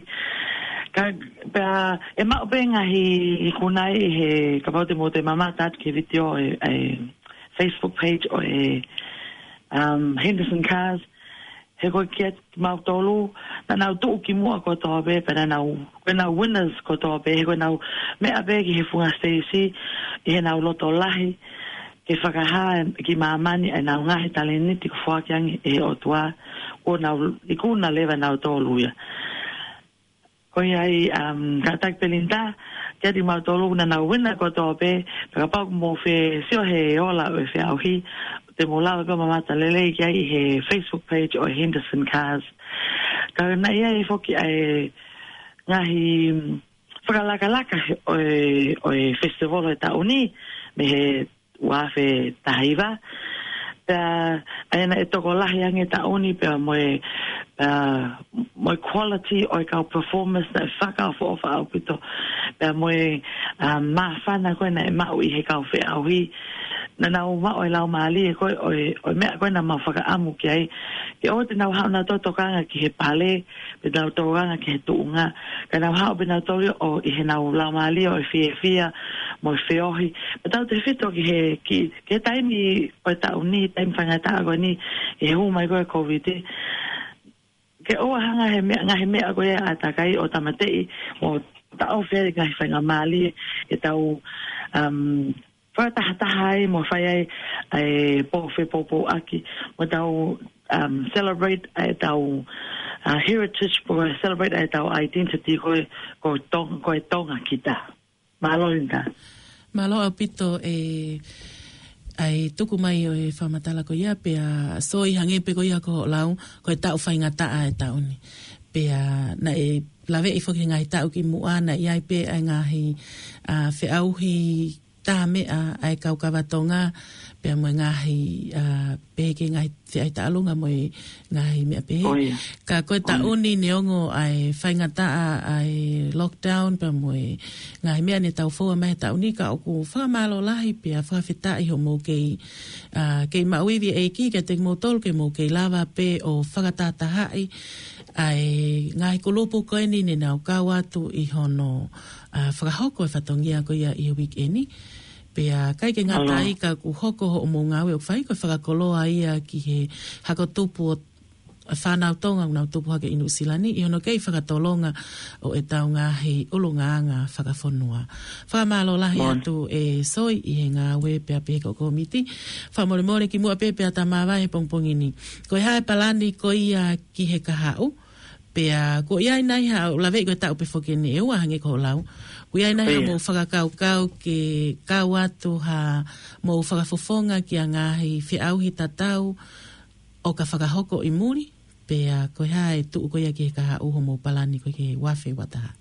Ka, pea, ʻe maʻu pē ngaahi ikuna ʻi he, kapau te mou toe mamata atu ki he vitiō ʻi he, ʻi he Facebook page ʻo e, um, Henderson Cars. He ko e kiate kimautolu, naʻa nau tuʻukimuʻa kotoa pē, pea naʻa nau, ko ʻenau winners kotoa pē, he ko ʻenau meʻa pē ki he funga siteisi, ʻi heʻenau loto lahi, ke fakahā ki māmani ʻenau ngaahi talēniti kuo foaki ange ʻe he ʻOtua, kuo nau ikuna leva nautolu ia. Ko ia ai, um, kātaki pē Linda, kiate kimautolu naʻa nau wina kotoa pē, pea kapau ʻoku mou fie sio he ola ʻo e feʻauhi, te mou lava pē ʻo mamata lelei ki ai ʻi he Facebook page ʻo e Henderson Cars. Ka naʻe ʻi ai foki ʻa e ngaahi, um, fakalakalaka he, ʻo e, ʻo e festival he taʻu ni, mei he ua afe taha hiva. Pea, ʻa ia naʻe tokolahi ange taʻu ni, pea mo e, pea mo e quality ʻo e kau performance naʻe fakaʻofoʻofa ʻaupito. Pea mo e, ʻa, māfana ko ē naʻe maʻu ʻi he kau feʻauhi. Naʻa nau maʻu e laumālie ko ē, ʻo e, ʻo e meʻa ko ē naʻa mau fakaʻamu ki ai. Ke ʻoua te nau haʻu nautolu ʻo tokanga ki he pale, pe nau tokanga ki he tuʻunga. Ka nau haʻu pē nautolu ʻo ʻi heʻenau laumālie ʻo e fiefia, mo e feohi. Pea tautefito ki he, ki, ki he taimi ʻo e taʻu ni, taimi faingataʻa ko eni, ʻi he hū mai ko ē ʻa e Covid. Ke ʻoua hanga he meʻa, ngaahi meʻa ko ia ʻa e ʻātakai ʻo tāmateʻi, mo taʻofi e ngaahi faingamālie, ʻetau, um, fakatahataha ai mo fai ai ʻa e pō fepōpōʻaki mo tau, um, celebrate ʻa e tau, uh, heritage, pō celebrate ʻa e tau identity ko e, ko Tong-, ko e Tonga kita. Mālō Linda. Mālō ʻaupito e, ʻa e tuku mai ʻo e fakamatala ko ia pea Soi hangē pē ko ia ko hoʻo lau, ko e taʻu faingataʻa e taʻu ni. Pea naʻe laveʻi foki he ngaahi taʻu ki muʻa naʻe ʻi ai pē ʻa e ngaahi, a, feʻauhi tā meʻa ʻa e kau kava Tonga, pea mo e ngaahi, a, pehē ki he ngaahi feʻauhi taʻalunga mo e ngaahi meʻa pehē. ʻO ia. Ka ko e taʻu ni neongo ʻa e faingataʻa ʻa e lockdown pea mo e ngaahi meʻa ne tau foua mai he taʻu ni ka ʻoku fakamālō lahi pea fakafetaʻi hoʻomou kei, a, kei maʻu ivi ʻEiki kiate kimoutolu ke mou kei lava pē ʻo fakatahatahaʻi ʻa e ngaahi kulupu ko eni ne nau kau atu ʻi hono, a, fakahoko e fatongia ko ia ʻi he weekend ni. Pea ʻikai ke ngata ai ka ʻoku hoko hoʻomou ngāue ʻoku fai ko e fakakoloa ia ki he hako tupu ʻo fānau Tonga ʻoku nau tupu hake ʻi Nuʻusila ni, ʻi hono kei fakatolonga ʻo e tau ngaahi ʻulungaanga fakafonua. Fakamālō lahi atu e Soi ʻi he ngāue pea pehē ki he kōmiti. Fakamolemole ki muʻa pē pea ta māvae he pongipongi ni. Ko e hā e palani ko ia ki he kahaʻu, pea ko ia ʻi ai nai ha, ʻoku laveʻi ko e taʻu pē foki eni ʻe ua hangē ko hoʻo lau. Ko ia ʻi ai nai haʻamou fakakaukau ke kau atu haʻamou fakafofonga ki ha ngaahi feʻauhi tatau ʻoka fakahoko ʻi muli, pea ko e hā e tuʻu ko ia ki he kahaʻu hoʻomou palani ko ia ki he ua afe ua taha.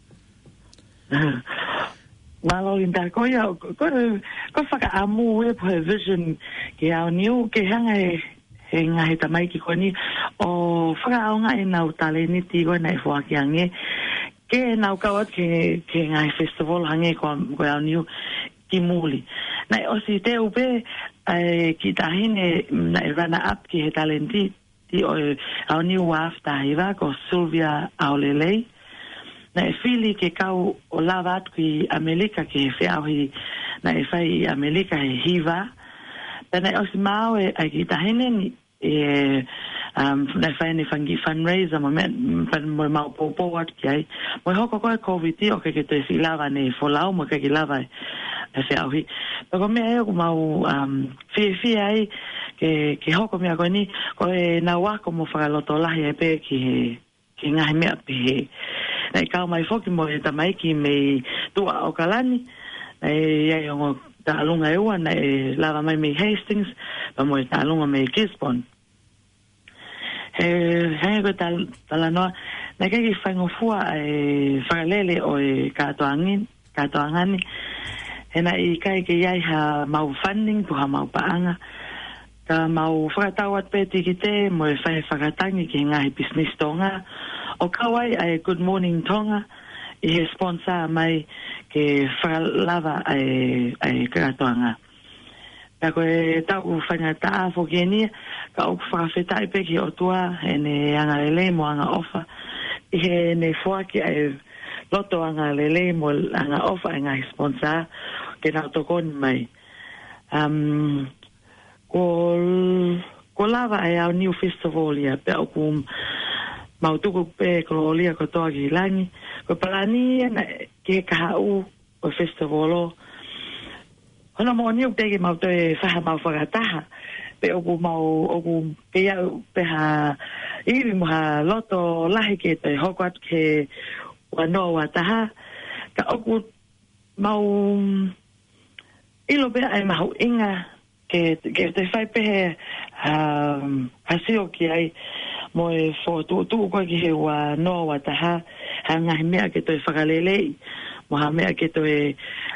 Mālō Linda, ko ia, ko, ko, ko e fakaʻamu ē pē he vision ki he aoniu, ke hanga ʻe he ngaahi tamaiki ko eni ʻo fakaʻaongaʻi ʻenau talēniti ko ē naʻe foaki ange, ke nau kau atu ki he, ki he ngaahi festival hangē ko, ko e aoniu ki muli. Naʻe ʻosi teu pē ʻa e kiʻi taʻahine naʻe runner up ki he talēniti ʻo e aoniu ua afe taha hiva ko Sylvia ʻAolelei. Naʻe fili ke kau ʻo lava atu ki ʻAmelika ki he feʻauhi naʻe fai ʻi ʻAmelika he hiva. Pea naʻe ʻosi maau e, ʻa e kiʻi taʻahine ni, e, um, naʻe fai ʻene fanga kiʻi fundraiser mo e meʻa, pea mo ʻemau poupou atu ki ai. Mo e hoko ko ē ʻa e Covid ʻoku ʻikai ke toe siʻi lava ʻene folau mo ʻikai ke lava e, e feʻauhi. Pea ko e meʻa ia ʻoku mau, um, fiefia ai ke, ke hoko e meʻa ko eni, ko ʻenau ako mo fakalotolahi ai pē ki he, ki he ngaahi meʻa pehē. Naʻe kau mai foki mo e tamaiki mei tuʻa ʻAokalani, naʻe ʻi ai e ongo taʻalunga ʻe ua, naʻe lava mai mei Hastings, pea mo e taʻalunga mei Gisborne. He, hangē ko e tal-, talanoa, naʻe ʻikai ke faingofua ʻa e fakalele ʻo e kātoanga ni, kātoanga ni. He naʻe ʻikai ke ʻi ai haʻamau funding pe ko haʻamau paʻanga. Ka mau fakatau atu pē tikite mo e fai fakatangi ki he ngaahi pisinisi Tonga. ʻO kau ai ʻa e Good Morning Tonga ʻi he sponsor mai ke fakalava ʻa e, ʻa e kātoanga. Pea ko e taʻu faingataʻa foki eni, ka ʻoku fakafetaʻi pē ki he ʻOtua, ʻene angalelei mo angaʻofa, ʻi heʻene foaki ʻa e loto angalelei mo angaʻofa ʻa e ngaahi sponsor, ke nau tokoni mai. Um, ko, ko lava ʻa e aoniu festival ia, pea ʻoku mau tuku pē kolōlia kotoa ki langi, ko e palani ia naʻe, ki he kahaʻu, ʻo e festival. Hono moʻoni ʻoku teʻeki ke mau toe fai haʻamau fakataha. Pea ʻoku mau, ʻoku kei aʻu pē ha ivi mo ha loto lahi ke toe hoko atu ki he ua noa ua taha. Ka ʻoku mau ʻilo pē ʻa e mahuʻinga ke, ke te fai pē he, um, ha sio ki ai mo e fokotuʻutuʻu ko ē ki he ua noa ua taha, ha ngaahi meʻa ke toe fakaleleiʻi, mo ha meʻa ke toe,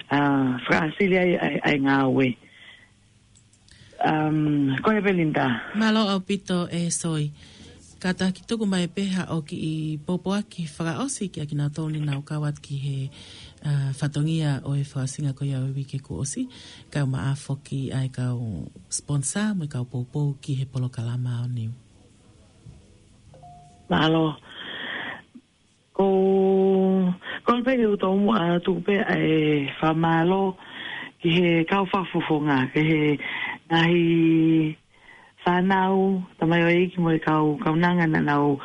uh, fakaʻasili ai, ʻa e, ʻa e ngāue. Um, ko ia pē Linda. Mālō ʻaupito e Soi. Kātaki tuku mai pē haʻo kiʻi pōpoaki fakaʻosi kiate kinautolu ne nau kau atu ki he, uh, fatongia ʻo e fakaʻosinga ko ia ʻo e uike kuo ʻosi. Kae ʻumaʻā foki ʻa e kau sponsor mo e kau poupou ki he polokalama aoniu. Mālō. Ko, ko e pē ke u tomuʻa atu pē ʻa e fakamālō ki he kau fakafofonga, ki he ngaahi fānau, tamaioʻeiki mo e kau kaunanga naʻa nau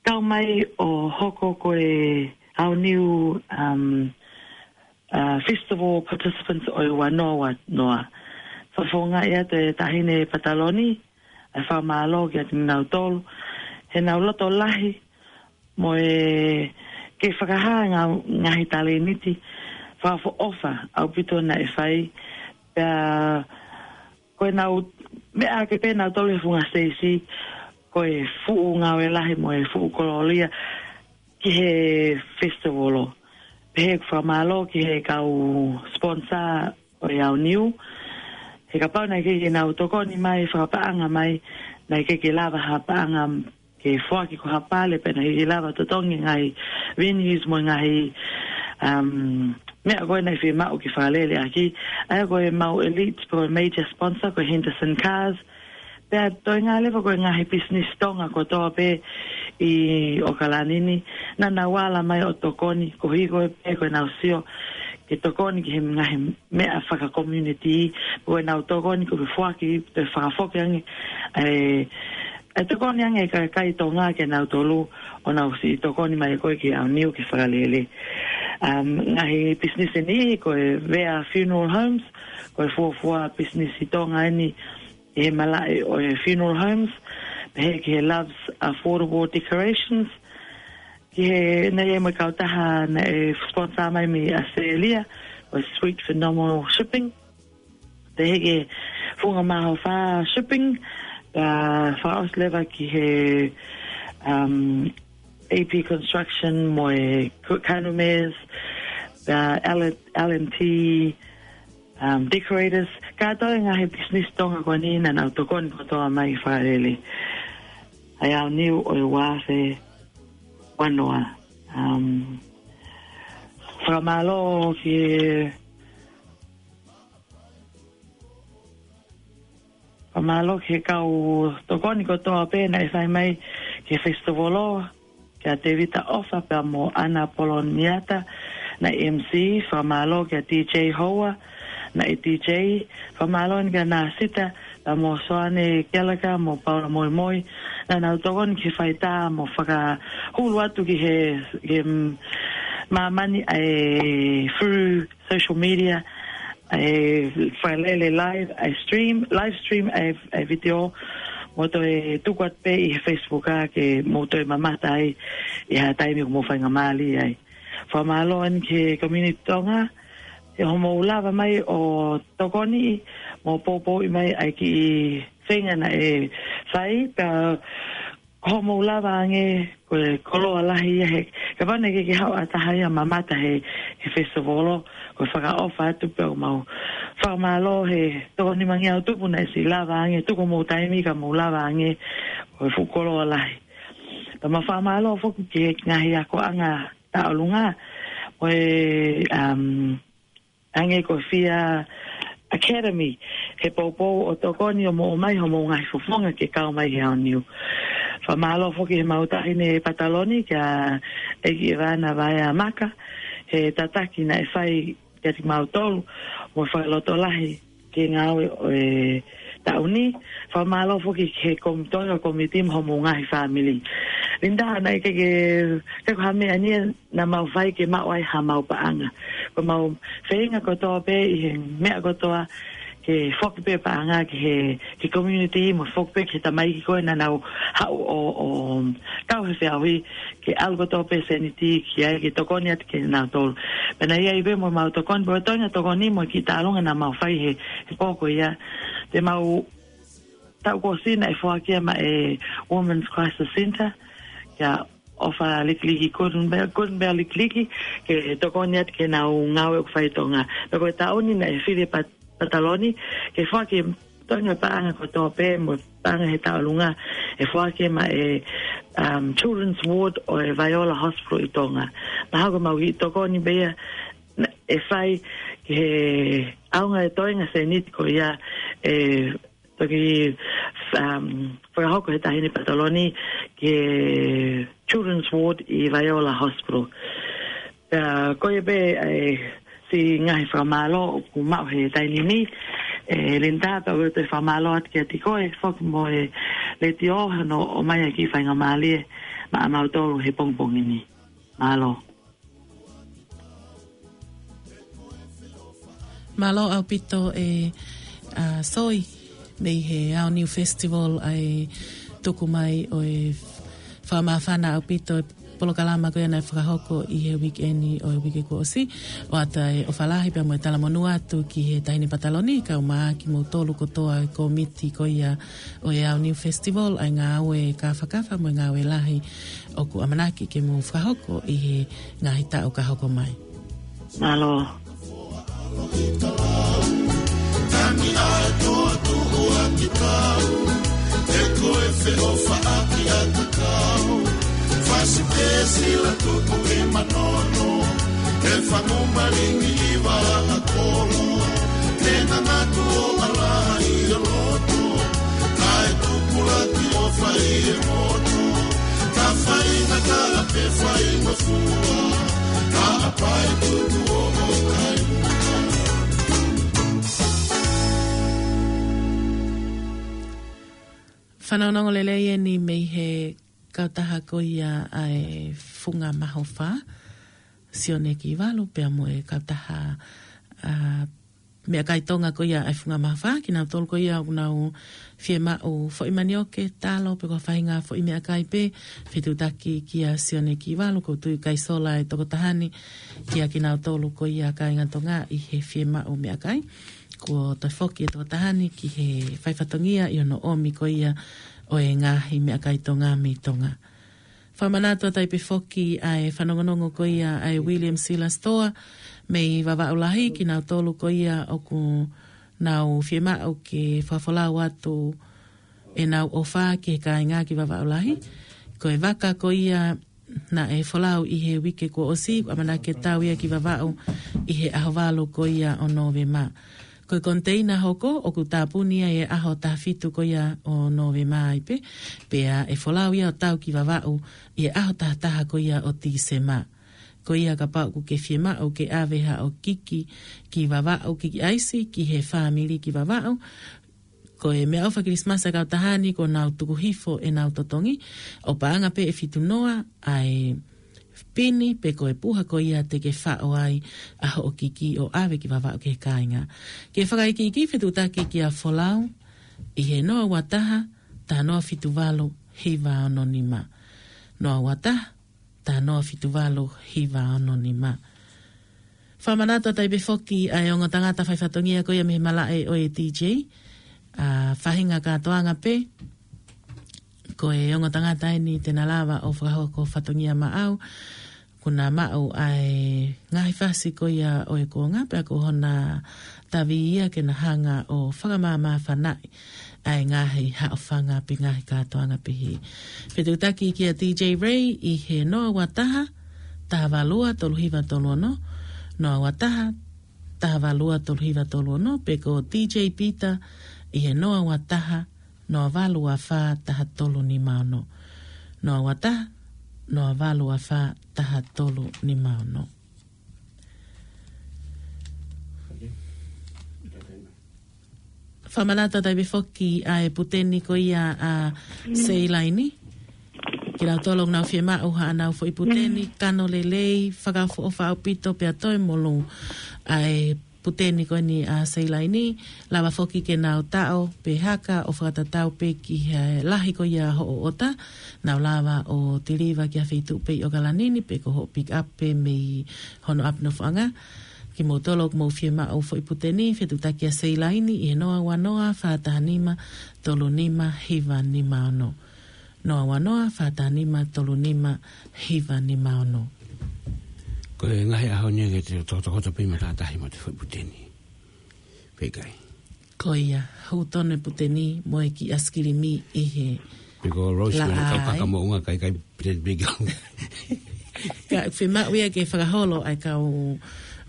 kau mai ʻo hoko ko e aoniu, um, uh, festival participants ʻo e ua noa ua noa. Fakafofongaʻi atu e Taʻahine Pataloni ʻa e fakamālō kiate kinautolu heʻenau loto lahi mo e kei fakahā e ngaahi talēniti fakaʻofoʻofa ʻaupito naʻe fai. Pea ko ʻenau meʻa ake pē nautolu he funga siteisi, ko e fuʻu ngāue lahi mo e fuʻu kolōlia ki he festival. Pea ʻoku fakamālō ki he kau sponsor ʻo e Aoniu. He kapau naʻe ʻikai ke nau tokoni mai fakapaʻanga mai, naʻe ʻikai ke lava ha paʻanga ke foaki ko ha pale, pea naʻe ʻikai ke lava totongi ngaahi venues mo e ngaahi, um, meʻa ko ē naʻe fiemaʻu ke fakalele ʻaki. ʻA ia ko e mau elite, ko e major sponsor, ko Henderson Cars. Pea toe ngā leva ko e ngaahi business Tonga kotoa pē ʻi ʻAokalani ni, naʻa nau ala mai ʻo tokoni, koeʻuhi ko e pē ko ʻenau sio ke tokoni ki he ngaahi meʻa faka-community, ko ʻenau tokoni ko e foaki, toe fakafoki ange e, e tokoni ange e kakai Tonga kinautolu ʻo nau siʻi tokoni mai ko ē ki he Aoniu ke fakalele. Um, ngaahi business ʻe niʻihi ko e Vea Funeral Homes, ko e fuofua business ʻi Tonga eni ʻi he malaʻe ʻo e funeral homes, pehē ki he Loves Affordable Decorations, ki he, naʻe ʻi ai mo e kautaha naʻe sponsor mai mei ʻAositelēlia, ko e Sweet Phenomenal Shipping, pehē ki he Funga Mahaofa Shipping, pea fakaʻosi leva ki he, um, A P Construction mo e Cook Candlemares, pea L and T, um, Decorators, kātoa e ngaahi business Tonga ko eni naʻa nau tokoni kotoa mai fakalele ʻa e Aoniu ʻo e ua afe ua noa. Um, fakamālō ki he, fakamālō ki he kau tokoni kotoa pē naʻe fai mai ki he festival, kia Tevita ʻOfa pea mo ʻAna Poloniata naʻe M C, fakamālō kia D J Hoa naʻe D J, fakamālō eni kia Nasita pea mo Soane Keleka mo Paula Moimoi, naʻa nau tokoni ki he faitā mo fakahulu atu ki he, ki he, mm, māmani ʻa e through social media, ʻa e fakalele live, ʻa e stream, live stream ʻa e, ʻa e video, mo toe tuku atu pē ʻi he Facebook ʻa ke mou toe mamata ai ʻi ha taimi ʻoku mou faingamālie ai. Fakamālō eni ki he community Tonga, he hoʻomou lava mai ʻo tokoniʻi mo poupouʻi mai ʻa e kiʻi feinga naʻe fai, pea hoʻomou lava ange ko e koloa lahi ia he, kapau naʻe ʻikai ke haʻu ha taha ia ʻo mamata he, he festival, ko e fakaʻofa atu pē ʻoku mau fakamālō he toko nimangeau tupu naʻe siʻi lava ange, tuku homou taimi ka mou lava ange, ko e fuʻu koloa lahi. Pea mau fakamālō foki ki he ngaahi akoʻanga tauʻolunga, mo e, um, Ange ko Fia Academy, he poupou ʻo tokoni ʻo moʻo mai homou ngaahi fofonga ke kau mai he Aoniu. Fakamālō foki he mau Taʻahine Pataloni kia ʻEiki ʻEvana Vaea Maka, he tataki naʻe fai kiate kimautolu, mo e fakalotolahi ki he ngāue ʻo e taʻu ni. Fakamālō foki ki he komiti, Tonga Committee mo homou ngaahi fāmili. Linda, naʻe ʻikai ke, ke ko ha meʻa ni naʻa mau fai ke maʻu ai ha mau paʻanga. Ko mau feinga kotoa pē ʻi he meʻa kotoa ke foki pē paʻanga ki he, ki he community mo foki pē ki he tamaiki ko ē naʻa nau haʻu ʻo, ʻo kau he feʻauhi ke ʻalu kotoa pē sēniti ki ai ke tokoni atu kia nautolu. Pea naʻe ʻi ai pē mo mau tokoni, pea ko e toenga tokoni mo e kiʻi taʻalonga naʻa mau fai he, he pō ko ia. Te mau taʻu kuo ʻosi naʻe foaki ia maʻa e Women's Crisis Centre, kia ʻOfa Likiliki Gordon Bell, Gordon Bell Likiliki, ke tokoni atu ki heʻenau ngāue ʻoku fai ʻi Tonga. Pea ko e taʻu ni naʻe fili ʻe Pat-, Pataloni ke foaki e toenga paʻanga kotoa pē mo e paʻanga he taʻalonga ʻe foaki ia maʻa e, um, Children's Ward ʻo e Vaiola Hospital ʻi Tonga. Mahalo ko e mau kiʻi tokoni pē ia naʻa, ʻe fai ki he ʻaonga e toenga sēniti ko ia ʻe toki, um, fakahoko he Taʻahine Pataloni ki he Children's Ward ʻi Vaiola Hospital. Pea ko ia pē ʻa e siʻi ngaahi fakamālō ʻoku maʻu he taimi ni, ʻe Linda, pea ʻoku ou toe fakamālō atu kiate koe foki mo e letiō hono ʻomai ʻa e kiʻi faingamālie maʻa mautolu he pongipongi ni. Mālō. Mālō ʻaupito e, ʻa, Soi, mei he Aoniu Festival ʻa e tuku mai ʻo e fakamāfana ʻaupito e polokalama ko ia naʻe fakahoko ʻi he weekend ʻo e uike kuo ʻosi, ʻoatu e ʻofa lahi pea mo e talamonū atu ki he Taʻahine Pataloni, kae ʻumaʻā kimoutolu kotoa e kōmiti ko ia ʻo e Aoniu Festival, ʻa e ngāue kāfakafa mo e ngāue lahi ʻoku ʻamanaki ke mou fakahoko ʻi he ngaahi taʻu ka hoko mai. Mālō. Tangi ʻa e toa tuʻu ʻa ki tau, ʻe ko e feʻofaʻaki ʻa ka kau. Fasi pē sila tuku ʻi manono, ʻe fangu malingi ʻi vaʻa kolo. Te ngangatu ʻo ʻalaha ʻi ʻo loto, kae tupulaki ʻo fai e motu. Ka fai ngata pē fai ngofua, ka ʻapaʻi tuku ʻo ʻokai. Fanongonongo lelei eni mei he kautaha ko ia ʻa e Funga Mahofa, Sione Kivalu, pea mo e kautaha, ʻa, meʻakai Tonga ko ia ʻa e Funga Mahofa, kinautolu ko ia ʻoku nau fiemaʻu foʻi manioke, talo, pe ko ha faʻahinga foʻi meʻakai pē, fetuʻutaki kia Sione Kivalu, ʻoku ou tui ʻoku ʻikai sola e tokotaha ni, kia kinautolu ko ia kāinga Tonga ʻi he fiemaʻu meʻakai. Kuo toe foki e tokotaha ni ki he faifatongia ʻi hono ʻomi ko ia ʻo e ngaahi meʻakai Tonga mei Tonga. Fakamanatu atu ai pē foki ʻa e fanongonongo ko ia ʻa e William Sila Store mei Vavaʻu Lahi, kinautolu ko ia ʻoku nau fiemaʻu ke fakafolau atu ʻenau ʻofa ki he kāinga ki Vavaʻu Lahi. Ko e vaka ko ia naʻe folau ʻi he uike kuo ʻosi, ʻamanaki ke tau ia ki Vavaʻu ʻi he ʻaho valu ko ia ʻo Nōvema. Ko e koniteina hoko ʻoku tāpuni ia ʻi he ʻaho taha fitu ko ia ʻo Nōvema ai pē, pea ʻe folau ia ʻo tau ki Vavaʻu ʻi he ʻaho taha taha ko ia ʻo Tīsema. Ko ia kapau ʻoku ke fiemaʻu ke ʻave haʻo kiki ki Vavaʻu, kiki ʻaisi ki he fāmili ki Vavaʻu, ko e meʻaʻofa Kilisimasi ʻa e kautaha ni kuo nau tuku hifo ʻenau totongi, ʻo paʻanga pē ʻe fitu noa ʻa e pini pe ko e puha ko ia te ke faʻo ai ʻa hoʻo kiki ʻo ʻave ki Vavaʻu ki he kāinga. Ke fakaikiiki, fetuʻutaki kia folau ʻi he noa ua taha, taha noa fitu valu, hiva ono nima. Noa ua taha, taha noa fitu valu, hiva ono nima. Fakamanatu atu ai pē foki ʻa e ongo tangata faifatongia ko ia mei he malaʻe ʻo e D J, ʻa, faʻahinga kātoanga pē, ko e ongo tangata eni te na lava ʻo fakahoko fatongia maʻau, kuo na maʻu ʻa e ngaahi fasi ko ia ʻo e kuonga pea ko hona tavi ia ke na hanga ʻo fakamāmāfanaʻi ʻa e ngaahi haʻofanga pe ngaahi kātoanga pehē. Fetuʻutaki kia D J Ray ʻi he noa ua taha, taha valu ua tolu hiva tolu ono, noa ua taha, taha valu ua tolu hiva tolu ono, pe ko D J Peter ʻi he noa ua taha, noa valu ua fā, taha tolu nima ono. Noa ua taha, noa valu ua fā, taha tolu nima ono. Fakamanatu atu ai pē foki ʻa e puteni ko ia ʻa Seilaini. Kinautolu ʻoku nau fiemaʻu haʻanau foʻi puteni, kano lelei, fakaʻofoʻofa ʻaupito pea toe molū ʻa e puteni ko eni ʻa Seilaini, lava foki ke nau taʻo pe haka ʻo fakatatau pē ki he lahi ko ia hoʻo ʻota, nau lava ʻo tiliva ki ha feituʻu pē ʻi ʻOkalani ni pe ko hoʻo pick up pē mei hono ʻapi nofoʻanga. Kimoutolu ʻoku mou fiemaʻu foʻi puteni, fetuʻutaki kia Seilaini ʻi he noa ua noa, fā taha nima, tolu nima, hiva nima ono. Noa ua noa, fā taha nima, tolu nima, hiva nima ono. Ko e ngaahi ʻaho ni ke te tokotokoto pē matātahi mo te foʻi puteni. Pea ʻikai. Ko ia, hū tonu e puteni mo e kiʻi ʻaisikilimi ʻi he Pe ko Rose laʻā, ko e kau kaka ai moʻunga kai kai puteni pē kau. Ka fiemaʻu ia ke fakaholo ai kau,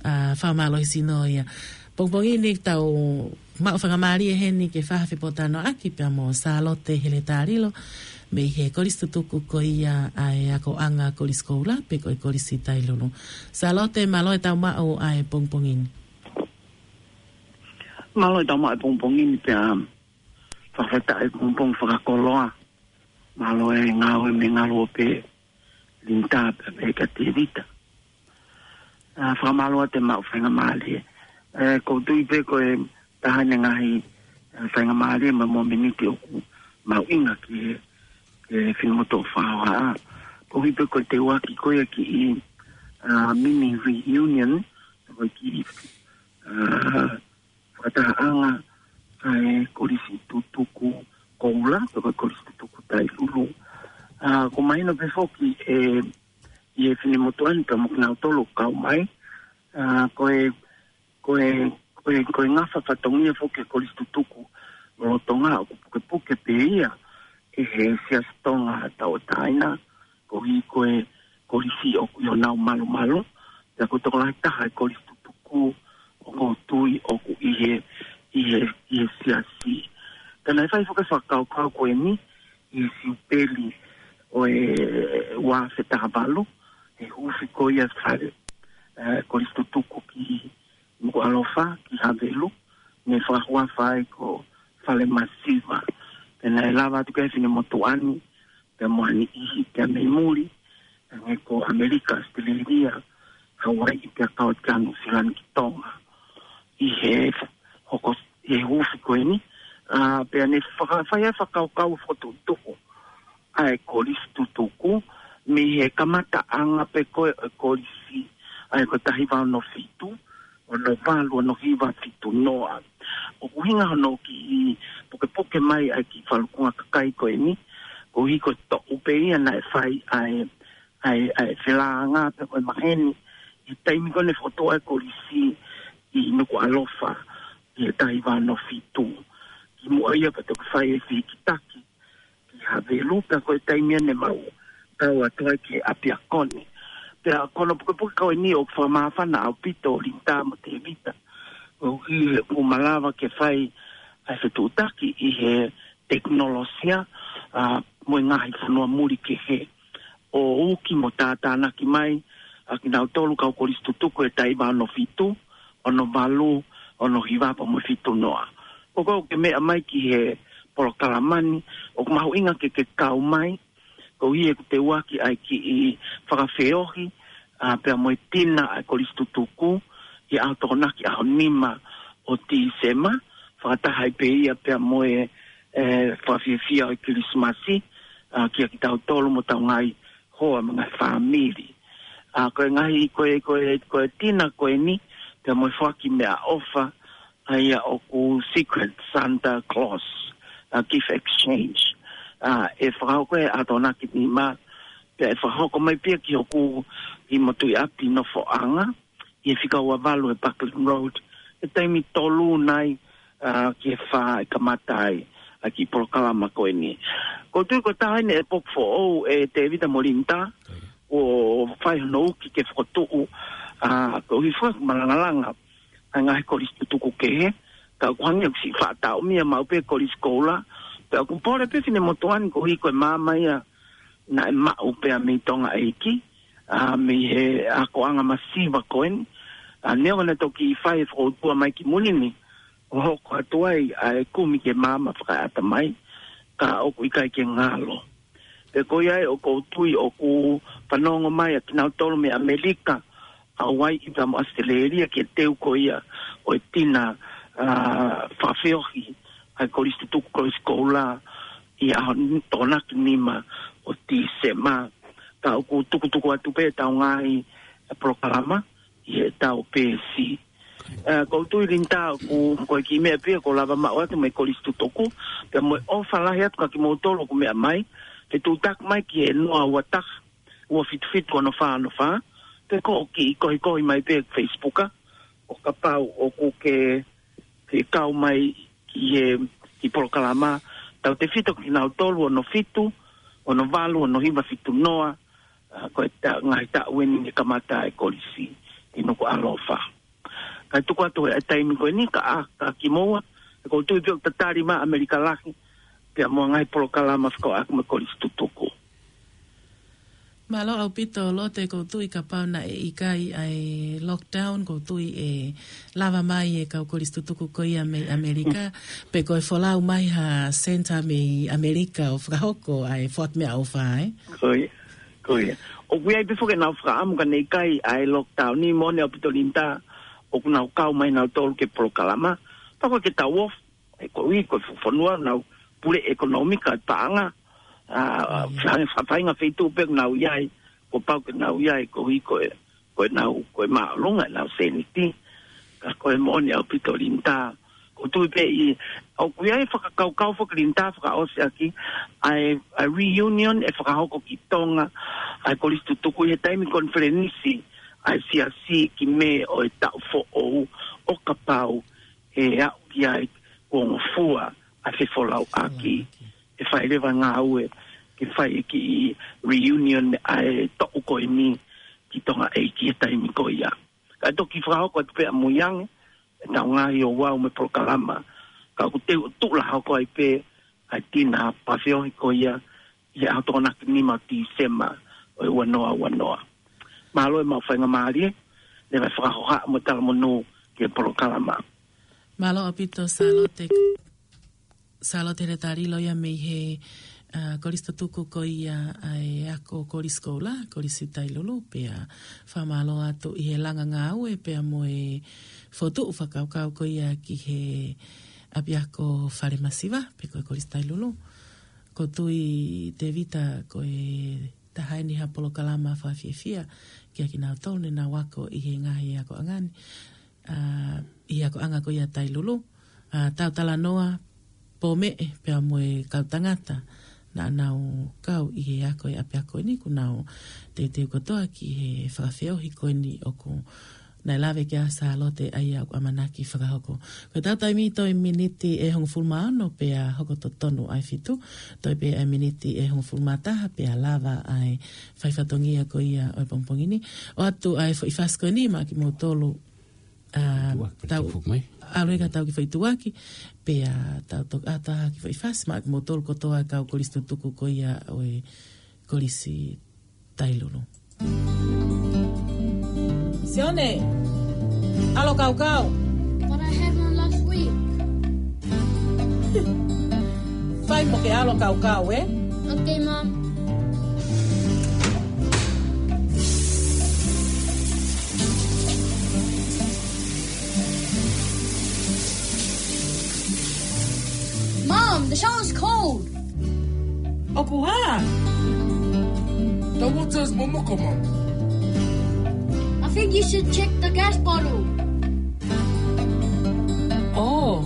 ʻa, fakamālohisino ia. Pongipongi ni tau maʻu faingamālie heni ke fai ha fepōtalanoaʻaki pea mo Sālote Heletalilo, mei he kolisi tutuku ko ia ʻa e akoʻanga Kolisi Koula, pe ko e Kolisi Tailulu. Sālote, mālō e tau maʻu ʻa e pongipongi ni. Mālō e tau maʻu e pongipongi ni pea fakafetaʻi e pongipongi fakakoloa. Mālō e ngāue mei he ngaluope Linda pea pehē kia Tēvita. ʻA, fakamālō atu e maʻu faingamālie. Ē, ʻoku ou tui pē ko e taha eni e ngaahi, ē, faingamālie mo e mōmeniti ʻoku mahuʻinga ki he, ki he finemotuʻa ʻoku fakahohaʻa. ʻOku ou tui pē ko e teuaki ko ia ki he, ā, mini reunion, ko e kiʻi, ā, fakatahaʻanga ʻa e kolisi tutuku koula, ko e kolisi tutuku Tailulu. Ā, ʻoku mahino pē foki ē, ʻi he finemotuʻa ni pea mo kinautolu ʻoku kau mai. Ā, ko e, ko e, ko e, ko e ngafa fatongia foki e kolisi tutuku lolotonga ʻoku pukepuke pē ia ʻe he Siasi Tonga Tauʻatāina, koeʻuhi ko e kolisi ʻoku ʻi honau malumalu, pea ko e tokolahi taha e kolisi tutuku ʻoku ou tui ʻoku ʻi he, ʻi he, ʻi he siasi. Ka naʻe fai foki e fakakaukau ko eni, ʻi he siupeli ʻo e ua afe taha valu, ʻi he huufi ko ia e fale, ē, kolisi tutuku ki Nukuʻalofa, ki Havelu, naʻe fakahuafa ai ko Fale Masiva. Pea naʻe lava atu ki he finemotuʻa ni, pea mo ha niʻihi, pea mei muli, hangē ko ʻAmelika, ʻAositelēlia, Hauaiʻi, pea kau atu ki Nuʻusila ni ki Tonga. ʻI he hoko, ʻi he huufi ko eni, ā, pea naʻe faka-, fai ai e fakakaukau fokotuʻutuʻu ʻa e kolisi tutuku, mei he kamataʻanga pē ko ē ʻo e kolisi, ʻa ia ko e taha hiva ono fitu, ono valu, ono hiva fitu noa. ʻOku ʻuhinga hono kiʻi pukepuke mai ʻa e kiʻi falukunga kakai ko eni, koeʻuhi ko e toʻu pē ia naʻe fai ʻa e, ʻa e, ʻa e felānga pē ko e maheni, ʻi he taimi ko ē naʻe fokotuʻu ai e kolisi ʻi Nukuʻalofa, ʻi he taha hiva ono fitu. Kimuʻa ia pea toki fai e fehikitaki ki Havelu, pea ko e taimi ia ne mau tau atu ai ki ʻApiako ni. Pea ko hono pukepuke ko eni ʻoku fakamāfana ʻaupito Linitā mo Tēvita, koeʻuhi he ʻoku malava ke fai ʻa e fetuʻutaki ʻi he tekinolosia, ā, mo e ngaahi fonua muli kehe, ʻo uki mo tātānaki mai ʻa kinautolu kau kolisi tutuku ʻi he taha hiva ono fitu, ono valu, ono hiva pea mo e fitu noa. Ko ʻeku meʻa mai ki he polokalama ni, ʻoku mahuʻinga ke ke kau mai, koeʻuhi he ʻoku teuaki ʻa e kiʻi fakafeohi, ā, pea mo e tina ʻa e kolisi tutuku, ʻi he ʻaho Tokonaki ʻaho nima ʻo Tīsema, fakataha ai pē ia pea mo e, ē, fakafiefia ʻo e Kilisimasi, ā, kia kitautolu mo hotau ngaahi hoa mo e ngaahi fāmili. Ā, ko e ngaahi, ko e, ko e, ko e tina ko eni, pea mo e foaki meʻaʻofa, ʻa ia ʻoku Secret Santa Claus, ā, gift exchange. Ā, ʻe fakahoko he ʻaho Tokonaki nima, pea ʻe fakahoko mai pē ia ki hoku kiʻi motuiʻapi nofoʻanga, ʻi he fika ua valu ʻi he Buckley Road, he taimi tolu nai, ā, ki he fā ʻe kamata ai ʻa e kiʻi polokalama ko eni. ʻOku ou tui ko e taha eni e poku foʻou ē Tēvita mo Linitā, ʻo fai hono uki ke fokotuʻu, ā, koeʻuhi foki ʻoku malangalanga ʻa e ngaahi kolisi tutuku kehe, ka ʻoku hangē ʻoku siʻi faʻa taʻomia maʻu pē e kolisi koula, pea ʻoku pole pē finemotuʻa ni koeʻuhi ko e maama ia naʻe maʻu pē ia mei Tonga ʻEiki, ā, mei he akoʻanga masiva ko eni, ā, neongo naʻe toki fai e fokoutua mai ki muli ni, ʻo hoko atu ai ʻa e kumi ki he maama fakaeʻatamai, ka ʻoku ʻikai ke ngalo. Pea ko ia ai ʻoku ou tui ʻoku fanongo mai ʻa kinautolu mei ʻAmelika, Hauaiʻi pea mo ʻAositelēlia ki he teu ko ia ʻo e tina, ā, fakafeohi ʻa e kolisi tutuku kolisi koula ʻi he ʻaho n-, Tokonaki nima ʻo Tīsema. Ka ʻoku tukutuku atu pē ʻetau ngaahi, ē, polokalama ʻi heʻetau peesi. Ē, ʻoku ou tui Linitā ʻoku, ko e kiʻi meʻa pē ia kuo lava maʻu atu mei he kolisi tutuku, pea mo e ʻofa lahi atu kia kimoutolu ʻoku meʻa mai, ke tuʻutaki mai ki he noa ua taha, ua fitu fitu ono fā ono fā, pe ko e kiʻi kohikohi mai pē Facebook, ʻo kapau ʻoku ke, ke kau mai ki he, kiʻi polokalama, tautefito kia kinautolu ono fitu, ono valu, ono hiva fitu noa, ā, ko e ta-, ngaahi taʻu eni ne kamata ai e kolisi ʻi Nukuʻalofa. Kae tuku atu e taimi ko eni ka ʻa, ka kimoua, ʻoku ou tui pē ʻoku tatali mai ʻa ʻAmelika Lahi, pea mo e ngaahi polokalama fekauʻaki mo e kolisi tutuku. Mālō ʻaupito Lote, ʻoku ou tui kapau naʻe ʻikai ʻa e lockdown, ʻoku ou tui ʻe lava mai e kau kolisi tutuku ko ia mei ʻAmelika, pe ko e folau mai ha senitā mei ʻAmelika ʻo fakahoko ʻa e foaki meʻaʻofa, ē? Ko ia, ko ia. ʻOku ʻi ai pē foki ʻenau fakaʻamu ka ne ʻikai ʻa e lockdown ni, moʻoni ʻaupito Linitā, ʻoku nau kau mai nautolu ki he polokalama, pea ko e ke tau ofi, ʻe koeʻuhi ko e fuʻu fonua ʻoku nau pule ʻekonōmika e paʻanga, ʻa, Mm. fa-, fa-, faʻahinga feituʻu pē ʻoku nau ʻi ai, kuo pau ke nau ʻi ai, koeʻuhi ko e, ko e nau, ko e māʻolunga ʻenau sēniti. Ka ko e moʻoni ʻaupito Linda, ʻoku ou tui pē ʻi, ʻoku ʻi ai e fakakaukau foki Linda fakaʻosi ʻaki ʻa e, ʻa e reunion ʻe fakahoko ki Tonga ʻa e Kolisi Tutuku ʻi he taimi konifelenisi ʻa e Siasi ki Mē ʻo e taʻu foʻou, ʻo kapau ʻe aʻu ki ai kuo ngofua ʻa e fefolauʻaki, ʻe fai leva ngāue ke fai e kiʻi reunion ʻa e toʻu ko eni ki Tonga ʻEiki he taimi ko ia. Ka toki fakahoko atu pē ʻamui ange ʻetau ngaahi ouau mo e polokalama. Ka ʻoku teu tuʻu lā hoko ai pē ʻa e tina fakafeohi ko ia ʻi he ʻaho Tokonaki nima ʻo Tīsema ʻo e ua noa ua noa. Mālō e maʻu faingamālie, leva e fakahohaʻa mo e talamonū ki he polokalama. Mālō ʻaupito Sālote. Sālote Leta Lilo ia mei he, ʻa, Kolisi Tutuku ko ia ʻa e Ako Kolisi Koula, Kolisi Tailulu, pea fakamālō atu ʻi he langa ngāue pea mo e fokotuʻu fakakaukau ko ia ki he ʻapiako Falemasiva, pe ko e Kolisi Tailulu. ʻOku ou tui Tēvita ko e taha eni ha polokalama fakafiefia kiate kinautolu ne nau ako ʻi he ngaahi akoʻanga ni, ʻa, ʻi he akoʻanga ko ia Tailulu, ʻa, tau talanoa, pōmeʻe pea mo e kau tangata naʻa nau kau ʻi he ako ʻi he ʻapiako ni, kuo nau teuteu kotoa ki he fakafeohi ko eni ʻoku naʻe lave ki ai ʻa Sālote ʻa ia ʻoku ʻamanaki fakahoko. Ko ʻetau taimi toe miniti ʻe hongofulu mā ono pea hoko totonu ʻa e fitu, toe pē ʻa e miniti ʻe hongofulu mā taha pea lava ʻa e fai fatongia ko ia ʻo e pongipongi ni. ʻOatu ʻa e foʻi fasi ko eni maʻa kimoutolu, ʻa, Tuʻuaki, tau tuʻuaki mai. ʻAlu ē ka tau kiʻi foʻi tuʻuaki, pea tau toki ʻata ha kiʻi foʻi fasi maʻa kimoutolu kotoa kau Kolisi Tutuku ko ia ʻo e Kolisi Tailulu. Sione, ʻalu ʻo kaukau. But I had one last week. Fai mo ke ʻalu ʻo kaukau, ē? Okay, Mom. Mom, the shower's cold. ʻOku hā? The water's momoko, Mom. I think you should check the gas bottle. Oh,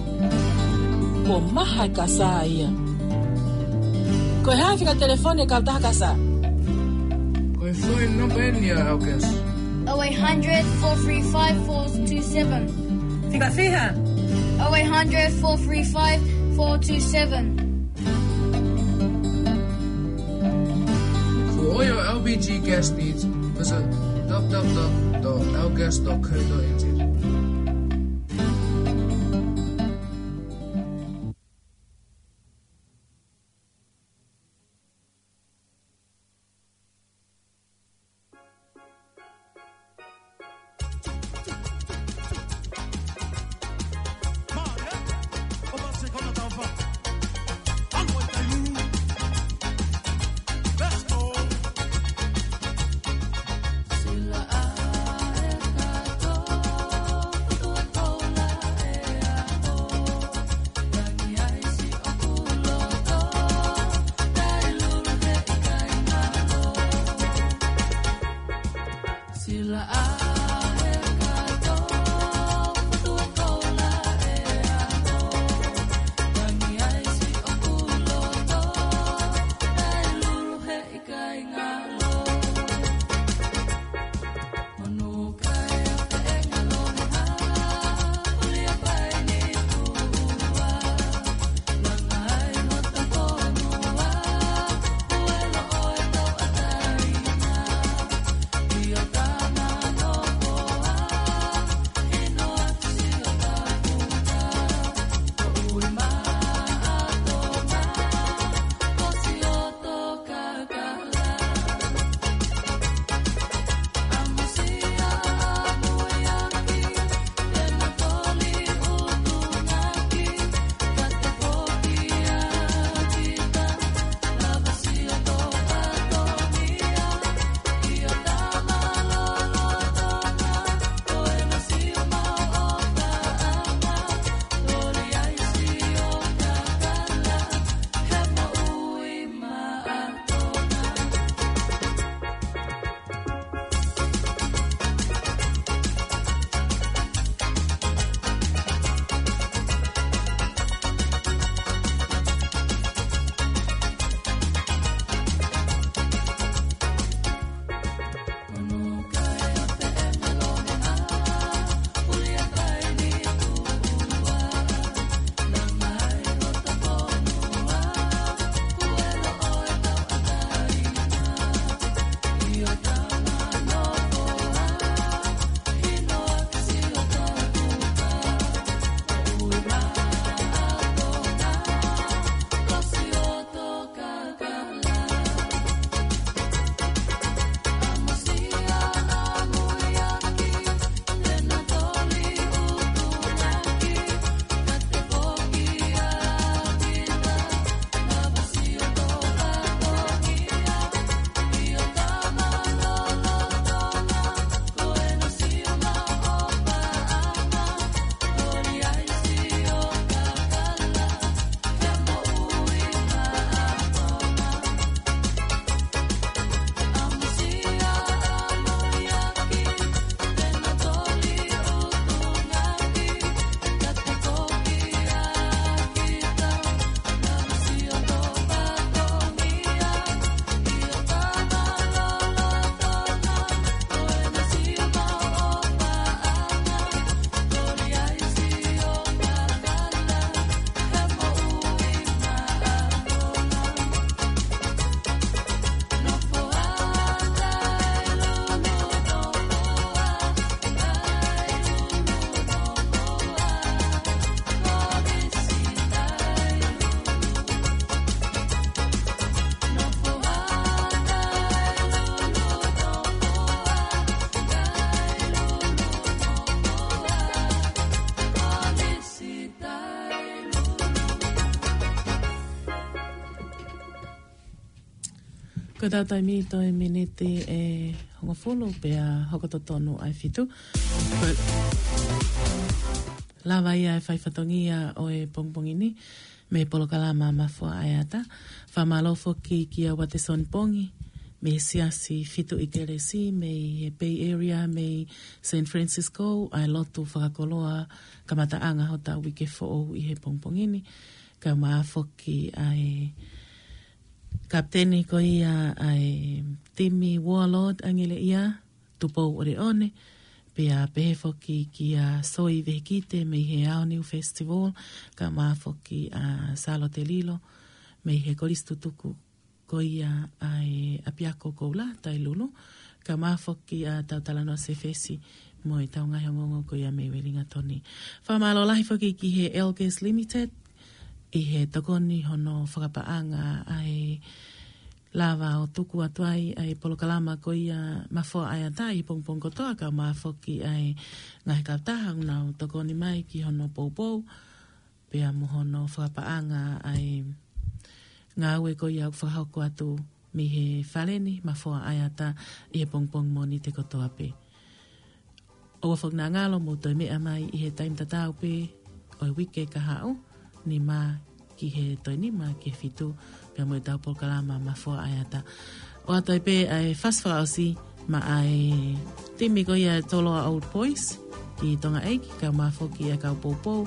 kuo maha e kasa ia. Ko e hā e fika telefoni e kautaha kasa? Ko e foʻi namba eni ʻa August. Oh eight hundred, four three five, four two seven. Fika fiha? Oh eight hundred, four three five, four two seven. For all your L P G gas needs, visit w w w dot l gas dot co dot n z. Ko ʻetau taimi toe miniti ʻe hongofulu pea hoko totonu ʻa e fitu. Lava ia e fai fatongia ʻo e pongipongi ni mei he polokalama Mafoa ʻa e Ata. Fakamālō foki kia Watson Pongi mei he Siasi Fitu ʻi Kelesi mei he Bay Area, mei San Francisco, ʻa e lotu fakakoloa kamataʻanga hotau uike foʻou ʻi he pongipongi ni. Kae ʻumaʻā foki ʻa e kapiteni ko ia ʻa e timi Warlord ʻAngeleʻia, Tupou ʻOleʻone, pea pehē foki kia Soi Vehikite mei he Aoniu Festival, kae ʻumaʻā foki ʻa Sālote Lilo mei he Kolisi Tutuku ko ia ʻa e ʻApiako Koula Tailulu, kae ʻumaʻā foki ʻa Tautalanoa Sefesi mo ʻetau ngaahi ongoongo ko ia mei Uelingatoni. Fakamālō lahi foki ki he Elkes Limited ʻi he tokoni hono fakapaʻanga ʻa e lava ʻo tuku atu ai ʻa e polokalama ko ia Mafoa ʻa e Ata ʻi he pongipongi kotoa, kae ʻumaʻā foki ʻa e ngaahi kautaha ʻoku nau tokoni mai ki hono poupou, pea mo hono fakapaʻanga ʻa e ngāue ko ia ʻoku fakahoko atu mei he fale ni Mafoa ʻa e Ata ʻi he pongipongi Mōnite kotoa pē. ʻOua foki naʻa ngalo mou toe meʻa mai ʻi he taimi tatau pē ʻo e uike kahaʻu, nima ki he toe nima ki he fitu, pea mo ʻetau polokalama Mafoa ʻa e Ata. ʻOatu ai pē ʻa e fasi fakaʻosi maʻa e timi ko ia e Toloa Old Boys ki Tonga ʻEiki, kae ʻumaʻā foki ʻa e kau poupou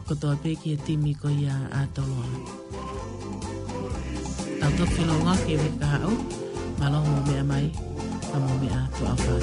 kotoa pē ki he timi ko ia ʻa Toloa. Tau toki feʻiloaki he uike kahaʻu, mālō hoʻomou meʻa mai, ka mou meʻa tuʻa ʻofa.